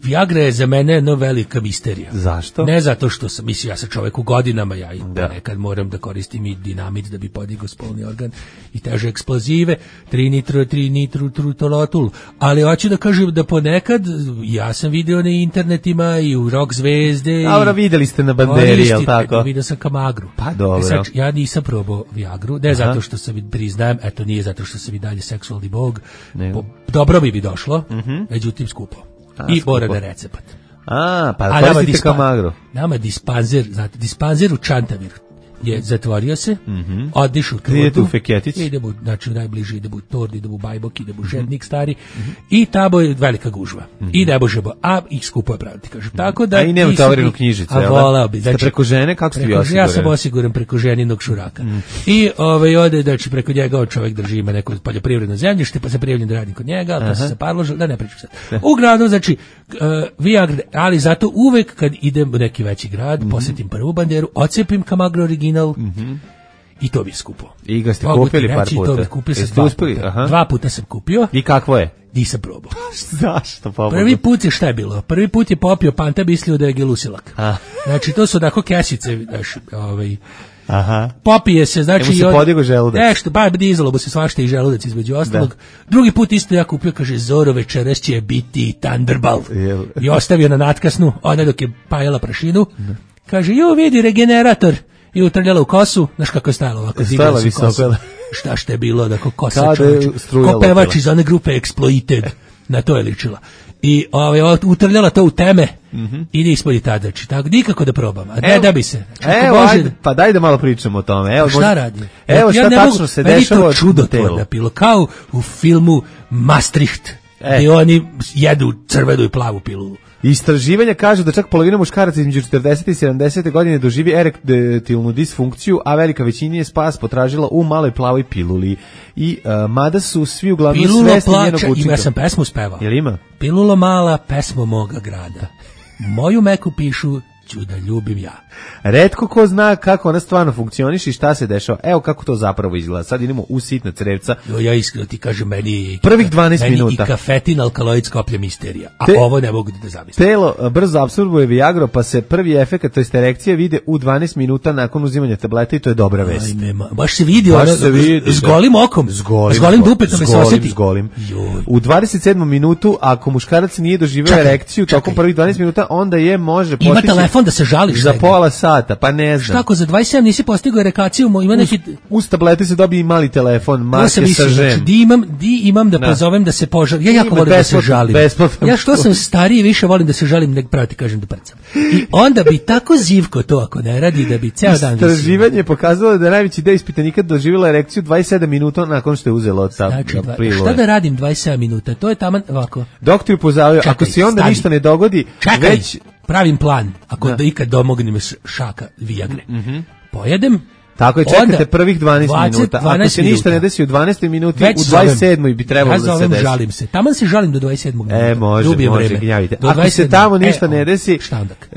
Viagra je za mene jedna velika misterija. Zašto? Ne zato što sam, mislim, ja sam čovek u godinama, ja i da. nekad moram da koristim i dinamit da bi podigao spolni organ i teže eksplozive, tri nitro, tri nitro, trutolotul, ali hoću da kažem da ponekad, ja sam video na internetima i u rock zvezde. Dobro, videli ste na banderi, jel tako? Vidio sam Kamagru. Pa dobro. E sad, ja nisam probao Viagru, ne Aha. zato što sam, priznajem, eto nije zato što sam i dalje seksualni bog, po, dobro bi bi došlo, uh-huh. međutim skupo. A, i mora da recept. A, pa koristite Kamagru. Nama dispanzer, znate, dispanzer u Čantaviru je zatvorio se, mm-hmm. odišu Idete u Feketić. Idemo, znači najbliže idemo u Tordi, idemo u Bajbok, idemo u Žednik stari mm-hmm. i tamo je velika gužva. Mm-hmm. I ne možemo, a i skupo je praviti, kažem. Mm-hmm. Tako da... A i nema tavorinu knjižicu, a volao bi. Znači, preko žene, kako ste vi osiguran? Ja sam osiguran preko ženinog šuraka. Mm-hmm. I ovaj, ode, znači, preko njega on čovjek drži ima neko poljoprivredno zemljište, pa se prijavljam da radim kod njega, ali to se zaparložilo, da ne pričam sad. Uglavnom, znači, uh, Viagra, ali zato uvek kad idem u neki veći grad, mm-hmm. posjetim prvu banderu, ocepim Kamagru original, mm-hmm. i to bi je skupo. I ga ste kupili par puta? To bi kupio sam dva puta. Aha. Dva puta sam kupio. I kakvo je? Nisam probao. Zašto? Pa Prvi put je šta je bilo? Prvi put je popio Panta, mislio da je gelusilak. A. Znači, to su onako kesice, znaš, ovaj... Aha. Popije se, znači... Emu se podigo želudac. Nešto, ba, dizalo mu se svašta i želudac između ostalog. Da. Drugi put isto ja kupio, kaže, Zoro, večeras će biti Thunderbolt. Jel. I ostavio na natkasnu, ona dok je pajala prašinu. Da. Kaže, ju, vidi, regenerator. I utrljala u kosu, znaš kako je stajalo ovako. Stajala visoko. Šta što je bilo, da ko kosa čovječ. Ko pevač iz one grupe Exploited. Na to je ličila. I ovaj, utrljala to u teme mm-hmm. i nismo i tada. Tako, nikako da probam. A ne da bi se. Evo, ajde, pa daj da malo pričamo o tome. Evo, šta možda, radi? Evo šta ja tačno mogu, se dešava u čudotvorna pilo. Kao u filmu Maastricht. E. Gdje oni jedu crvenu i plavu pilulu. Istraživanja kažu da čak polovina muškaraca između četrdeset i sedamdeset godine doživi erektilnu disfunkciju, a velika većina je spas potražila u maloj plavoj piluli. I uh, mada su svi uglavnom Pilulo svesni plača, njenog učinka. Ima sam pesmu spevao. Jel ima? Pilulo mala, pesmo moga grada. Moju meku pišu ću da ljubim ja. Retko ko zna kako ona stvarno funkcioniše i šta se dešava. Evo kako to zapravo izgleda. Sad idemo u sitna crevca. Jo, ja iskreno ti kažem, meni prvih dvanaest meni minuta. I kafetin, alkaloid, skoplja misterija. A Te, ovo ne mogu da zamislim. Telo brzo apsorbuje Viagro, pa se prvi efekat, to jest erekcija, vide u dvanaest minuta nakon uzimanja tableta i to je dobra vest. Ajme, ma, baš se vidi, baš ono, se vidi s golim okom, s golim, s golim dupetom s se osjeti. S golim. U dvadeset sedmom minutu, ako muškarac nije doživeo erekciju čekaj. tokom prvih dvanaest minuta, onda je može postići... Ima telefon da se žališ. Za pola sata, pa ne znam. Šta ako za dvadeset sedam nisi postigao erekaciju, ima neki... Uz tablete se dobije i mali telefon, marke sa žem. Znači, di imam, di imam da pozovem da se požalim. Ja jako volim da se žalim. Besplatno. Ja što sam stariji više volim da se žalim nego pravo ti kažem da prcam. I onda bi tako zivko to ako ne radi da bi ceo dan... Istraživanje je pokazalo da je najveći deo ispitanika doživjela erekciju dvadeset sedam minuta nakon što je uzela od ta znači, šta da radim dvadeset sedam minuta? To je taman ovako. Doktor upozorava, ako se onda stani. Ništa ne dogodi, čekaj, već... pravim plan, ako da, da ikad domognem šaka Viagre. Mm-hmm. Pojedem, tako je, čekate prvih dvanaest minuta. Ako se ništa ne desi u dvanaestoj minuti, već u dvadeset sedmoj bi trebalo ja da se desi. Žalim se. Taman se žalim do dvadeset sedmog minuta. E, može, Dubijem može, gnjavite. Ako se tamo ništa e, ne desi,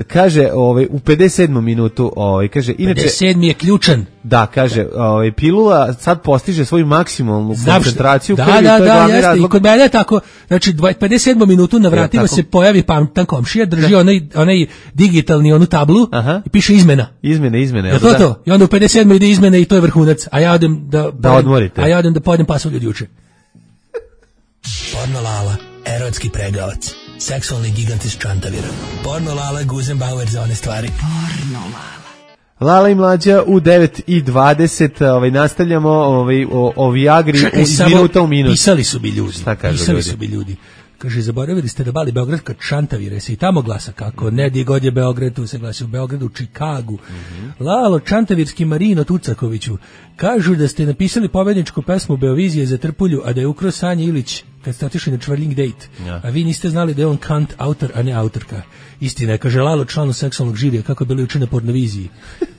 kaže, ovaj, u pedeset sedmom minutu, ovaj, kaže, inače... pedeset sedmi je ključan. Da, kaže, ovaj, pilula sad postiže svoju maksimalnu koncentraciju. Da, krvi, da, to je da, jeste. razlog. I kod mene je tako, znači, pedeset sedmom minutu na vratima ja, se pojavi pametan komšija, drži da. onaj, onaj digitalni, onu tablu aha. i piše izmena. Izmene, izmene. Ja to da. to. I onda u pedeset sedmoj ide izmene i to je vrhunac. A ja odem da... Da odmorite. A ja odem da pojedem pasulj od juče. Porno Lala, erotski pregavac. Seksualni gigant iz Čantavira. Porno Lala, Guzenbauer za one stvari. Porno Lala. Lala i mlađa u devet i dvadeset, ovaj, nastavljamo ovaj, o, o Viagri Čekaj, iz minuta u minut. Pisali su bi ljudi. Šta kažu pisali ljudi? su bi ljudi. Kaže, zaboravili ste da bali Beograd kad Čantavire se i tamo glasa kako, ne di god je Beograd, tu se glasi u Beogradu, u Čikagu. Mm-hmm. Lalo, Čantavirski Marino Tucakoviću, kažu da ste napisali pobedničku pesmu Beovizije za Trpulju, a da je ukro Sanja Ilić kad ste otišli na Čvrling date, ja. A vi niste znali da je on kant autor, a ne autorka. Istina je, kaže Lalo, članu seksualnog žirija, kako je bilo juče na Pornoviziji.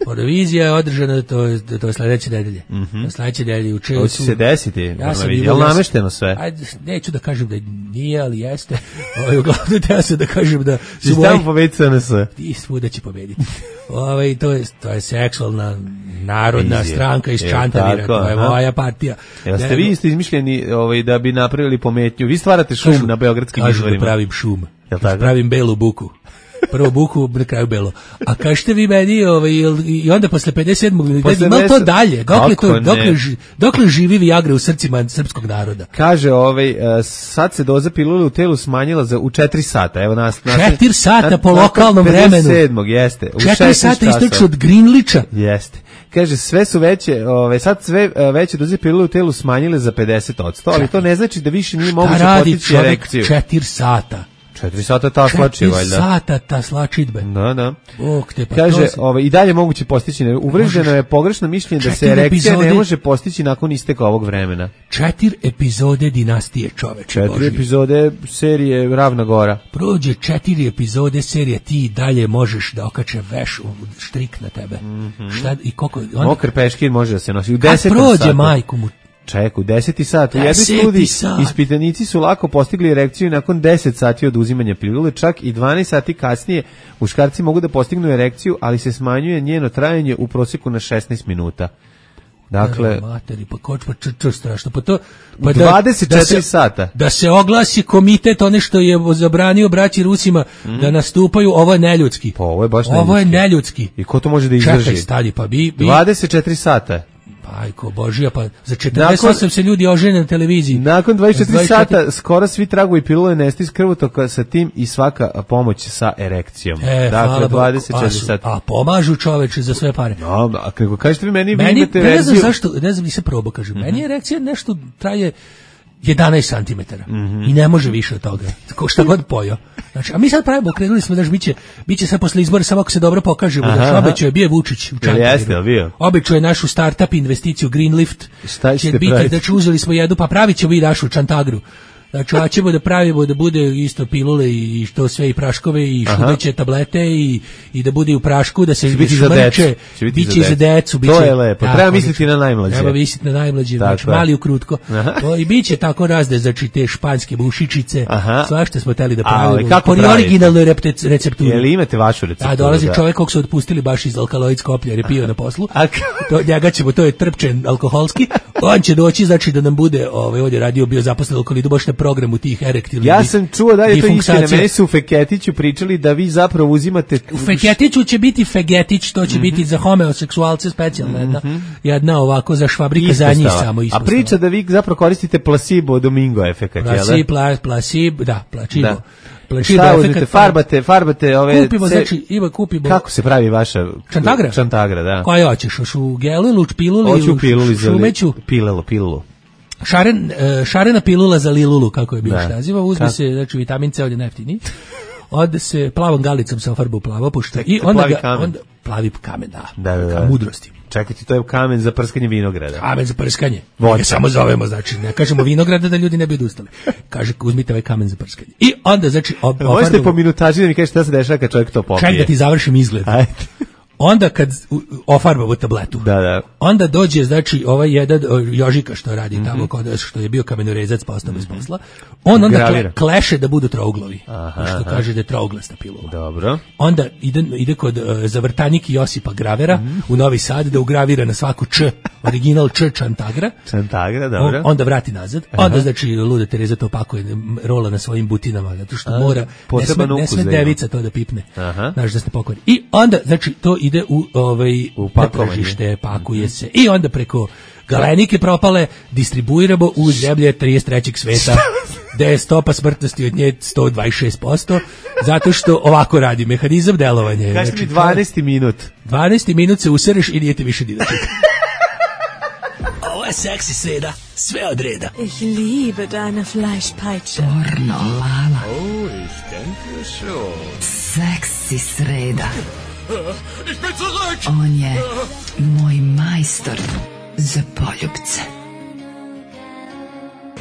Pornovizija je održana, to je, to je sledeće nedelje. Mm-hmm. To sledeće nedelje juče. To će se desiti, ja sam je li namešteno sve? Ajde, neću da kažem da nije, ali jeste. Ovaj, uglavnom da se da kažem da... Ti tamo pobediti sve na sve. Ti svuda će pobediti. Ovaj, to, je, to je seksualna narodna Izje. stranka iz Čantavira, to je aha. moja partija. Jel ste vi isto izmišljeni ovaj, da bi napravili pometnju? Vi stvarate šum kažu, na beogradskim izvorima. Kažu da pravim šum. Da pravim belu buku. Prvo buku, na kraju belo. A kažete vi meni, ovaj, i onda posle pedeset sedmog malo to dalje, dokle, to, dokle, dokle živi Viagra u srcima srpskog naroda? Kaže, ovaj, sad se doza pilule u telu smanjila za, u četiri sata. Evo nas, nas, četiri sata na, po lokalnom vremenu. pedeset sedmog jeste. U četiri sata istočno od Greenlicha. Jeste. Kaže, sve su veće, ove, sad sve veće doze pilule u telu smanjile za pedeset odsto, ali to ne znači da više nije moguće postići erekciju. četiri sata. Četiri sata ta slači, valjda. Četiri sata ta slačidbe. Da, da. Bog te, pa kaže, ovaj, i dalje moguće postići. Uvreženo je pogrešno mišljenje da se erekcija epizode, ne može postići nakon isteka ovog vremena. Četiri epizode dinastije, čoveče. Četiri Boži. epizode serije Ravna Gora. Prođe četiri epizode serije, ti dalje možeš da okače veš u štrik na tebe. Mm-hmm. Šta, i koliko, on... Mokar peškir može da se nosi. U desetom satu. Kad prođe majku mu. Čeku, deseti sat. U jednoj studiji ispitanici su lako postigli erekciju nakon deset sati od uzimanja pilule, čak i dvanaest sati kasnije muškarci mogu da postignu erekciju, ali se smanjuje njeno trajanje u prosjeku na šesnaest minuta. Dakle, materi, pa kočpa črčo strašno, pa to pa dvadeset četiri da, sata. Da se oglasi komitet one što je zabranio braći Rusima mm. da nastupaju, ovo je neljudski. Pa ovo je baš neljudski. Ovo je neljudski. I ko to može da izdrži? Čekaj, stali, pa bi, bi... dvadeset četiri sata. Ajko Božija, pa za četrdeset osam nakon, se ljudi ožene na televiziji. Nakon dvadeset četiri sata skoro svi tragovi pilule nestaju iz krvotoka sa tim i svaka pomoć sa erekcijom. E, dakle, dvadeset četiri sata. A pomažu čoveče za sve pare. No, a kako kažete vi meni, meni vi imate ne znam verziju... zašto, ne znam, nisam probao, kažem. Mm-hmm. Meni erekcija nešto traje jedanaest santimetara mm-hmm. i ne može više od toga. Ko šta god pojao. Znači, a mi sad pravimo, krenuli smo, daš, biće, biće sad posle izbora, samo ako se dobro pokažemo, daš, obećao je, bio je Vučić u Čantaviru. Obećao je našu startup investiciju Greenlift. Šta ćete biti, praviti? Znači, uzeli smo jednu, pa pravit ćemo i našu Čantagru. Znači, a ćemo da pravimo da bude isto pilule i što sve i praškove i šumeće tablete i, i da bude u prašku, da se biti šmrče, biće za decu. To je lepo, tako, treba misliti na najmlađe. Treba misliti na najmlađe, znači mali ukrutko. To, i biće tako razde, znači te španske bušičice, svašta smo teli da pravimo. Po originalnoj recepturi. Jel imate vašu recepturu? A dolazi čovjek kog su otpustili baš iz alkaloid Skoplja jer je pio na poslu. To, njega ćemo, to je trpčen alkoholski. On će doći, znači da nam bude, ovaj, ovdje radio bio zaposlen alkoholidu, baš na programu tih erektilnih. Ja sam čuo da je to istina, meni su u Feketiću pričali da vi zapravo uzimate... U Feketiću će biti Fegetić, to će mm-hmm. biti za homeoseksualce specijalna jedna, mm-hmm. jedna ovako za švabrika za njih samo ispostava. A priča da vi zapravo koristite placebo domingo efekat, jel da? Placebo, placebo, da, placebo. Da. Šta uzmete, farbate, farbate ove... Kupimo, ce... znači, ima kupimo... Kako se pravi vaša... Čantagra? Čantagra, da. Koja hoćeš, hoš u gelu ili u piluli ili u šumeću? Pilulu, pilulu. Šaren, šarena pilula za lilulu, kako je bio naziva, uzme Ka? se, znači, vitamin C, ovdje najjeftiniji. Ode se plavom galicom se ofarbu plavo, pošto... I onda plavi ga, kamen. Onda, plavi kamen, da. Da, da, da. Mudrosti. Čekajte, to je kamen za prskanje vinograda. Kamen za prskanje. Voća. Samo zovemo, znači, ne kažemo vinograda da ljudi ne bi odustali. Kaže, uzmite ovaj kamen za prskanje. I onda, znači... Ob, možete po minutaži da mi kažete šta se dešava kad čovjek to popije. Ček da ti završim izgled. Ajde. Onda kad ofarbamo tabletu, da, da. onda dođe, znači, ovaj jedan Jožika što radi mm-hmm. tamo, kod, što je bio kamenorezac, pa ostao bez posla, on onda kle, kleše da budu trouglovi, aha, što aha. kaže da je trouglasta pilula. Dobro. Onda ide, ide kod uh, zavrtanjiki Josipa Gravera mm-hmm. u Novi Sad da ugravira na svaku č, original č Čantagra. Čantagra, dobro. On, onda vrati nazad, aha. onda, znači, luda Tereza to pakuje, rola na svojim butinama, zato što A, mora, ne sme, ne sme devica to da pipne, znaš da ste pokori. I onda, znači, to ide u ovaj u tržište, pakuje se i onda preko galenike propale distribuiramo u zemlje trideset trećeg sveta gde je stopa smrtnosti od nje sto dvadeset šest posto zato što ovako radi mehanizam delovanja. Kaži mi dvanaesti minut. dvanaesti minut se usereš i nije ti više dinati. Ovo je seksi sreda, sve od reda. Ich liebe deine Fleischpeitsche. Pornolala. Oh, ich denke schon. Seksi sreda. Ich bin zurück! On je moj majstor za poljubce.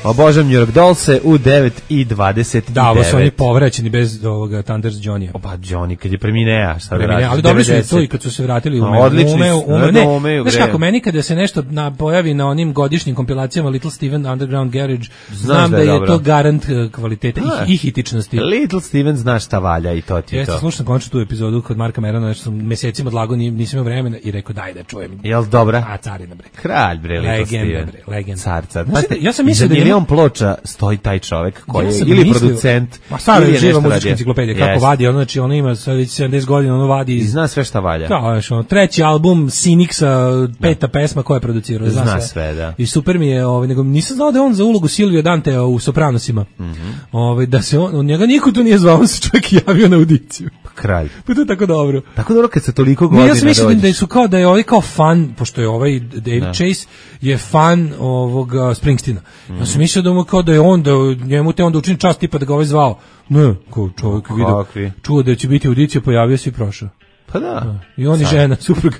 Obožavam New York Dollse u devet i dvadeset devet. Da, ovo su oni povraćeni bez ovoga Thunders Johnny. Opa, Johnny, kad je preminea, šta da radi? Ali dobri su to i kad su se vratili u ume. Odlični ume, su. ume, ne, ume, znaš kako, meni kada se nešto na, pojavi na onim godišnjim kompilacijama Little Steven Underground Garage, znam da, da je dobro. To garant kvalitete a, i, i hitičnosti. Little Steven znaš šta valja i to ti je to. Jeste, slušam končno tu epizodu kod Marka Merona, nešto sam mesecima odlagao, nisam imao vremena i rekao daj da čujem. Jel dobra? A, carina bre. Kralj bre, Little Steven. Legenda. Car, car. Ja sam mislio da je milion ploča stoji taj čovjek koji ja je ili mislio, producent ma stara je živa muzička enciklopedija kako yes. vadi ono, znači ono ima sedamdeset godina, ono vadi i zna sve šta valja. Da, znači ono treći album Cynicsa, peta da. pesma koja je producirao, zna, zna sve. sve da. I super mi je, ovaj nego nisam znao da je on za ulogu Silvio Dantea u Sopranosima. Mhm. Ovaj da se on, on njega niko tu nije zvao, on se čovjek javio na audiciju. Kralj. Pa to je tako dobro. Tako dobro kad se toliko godina. Ja sam mislio da su kao da je ovaj kao fan, pošto je ovaj David da. Chase je fan ovog Springsteena. Mm. Ja sam mislio da mu kao da je on da njemu te onda učini čast tipa da ga ovaj zvao. Ne, kao čovjek vidio. Čuo da će biti audicija, pojavio se i prošao. Pa da. da. I on i žena, suprug.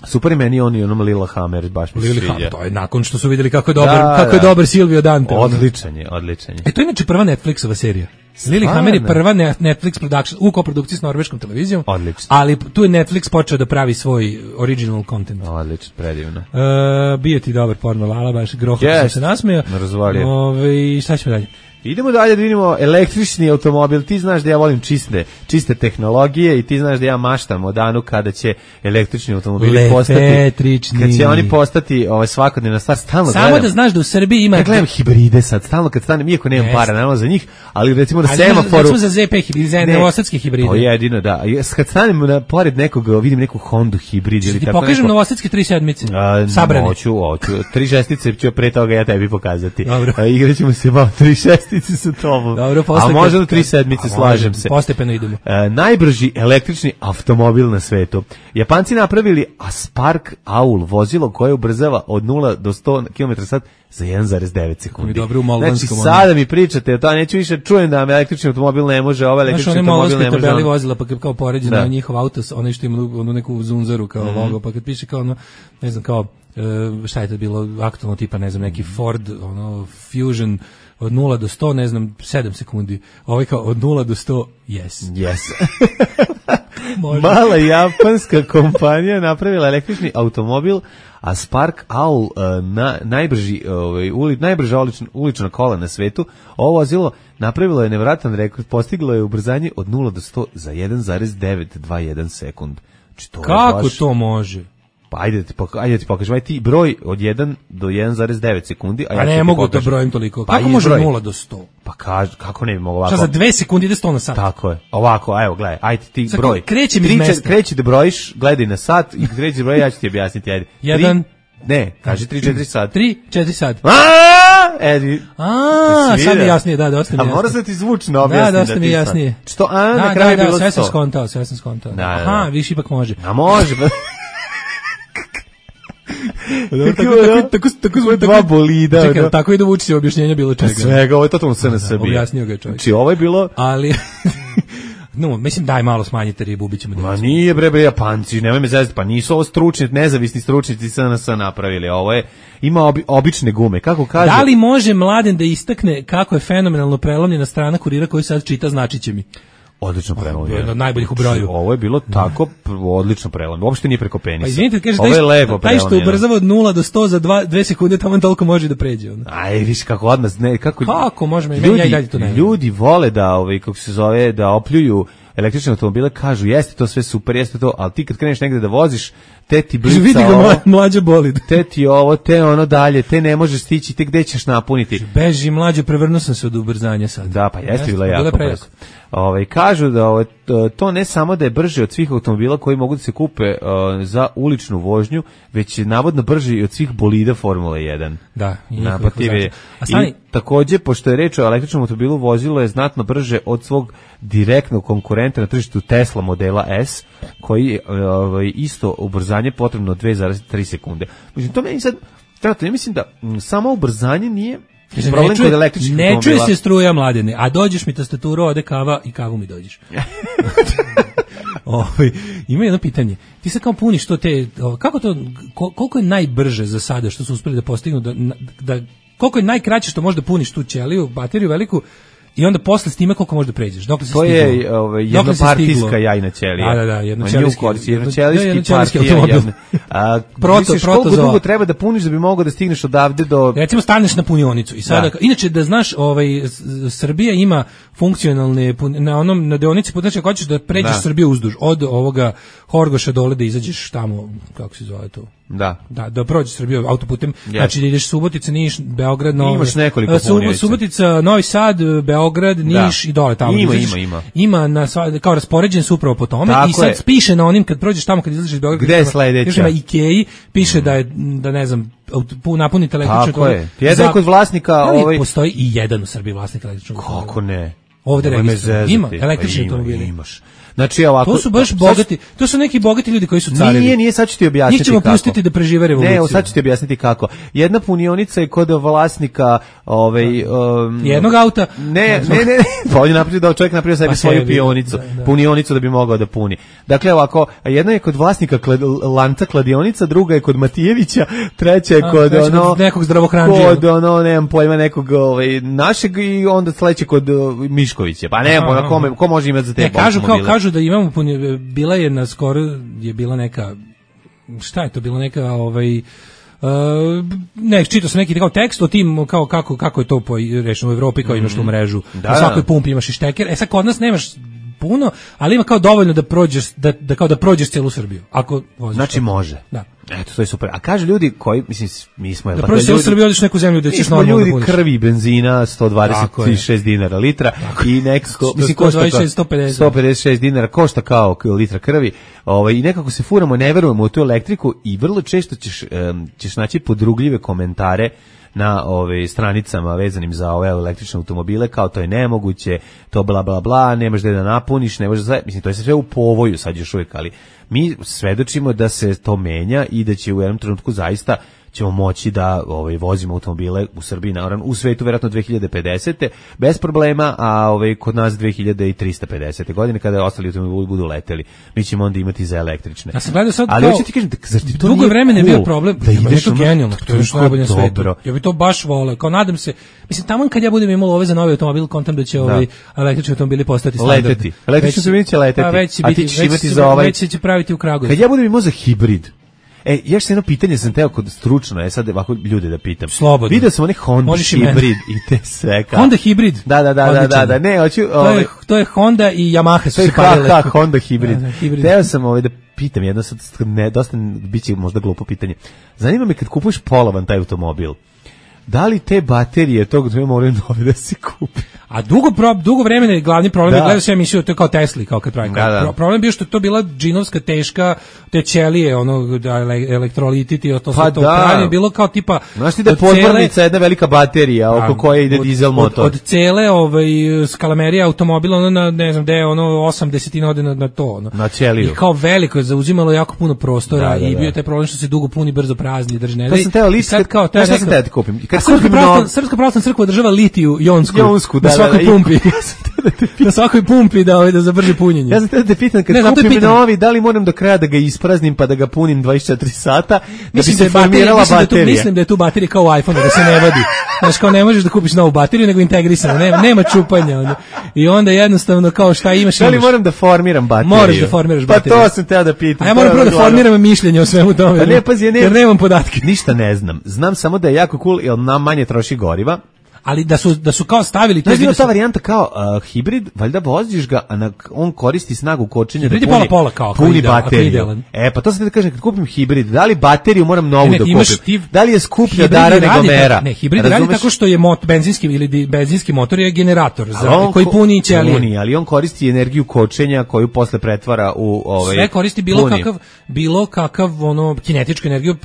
Super je meni on i onom Lila Hammer, baš mi se sviđa. To je nakon što su vidjeli kako je dobar, da, kako da. je dobar Silvio Dante. Odličan je, odličan je. E to je inače prva Netflixova serija. Lili Hammer je prva Netflix production u koprodukciji s norveškom televizijom. Odlično. Ali tu je Netflix počeo da pravi svoj original content. Odlično, predivno. E, bio ti dobar porno lala, baš groho yes. sam se nasmeo. Razvalio. Ove, šta ćemo dalje? Idemo dalje da vidimo električni automobil. Ti znaš da ja volim čiste, čiste tehnologije i ti znaš da ja maštam o danu kada će električni automobili postati, kad će oni postati ovaj, svakodnevna stvar. Stalno Samo gledam, da znaš da u Srbiji ima... Ja gledam hibride sad, stalno kad stanem, iako nemam yes. para, naravno za njih, ali recimo da semaforu... Recimo za Z P hibride, za novosadske hibride. To jedino, da. Kad stanem na, pored nekog, vidim neku Hondu hibrid ili ti tako pokažem neko... novosadske tri sedmice, sabrane. Hoću, hoću. Tri šestice ću pre toga ja tebi pokazati. A, igraćemo se malo tri šestice sa tobom. Dobro, a možda do tri sedmice, slažem se. Postepeno idemo. E, najbrži električni automobil na svetu. Japanci napravili Spark Owl, vozilo koje ubrzava od nula do sto kilometara na sat za jedan zarez devet sekundi. Dobro, u znači, sada mi pričate, to neću više čujem da električni automobil ne može, ovaj električni znaš, automobil ne može. Znaš, one tabeli vozila, pa kad kao poređeno na njihov autos, onaj što ima onu neku zunzaru kao mm-hmm. logo, pa kad piše kao ono, ne znam, kao, uh, šta je to bilo aktualno tipa, ne znam, neki Ford, ono, Fusion, od nula do sto, ne znam, sedam sekundi. Ovaj kao od nula do sto, yes. Yes. Mala japanska kompanija napravila električni automobil, a Spark Owl, na, najbrži, ovaj, uli, najbrža ulična, ulična kola na svetu, ovo vozilo napravilo je nevratan rekord, postiglo je ubrzanje od nula do sto za jedan zarez devet dvadeset jedan sekund. To kako baš... to može? Pa ajde da ti, poka- ajde da ti pokažem, aj ti broj od jedan do jedan zarez devet sekundi. A, a ja ne mogu da brojim toliko. Pa kako može broj? nula do sto? Pa kaž, kako ne bi mogo ovako? Šta za dve sekundi ide sto na sat? Tako je. Ovako, evo, gledaj, ajde ti Zako, broj. Kreći mi iz mesta. Kreći da brojiš, gledaj na sat i kreći da broj, ja ću ti objasniti, ajde. Jedan. Ne, kaži tri četiri sat. tri četiri sat. Aaaa! Edi. Aaaa, sad mi jasnije, da, dosta mi jasnije. A mora se ti zvučno objasniti. Da, dosta mi jasnije. Što, a, na kraju bilo sto. Sve sam skontao, sve sam skontao. Aha, više ipak može. A može, ba. Tako tako dva bolida. Čekaj, tako ide Vučićevo objašnjenje bilo čega. Svega, ovo je totalno sve na sebi. Objasnio ga je čovjek. Znači, ovo je bilo... Ali... No, mislim daj malo smanjite ribu, ubićemo. Ma nije bre bre Japanci, nemoj me zezati, pa nisu ovo stručni, nezavisni stručnjaci S N S napravili. Ovo je ima obi, obične gume, kako kaže. Da li može Mladen da istakne kako je fenomenalno prelomljena strana Kurira koju sad čita, značiće mi? Odlično prelomljeno. Jedno od najboljih u broju. Ovo je bilo tako odlično prelomljeno. Uopšte nije preko penisa. Pa izvinite, kaže taj, što, taj što ubrzava od nula do sto za dve sekunde, tamo toliko može da pređe. Ono. Aj, viš kako odmah, ne, kako... Kako može, ljudi, ja i dalje to ne. Ljudi vole da, ovaj, kako se zove, da opljuju električne automobile, kažu jeste to sve super, jeste to, ali ti kad kreneš negde da voziš, te ti blica vidi ga ovo, mlađa bolid. Te ti ovo, te ono dalje, te ne možeš stići, te gde ćeš napuniti. Beži mlađo, prevrnuo sam se od ubrzanja sad. Da, pa jeste bila jako brzo. Ovaj kažu da ovo, to ne samo da je brže od svih automobila koji mogu da se kupe uh, za uličnu vožnju, već je navodno brži i od svih bolida Formule jedan. Da, i napative. I takođe, pošto je reč o električnom automobilu, vozilo je znatno brže od svog direktnog konkurenta na tržištu Tesla modela S, koji ovaj isto ubrzanje potrebno dve zarez tri sekunde. Međutim, to meni sad, ja mislim da m, samo ubrzanje nije problem ne čuje, kod električnih ne automobila. Ne čuje se struja, Mladene, a dođeš mi tastaturu, ode kava i kavu mi dođeš. Ovaj ima jedno pitanje. Ti sad kao puniš to te, kako to, koliko je najbrže za sada što su uspeli da postignu, da, da koliko je najkraće što možeš da puniš tu ćeliju, bateriju veliku, i onda posle s time koliko možeš da pređeš. Dokle se to stiglo? Je ovaj, jednopartijska jajna ćelija. Da, da, da, jednoćelijski, jednoćelijski, jednoćelijski automobil. A proto, proto koliko dugo treba da puniš da bi mogao da stigneš odavde do... Recimo staneš na punionicu i sada, da. Inače da znaš, ovaj, Srbija ima funkcionalne, na onom, na deonici, znači ako hoćeš da pređeš da. Srbiju uzduž, od ovoga Horgoša dole da izađeš tamo, kako se zove to? Da. Da, da prođeš Srbiju autoputem, yes. Znači da ideš Subotica, Niš, Beograd, Novi. Imaš nekoliko punionica. Subotica, Novi Sad, Beograd, Niš da. I dole tamo. Ima, izlaziš, ima, ima. Ima na kao raspoređen su upravo po tome. Tako i sad je. piše na onim kad prođeš tamo kad izlaziš iz Beograda. Gde je sledeća? Još na Ikei piše mm. da je da ne znam napunite električnu. Tako je. Jedan kod vlasnika, ovaj postoji i jedan u Srbiji vlasnik električnog. Kako ne? Ovde registrujem. Ima električni automobil. Imaš. Znači ovako, to su baš bogati, to su neki bogati ljudi koji su carevi. Nije, nije, sad ću ti objasniti njih ćemo kako. pustiti da prežive revoluciju. Ne, sad ću ti objasniti kako. Jedna punionica je kod vlasnika ovaj, um, jednog auta. Ne, ne, ne, ne. Pa on je napravio da čovjek napravio sebi pa svoju pionicu, da, da. Punionicu da bi mogao da puni. Dakle, ovako, jedna je kod vlasnika klad, lanca kladionica, druga je kod Matijevića, treća je kod A, ono, kod nekog zdravokranđija. Kod ono, nemam pojma, nekog ovaj, našeg i onda sledeće kod uh, Miškovića. Pa nemam pojma, kome, ko može imati za te ne, kažu, kao, kažu da imamo bila je na skoro je bila neka šta je to bila neka ovaj Uh, ne, čitao sam neki kao tekst o tim kao kako kako je to po rečeno u Evropi, kao imaš tu mrežu. Da, u svakoj pumpi imaš i šteker. E sad kod nas nemaš puno, ali ima kao dovoljno da prođeš da, da kao da prođeš celu Srbiju. Ako voziš. Znači to. može. Da. Eto, to je super. A kaže ljudi koji, mislim, mi smo... Da prođeš celu Srbiju, odeš neku zemlju da ćeš normalno da ljudi krvi benzina sto dvadeset šest dinara litra tako i nekako... mislim, sto dvadeset šest, sto pedeset. sto pedeset šest dinara košta kao litra krvi. Ovaj, i nekako se furamo, ne verujemo u tu elektriku i vrlo često ćeš, um, ćeš naći podrugljive komentare na ove stranicama vezanim za ove električne automobile, kao to je nemoguće, to bla bla bla, nemaš da da napuniš, ne možeš, mislim to je sve u povoju sad još uvijek, ali mi svedočimo da se to menja i da će u jednom trenutku zaista ćemo moći da ovaj vozimo automobile u Srbiji, naravno u svetu verovatno dve hiljade pedesete bez problema, a ovaj kod nas dve hiljade trista pedesete godine kada ostali automobili budu leteli. Mi ćemo onda imati za električne. Ja sam gledao sad, ali hoćete ti kažem, zar ti to dugo vremena je cool bio problem da ideš to genijalno, to je još najbolje na svetu. Ja bih to baš voleo. Kao nadam se, mislim tamo kad ja budem imao ove za novi automobil, kontam da će ovaj električni automobili postati standard. Leteti. Električni automobili će leteti. A, već će a biti, ti ćeš imati za ovaj. Već će praviti u Kragujevcu. Kad ja budem imao za hibrid. E, još jedno pitanje sam teo kod stručno, je sad ovako ljude da pitam. Slobodno. Vidio sam onih Honda hibrid i te sve kao. Honda hibrid? Da, da, da, da, da, da, ne, hoću... To je, to je Honda i Yamaha su se parile. Da, Honda hibrid. Da, da, hibrid. Teo sam ovaj da pitam jedno sad, ne, dosta, bit će možda glupo pitanje. Zanima me kad kupuješ polovan taj automobil, da li te baterije tog dve moraju nove da se kupi? A dugo pro, dugo vremena je glavni problem, da. Gledao sam emisiju, to je kao Tesla, kao kad pravi. Da, da. Pro, problem bio što je to bila džinovska teška, te ćelije, ono, da, elektrolititi, to pa sve to pravi, bilo kao tipa... Znaš ti da je podvornica jedna velika baterija oko koje ide od, dizel motor? Od, od cele ovaj, skalamerije automobila, ono, na, ne znam, gde je ono, osam desetina ode na, na to. Ono. Na ćeliju. I kao veliko je zauzimalo jako puno prostora, da, da, da. I bio je taj problem što se dugo puni, brzo prazni, drži ne da. To sam teo list, sad kao, to sam teo da kupim. Srpska pravoslavna crkva održava litiju jonsku, jonsku na svakoj pumpi. Na svakoj pumpi da ovaj da za brže punjenje. Ja sam te da pitam kad ne, kupim pitan. Novi, da li moram do kraja da ga ispraznim pa da ga punim dvadeset četiri sata da mislim bi se formirala baterija. Da tu, mislim da je tu baterija kao u iPhone da se ne vadi. Znaš, kao ne možeš da kupiš novu bateriju nego integrisano, nema nema čupanja onda. I onda jednostavno kao šta imaš. Da li moram da formiram bateriju? Moraš da formiraš bateriju. Pa to sam teo da pitam. A ja moram prvo da formiram mišljenje o svemu tome. Pa ne, pazi, ja ne, jer nemam podatke. Ništa ne znam. Znam samo da je jako cool jer nam manje troši goriva. Ali da su da su kao stavili to je ta varijanta kao uh, hibrid, valjda voziš ga, a na, on koristi snagu kočenja da puni, pola pola kao puni bateriju. E pa to sam da kažem kad kupim hibrid, da li bateriju moram novu ne, da kupim? Ti, da li je skuplja dara nego mera? Ne, hibrid radi tako što je mot, benzinski ili di, benzinski motor je generator za, koji puni ćelije. Puni, ali on koristi energiju kočenja koju posle pretvara u ovaj sve koristi bilo puni. kakav bilo kakav ono kinetičku energiju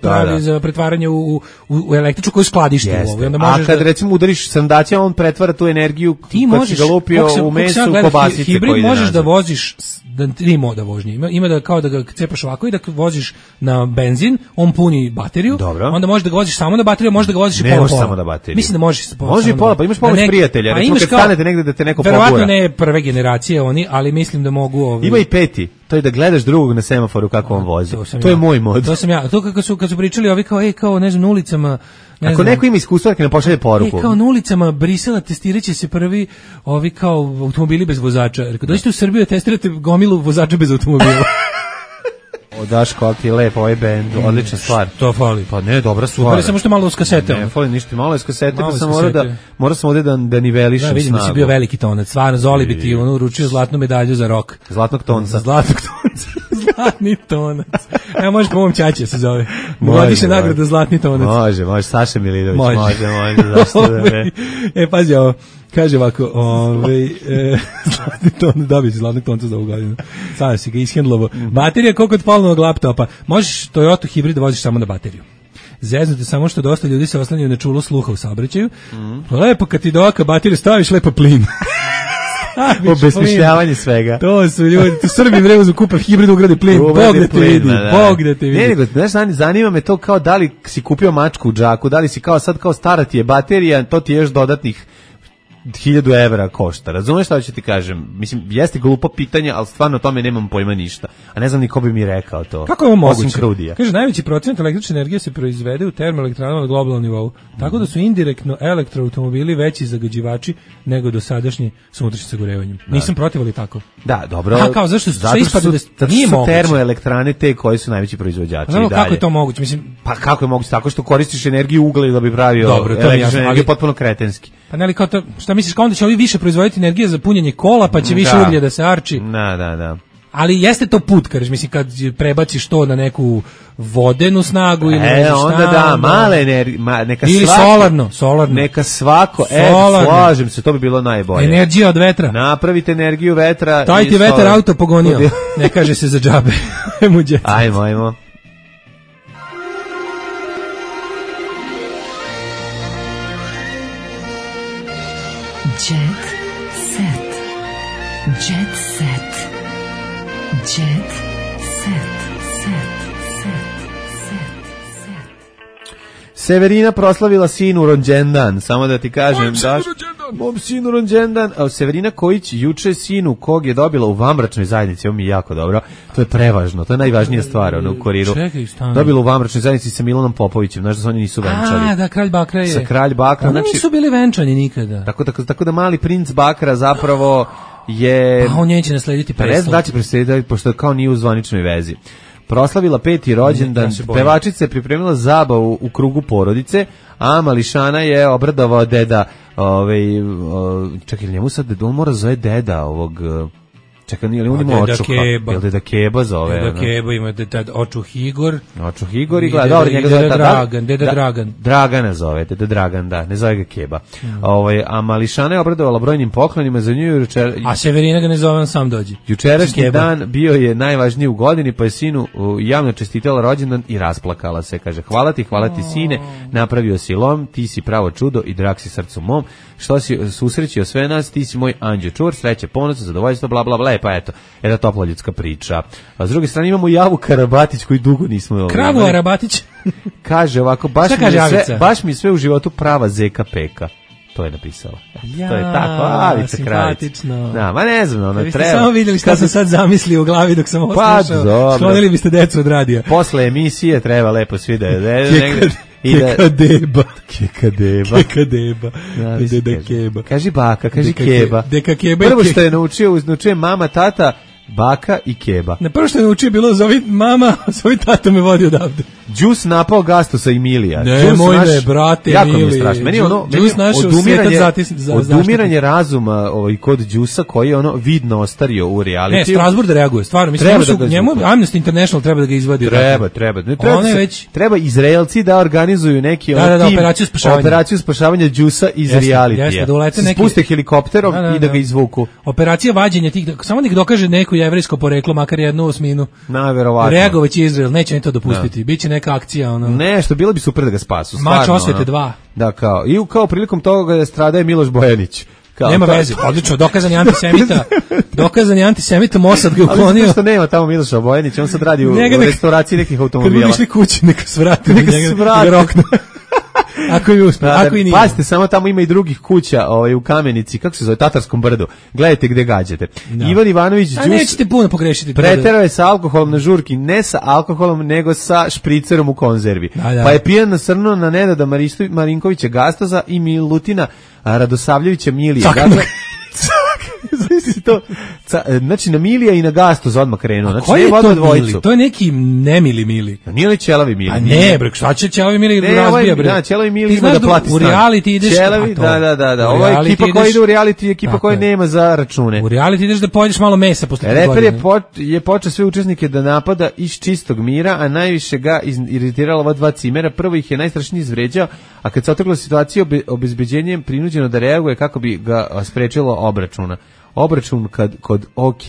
pravi da. za pretvaranje u, u, u električnu koju skladišti u ovo. Onda možeš a kad da, recimo udariš sandač on pretvara tu energiju ti možeš ga lupio u mesu kobasice hibrid koji možeš da voziš da tri moda vožnje ima, ima da kao da ga cepaš ovako i da voziš na benzin on puni bateriju. Dobro. Onda možeš da ga voziš samo na bateriju, možeš da ga voziš i pola pola samo na bateriju. Mislim da možeš može i pola, pa imaš pomoć prijatelja, pa recimo kad kao, stanete negde da te neko pogura. Verovatno ne prve generacije oni, ali mislim da mogu ovi. Ima i peti. To je da gledaš drugog na semaforu kako on vozi. To, to je moj mod. To sam ja. To kako su kad su pričali ovi kao ej kao ne znam na ulicama ne Ako znam, neko ima iskustva neka nam pošalje poruku. E, kao na ulicama Brisela testiraće se prvi ovi kao automobili bez vozača. Rekao dođite u Srbiju da testirate gomilu vozača bez automobila. O Daško, ti lep ovaj bend, odlična stvar. To fali. Pa ne, dobra stvar. Super, samo što malo uz kasete. Ne, fali ništa, malo iz kasete, pa sam morao da, morao sam ovdje da, da nivelišem snagu. Da, vidim da si bio veliki tonac, stvarno, Zoli bi ti ono uručio zlatnu medalju za rok. Zlatnog tonca. Zlatnog tonca. Zlatni tonac. Evo može po mom ćaće se zove. Godišnja nagrada Zlatni tonac. Može, može, Saša Milidović, može, može, može zašto da ne. E, pazi ovo. Kaže ovako, ovaj e, zlatni ton, dobit će zlatnog tonca za ovu godinu. Sada si ga ishendlovo. Baterija koliko od polovnog laptopa. Možeš Toyota hibrid voziš samo na bateriju. Zeznuti samo što dosta ljudi se oslanjaju na čulo sluha u saobraćaju. Mm. Lepo kad ti do oka bateriju staviš lepo plin. Obesmišljavanje svega. To su ljudi, tu Srbi vrezu kupav hibrid ugradi plin. Bog da te vidi, Bog da te vidi. Ne, nego, znaš, zanima me to kao da li si kupio mačku u džaku, da li si kao sad kao stara ti je baterija, to ti je još dodatnih hiljadu evra košta. Razumeš šta ću ti kažem? Mislim, jeste glupo pitanje, ali stvarno o tome nemam pojma ništa. A ne znam ni ko bi mi rekao to. Kako je ovo moguće? Kaže, najveći procenat električne energije se proizvede u termoelektranama na globalnom nivou. Tako da su indirektno elektroautomobili veći zagađivači nego dosadašnji s unutrašnjim sagorevanjem. Da. Nisam protiv, ali tako. Da, dobro. A kao, zašto su, zato što su, da nije moguće. Termoelektrane te koji su najveći proizvođači. Znamo kako je to moguće? Mislim, Pa kako je moguće tako što koristiš energiju ugla da bi pravio Dobro, to je jasno, energiju, ali potpuno kretenski. Pa ne li kao to, šta misliš, kao onda će ovi više proizvoditi energije za punjenje kola, pa će više da. uglje da se arči. Da, da, da. Ali jeste to put, kažeš, mislim, kad prebaciš to na neku vodenu snagu ili e, ne znam onda šta, da, male energije, ma, neka ili svako, solarno, solarno. Neka svako, solarno. e, slažem se, to bi bilo najbolje. Energija od vetra. Napravite energiju vetra. Taj ti vetar auto pogonio, ne kaže se za džabe. Ajmo, ajmo. Jet set. Jet set. Jet set. Set. Set. Set. Severina proslavila sinu rođendan, samo da ti kažem, daš. Mom sinu rođendan. A Severina Kojić juče sinu kog je dobila u vanbračnoj zajednici, ovo mi je jako dobro. To je prevažno, to je najvažnija stvar ono, u kuriru. Čekaj, stani. Dobila u vanbračnoj zajednici sa Milanom Popovićem, znaš da se oni nisu venčali. A, da, kralj Bakra je. Sa kralj Bakra. Oni Znači, nisu bili venčani nikada. Tako, tako, tako da mali princ Bakra zapravo je... Pa on neće naslediti Pa presto. ne znam da će preslediti, pošto kao nije u zvaničnoj vezi. Proslavila peti rođendan, pevačica je pripremila zabavu u krugu porodice, a mališana je obradovao deda, ovaj, čekaj, njemu sad, on mora zove deda ovog... Čekaj, nije li on ima očuha? Jel deda Keba zove? Deda Keba ima deda Očuh Igor. Očuh Igor i gleda, dobro, njega zove deda Dragan, deda Dragan. Dragana zove, deda Dragan, da, ne zove ga Keba. Ovaj, a mališana je obradovala brojnim poklonima za nju. Jučer, a Severina ga ne zove, on sam dođe. Jučerašnji dan bio je najvažniji u godini, pa je sinu javno čestitala rođendan i rasplakala se. Kaže, hvala ti, hvala ti sine, napravio si lom, ti si pravo čudo i drag si srcu mom. Što si susrećio sve nas, ti si moj anđeo čur, sreće, ponos, zadovoljstvo, bla, bla, bla. Pa eto, jedna topla ljudska priča. A s druge strane imamo Javu Karabatić koju dugo nismo... Kravu Arabatić. Kaže ovako, baš mi, kaže sve, baš mi sve u životu prava zeka peka. To je napisala. Ja, to je tako, Avica Kravić. Da, ma ne znam, ono biste treba. Samo vidjeli šta sam sad zamislio u glavi dok sam ovo pa, slušao. Sklonili biste decu od radija. Posle emisije treba lepo svi da... Kekadeba. Kekadeba. Kekadeba. Deda Keba. Kaži baka, kaži Keba. Deka Keba. Prvo što je naučio, naučio mama, tata, baka i Keba. Na prvo što je naučio bilo zovi mama, zovi tata me vodi odavde. Đus napao Gastusa Emilija. Ne, moj ne, brate, jako mi je strašno. Meni ono, meni odumiranje, za, odumiranje razuma ovaj, kod Đusa koji je ono vidno ostario u realitiju. Ne, Strasbourg da reaguje, stvarno. Mislim, treba su, da njemu Amnesty International treba da ga izvadi. Treba, treba. Ne, treba, se, već... treba Izraelci da organizuju neki da, da, da, tim, operaciju spašavanja. Operaciju spašavanja Đusa iz jeste, realitija. Jeste, da ulete neki... Spuste helikopterom da, da, da. I da ga izvuku. Operacija vađenja tih, samo nek dokaže neko jevrejsko poreklo, makar jednu osminu. Na, verovatno. Reagovaće Izrael, neće ni to dopustiti. Biće neka akcija, ono. Ne, što bilo bi super da ga spasu. Mač osvete dva. Da, kao. I kao prilikom toga da stradaje Miloš Bojanić. Kao, nema veze, odlično, dokazan je antisemita. Dokazan je antisemita, Mossad ga uklonio. Ali što nema tamo Miloša Bojanić, on sad radi u, u restauraciji nekih automobila. Kad bi išli kući, neka svrati. Neka svrati. Ako i uspije, da, ako i nije. Pazite, samo tamo ima i drugih kuća ovaj, u Kamenici, kako se zove, Tatarskom brdu. Gledajte gde gađate. Da. Ivan Ivanović Đus... A nećete puno pogrešiti. Preterao je sa alkoholom na žurki, ne sa alkoholom, nego sa špricerom u konzervi. Da, da. Pa je pijan nasrnuo na Nenada Marinkovića Gastoza i Milutina Radosavljevića Milija. to, ca, znači na Milija i na Gastoz odmah krenuo. Znači, koji je to Mili? To je neki nemili Mili. A nije li Ćelavi Mili? A ne, bre, šta će Ćelavi Mili ne, razbija, bre? Da, Ćelavi Mili ima da plati stan. U reality ideš... Ćelavi, da, da, da, da. Ovo je ekipa koja ide u reality, ekipa koja nema za račune. U reality ideš da pojedeš malo mesa posle godine. Reper je, po, je počeo sve učesnike da napada iz čistog mira, a najviše ga iritirala ova dva cimera. Prvo ih je najstrašnije izvređao, a kad se otrgla situacija obe, obezbeđenjem prinuđeno da reaguje kako bi ga sprečilo obračuna. Obračun kad, kod OK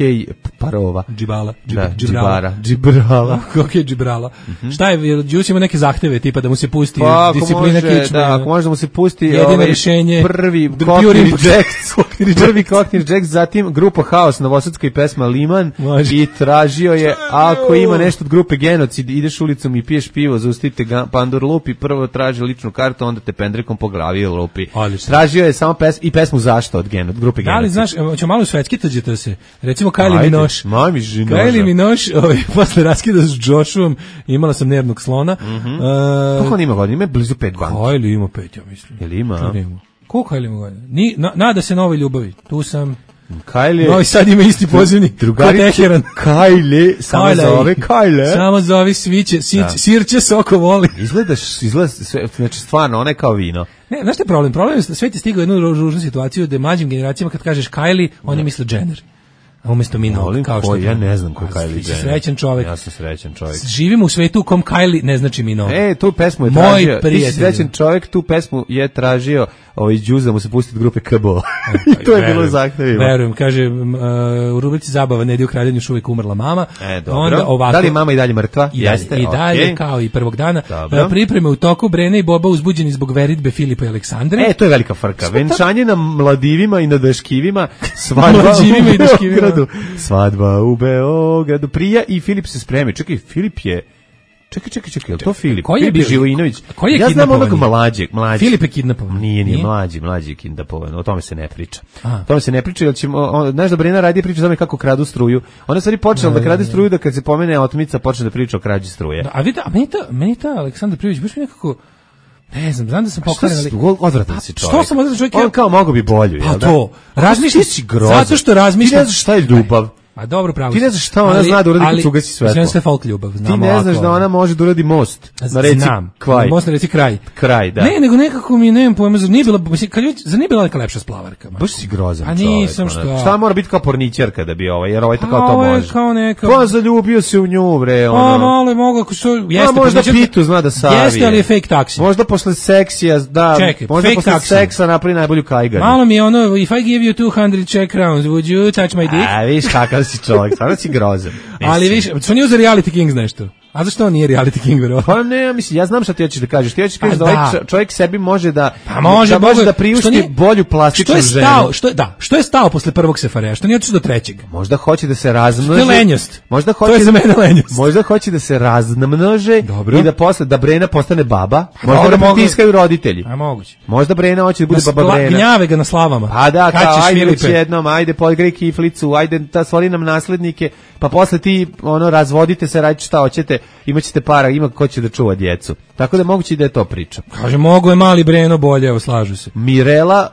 parova. Džibala. Džib, da, džibrala. Džibrala. OK džibrala. Mm-hmm. Šta je, Đus ima neke zahteve, tipa da mu se pusti pa, disciplina kičme. Da, ako može da mu se pusti jedino ovaj, rješenje. Prvi Cockney Jacks. Prvi Cockney Jacks, zatim grupa Haos, novosadska i pesma Liman. Može. I tražio je, ako ima nešto od grupe Genocid, ideš ulicom i piješ pivo, zaustavite ga, Pandor lupi, prvo traži ličnu kartu, onda te pendrekom po glavi lupi. Odlično. Tražio je samo pes, i pesmu Zašto od, gen, od grupe Genocid. Da li znaš, ćemo malo svetski tuđete se. Recimo Kylie Minogue. Kylie Minogue, ovaj, posle raskida s Joshuom, imala sam nervnog slona. Mm-hmm. Uh, Koliko on ima godina? Ima blizu pet godina. Kylie ima pet, ja mislim. Jel ima? Koliko Kylie ima godina? Ni, na, nada se novoj ljubavi. Tu sam... Kajle. Novi Sad ima isti pozivni. Drugarice Kajle, samo zove Kajle. Samo zove sviće, Da. sirće soko voli. Izgledaš, izgleda, sve- znači stvarno, ona je kao vino. Ne, znaš šta je problem? Problem je da svet je stigao u jednu ružnu situaciju da mlađim generacijama kad kažeš Kylie, oni misle Jenner. A umjesto mi Molim, kao što ko, ja ne znam ko je Kylie Ti si Jenner. srećan čovjek. Ja sam srećan čovjek. Živimo u svetu u kom Kylie ne znači mi no. E, tu pesmu je Moj tražio, ti si prijatelj. srećan čovjek, tu pesmu je tražio ovaj Đuz da mu se pusti od grupe K B O. I to je bilo u zahtevima. Verujem, kaže, m, uh, u rubrici Zabava ne ide u kraljenju još uvijek umrla mama. E, dobro. Onda ovako, Da li je mama i dalje mrtva? I dalje, Jeste, i dalje okej. kao i prvog dana. Dobro. Uh, pripreme u toku, Brene i Boba uzbuđeni zbog veritbe Filipa i Aleksandre. E, to je velika frka. Venčanje na mladivima i na daškivima, svadba Mlađivima u i daškivima. Beogradu. Svadba u Beogradu. Prija i Filip se spremi. Čekaj, Filip je... Čekaj, čekaj, čekaj, je li to Filip? Koji je Filip bio- Živojinović. koji je Ja znam onog kidnapovani? mlađeg, mlađeg. Filip je kidnapovan. Nije, nije, Nije? mlađi, mlađi je kidnapovan. O tome se ne priča. A. O tome se ne priča, jer ćemo, on, znaš da Brena radi priča o tome kako kradu struju. Ona stvari počela da krade struju, da kad se pomene otmica počne da priča o krađi struje. Da, a vidite, a meni ta, meni ta Aleksandar Prijović baš mi nekako, ne znam, znam da sam Što pokvaren, si, ali... odvratan si čovjek. Što sam odvratan čovjek? On kao mogo bi bolju, Pa jel da? to, razmišljam, Ti si grozan. zato što razmišljam... Ti ne znaš šta je ljubav. Ma dobro, pravo. Ti ne si. znaš šta ona Ali- zna da uradi kad ali- se ugasi svetlo. Znam sve folk ljubav, Ti znam ne ovako, znaš da ona može da uradi most. Na reci znam, Kvaj. most na reci kraj. Kraj, da. Ne, nego nekako mi nemam pojma, zar nije bila, mislim, kad ljudi, zar nije bila neka lepša splavarka? ma? Baš si grozan A čovjek. nisam, ono. šta? Šta mora biti kao pornićerka da bi ovaj, jer ovaj to A, kao to ovo je može. kao neka- Pa zaljubio se u nju, bre, ono. Pa malo je mogu, ako što, jeste. A možda porničarka- Pitu zna da savije. Jeste, ali je fake taksi. Možda posle seksija, da, Čekaj, možda fake posle taksi. seksa napravi najbolju kajganu. Malo mi je ono, if I give you two hundred Czech crowns, would you touch my dick? A, viš kakav si čovjek, stvarno si grozan. Ali više, što nije za Reality Kings nešto? A zašto on nije Reality King, verovatno? Pa ne, ja mislim, ja znam šta ti hoćeš da kažeš. Ti hoćeš da kažeš Pa da ovaj da. čo- čovjek sebi može da Pa može, da, može mogu- da što priušti nije- bolju Što plastičnu je ženu. stao, što je, da, što je stao posle prvog sefarea, što nije otišao do trećeg? Možda hoće da se razmnože. To je lenjost. Možda To hoće je za mene lenjost. Možda hoće da se razmnože Dobro. i da posle da Brena postane baba. Možda dobro, da mogu- pritiskaju roditelji. A moguće. Možda Brena hoće da bude Na baba spla- Brena. gnjave ga na slavama. Pa da, Kad kao, ćeš, ajde već Filipe? jednom, ajde poigraj kiflicu, ajde ta stvori nam naslednike, pa posle ti ono razvodite se, radite šta hoćete, imaćete para, ima ko će da čuva djecu. Tako da je moguće i da je to priča. Kaže, mogu je mali Breno bolje, evo, slažu se. Mirela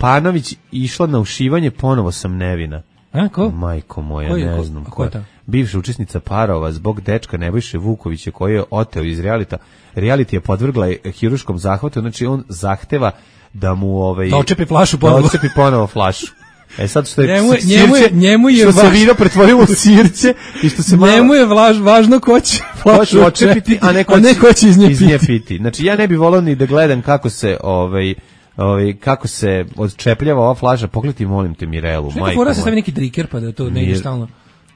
Lapanović išla na ušivanje, ponovo sam nevina. A, ko? Majko moja, Ko je- ne ko- znam a ko ko je je. ta? Bivša učesnica parova zbog dečka Nebojše Vukovića koji je oteo iz realita. Reality je podvrgla je hiruškom zahvatu, znači on zahteva da mu ovaj Da očepi flašu ponovo. Da očepi ponovo flašu. E sad što je Njemu je- sirće- njemu je- njemu je što se važ- vino pretvorilo u sirće i što se malo Njemu je vlaž, važno ko će flašu hoće očepiti, a ne ko će, ko će iz nje iz nje piti. piti. Znači ja ne bih volao ni da gledam kako se ovaj ovaj kako se odčepljava ova flaša. Pogledaj molim te Mirelu, Neka majko. fora da se moja. stavi neki driker pa da to ne ide Mir- stalno.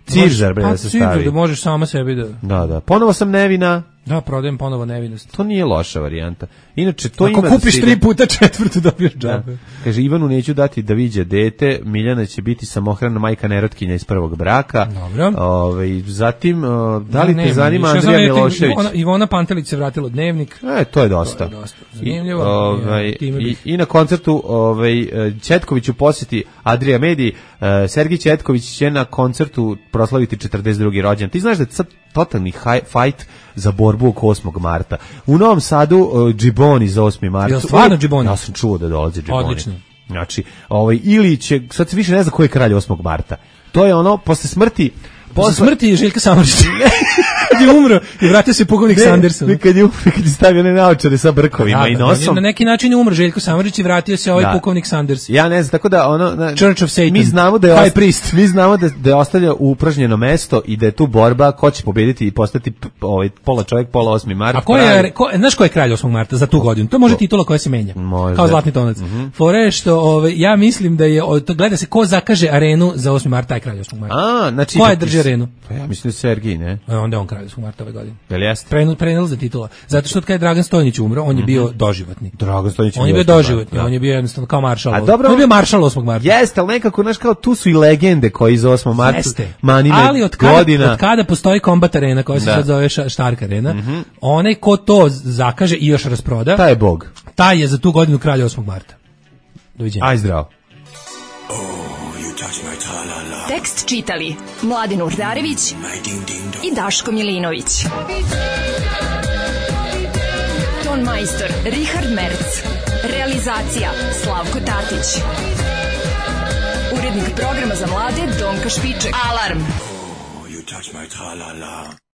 Cižar, bre, Pa, da se cižar, stavi. da možeš sama sebi da... Da, da. Ponovo sam nevina. Da, prodajem ponovo nevinost. To nije loša varijanta. Inače, to Ako ima da kupiš se tri ide- puta četvrtu dobiješ Da. džabe. Kaže, Ivanu neću dati da viđe dete, Miljana će biti samohrana majka nerotkinja iz prvog braka. Dobro. Ovaj, zatim, o, da li Ne, te ne, zanima više Andrija znam, Milošević? Ivona, Ivona Pantelić se vratila u Dnevnik. E, to je dosta. To je dosta zanimljivo. I, ovaj, I, time i, bih- I na koncertu ovaj, Četković u posjeti Adrija Mediji. eh, Sergij Četković će na koncertu proslaviti četrdeset drugi rođendan. Ti znaš da je sad totalni haj, fight za borbu oko osmog marta. U Novom Sadu uh, Džiboni za osmi mart. Jel stvarno Džiboni? Ja sam čuo da dolaze Džiboni. Odlično. Znači, ovaj, ili će, sad se više ne zna ko je kralj osmog marta. To je ono, posle smrti... Posle smrti Željka Samardžića. Kad je umro i vratio se pukovnik Sanderson. Ne, kad je umro, kad je stavio one naočare sa brkovima Da, i da, nosom. Na neki način je umro Željko Samardžić i vratio se ovaj Da. pukovnik Sanders. Ja ne znam, tako da ono na, Church of Satan. mi znamo da je High osta- priest. mi znamo da da je ostavlja upražnjeno mesto i da je tu borba ko će pobediti i postati p- ovaj pola čovjek, pola osmi mart. A ko je, ko, znaš ko je kralj osmog marta za tu godinu? To može titula koja se menja. Možda. Kao zlatni tonac. Fora je što ovaj, ja mislim da je, o, to gleda se ko zakaže arenu za osmi mart, taj kralj osmog marta. A, znači Ko je da- drži arenu? Pa ja mislim da je Sergij, ne? E, onda je on kralj osmog marta ove godine. Jel jeste? Prenel, prenel za titula. Zato što od kada je Dragan Stojnić umro, on je bio doživotni. Dragan Stojnić On je bio osmi mart, doživotni, da. on je bio jednostavno kao maršal. A dobro, on je bio maršal osmog marta. Jeste, ali nekako, znaš, kao tu su i legende koji za osmog marta Jeste. manine Ali od kada, godina. od kada postoji Combat Arena, koja se Da. sad zove ša- Stark Arena, onaj ko to zakaže i još rasproda, Taj je bog. taj je za tu godinu kralj osmog marta. Doviđenja. Aj zdravo. Tekst čitali Mladin Urdarević i Daško Milinović. Ton majstor Richard Merc. Realizacija Slavko Tatić. Urednik urednik programa za mlade Donka Špiček. Alarm! You touch my tra-la-la.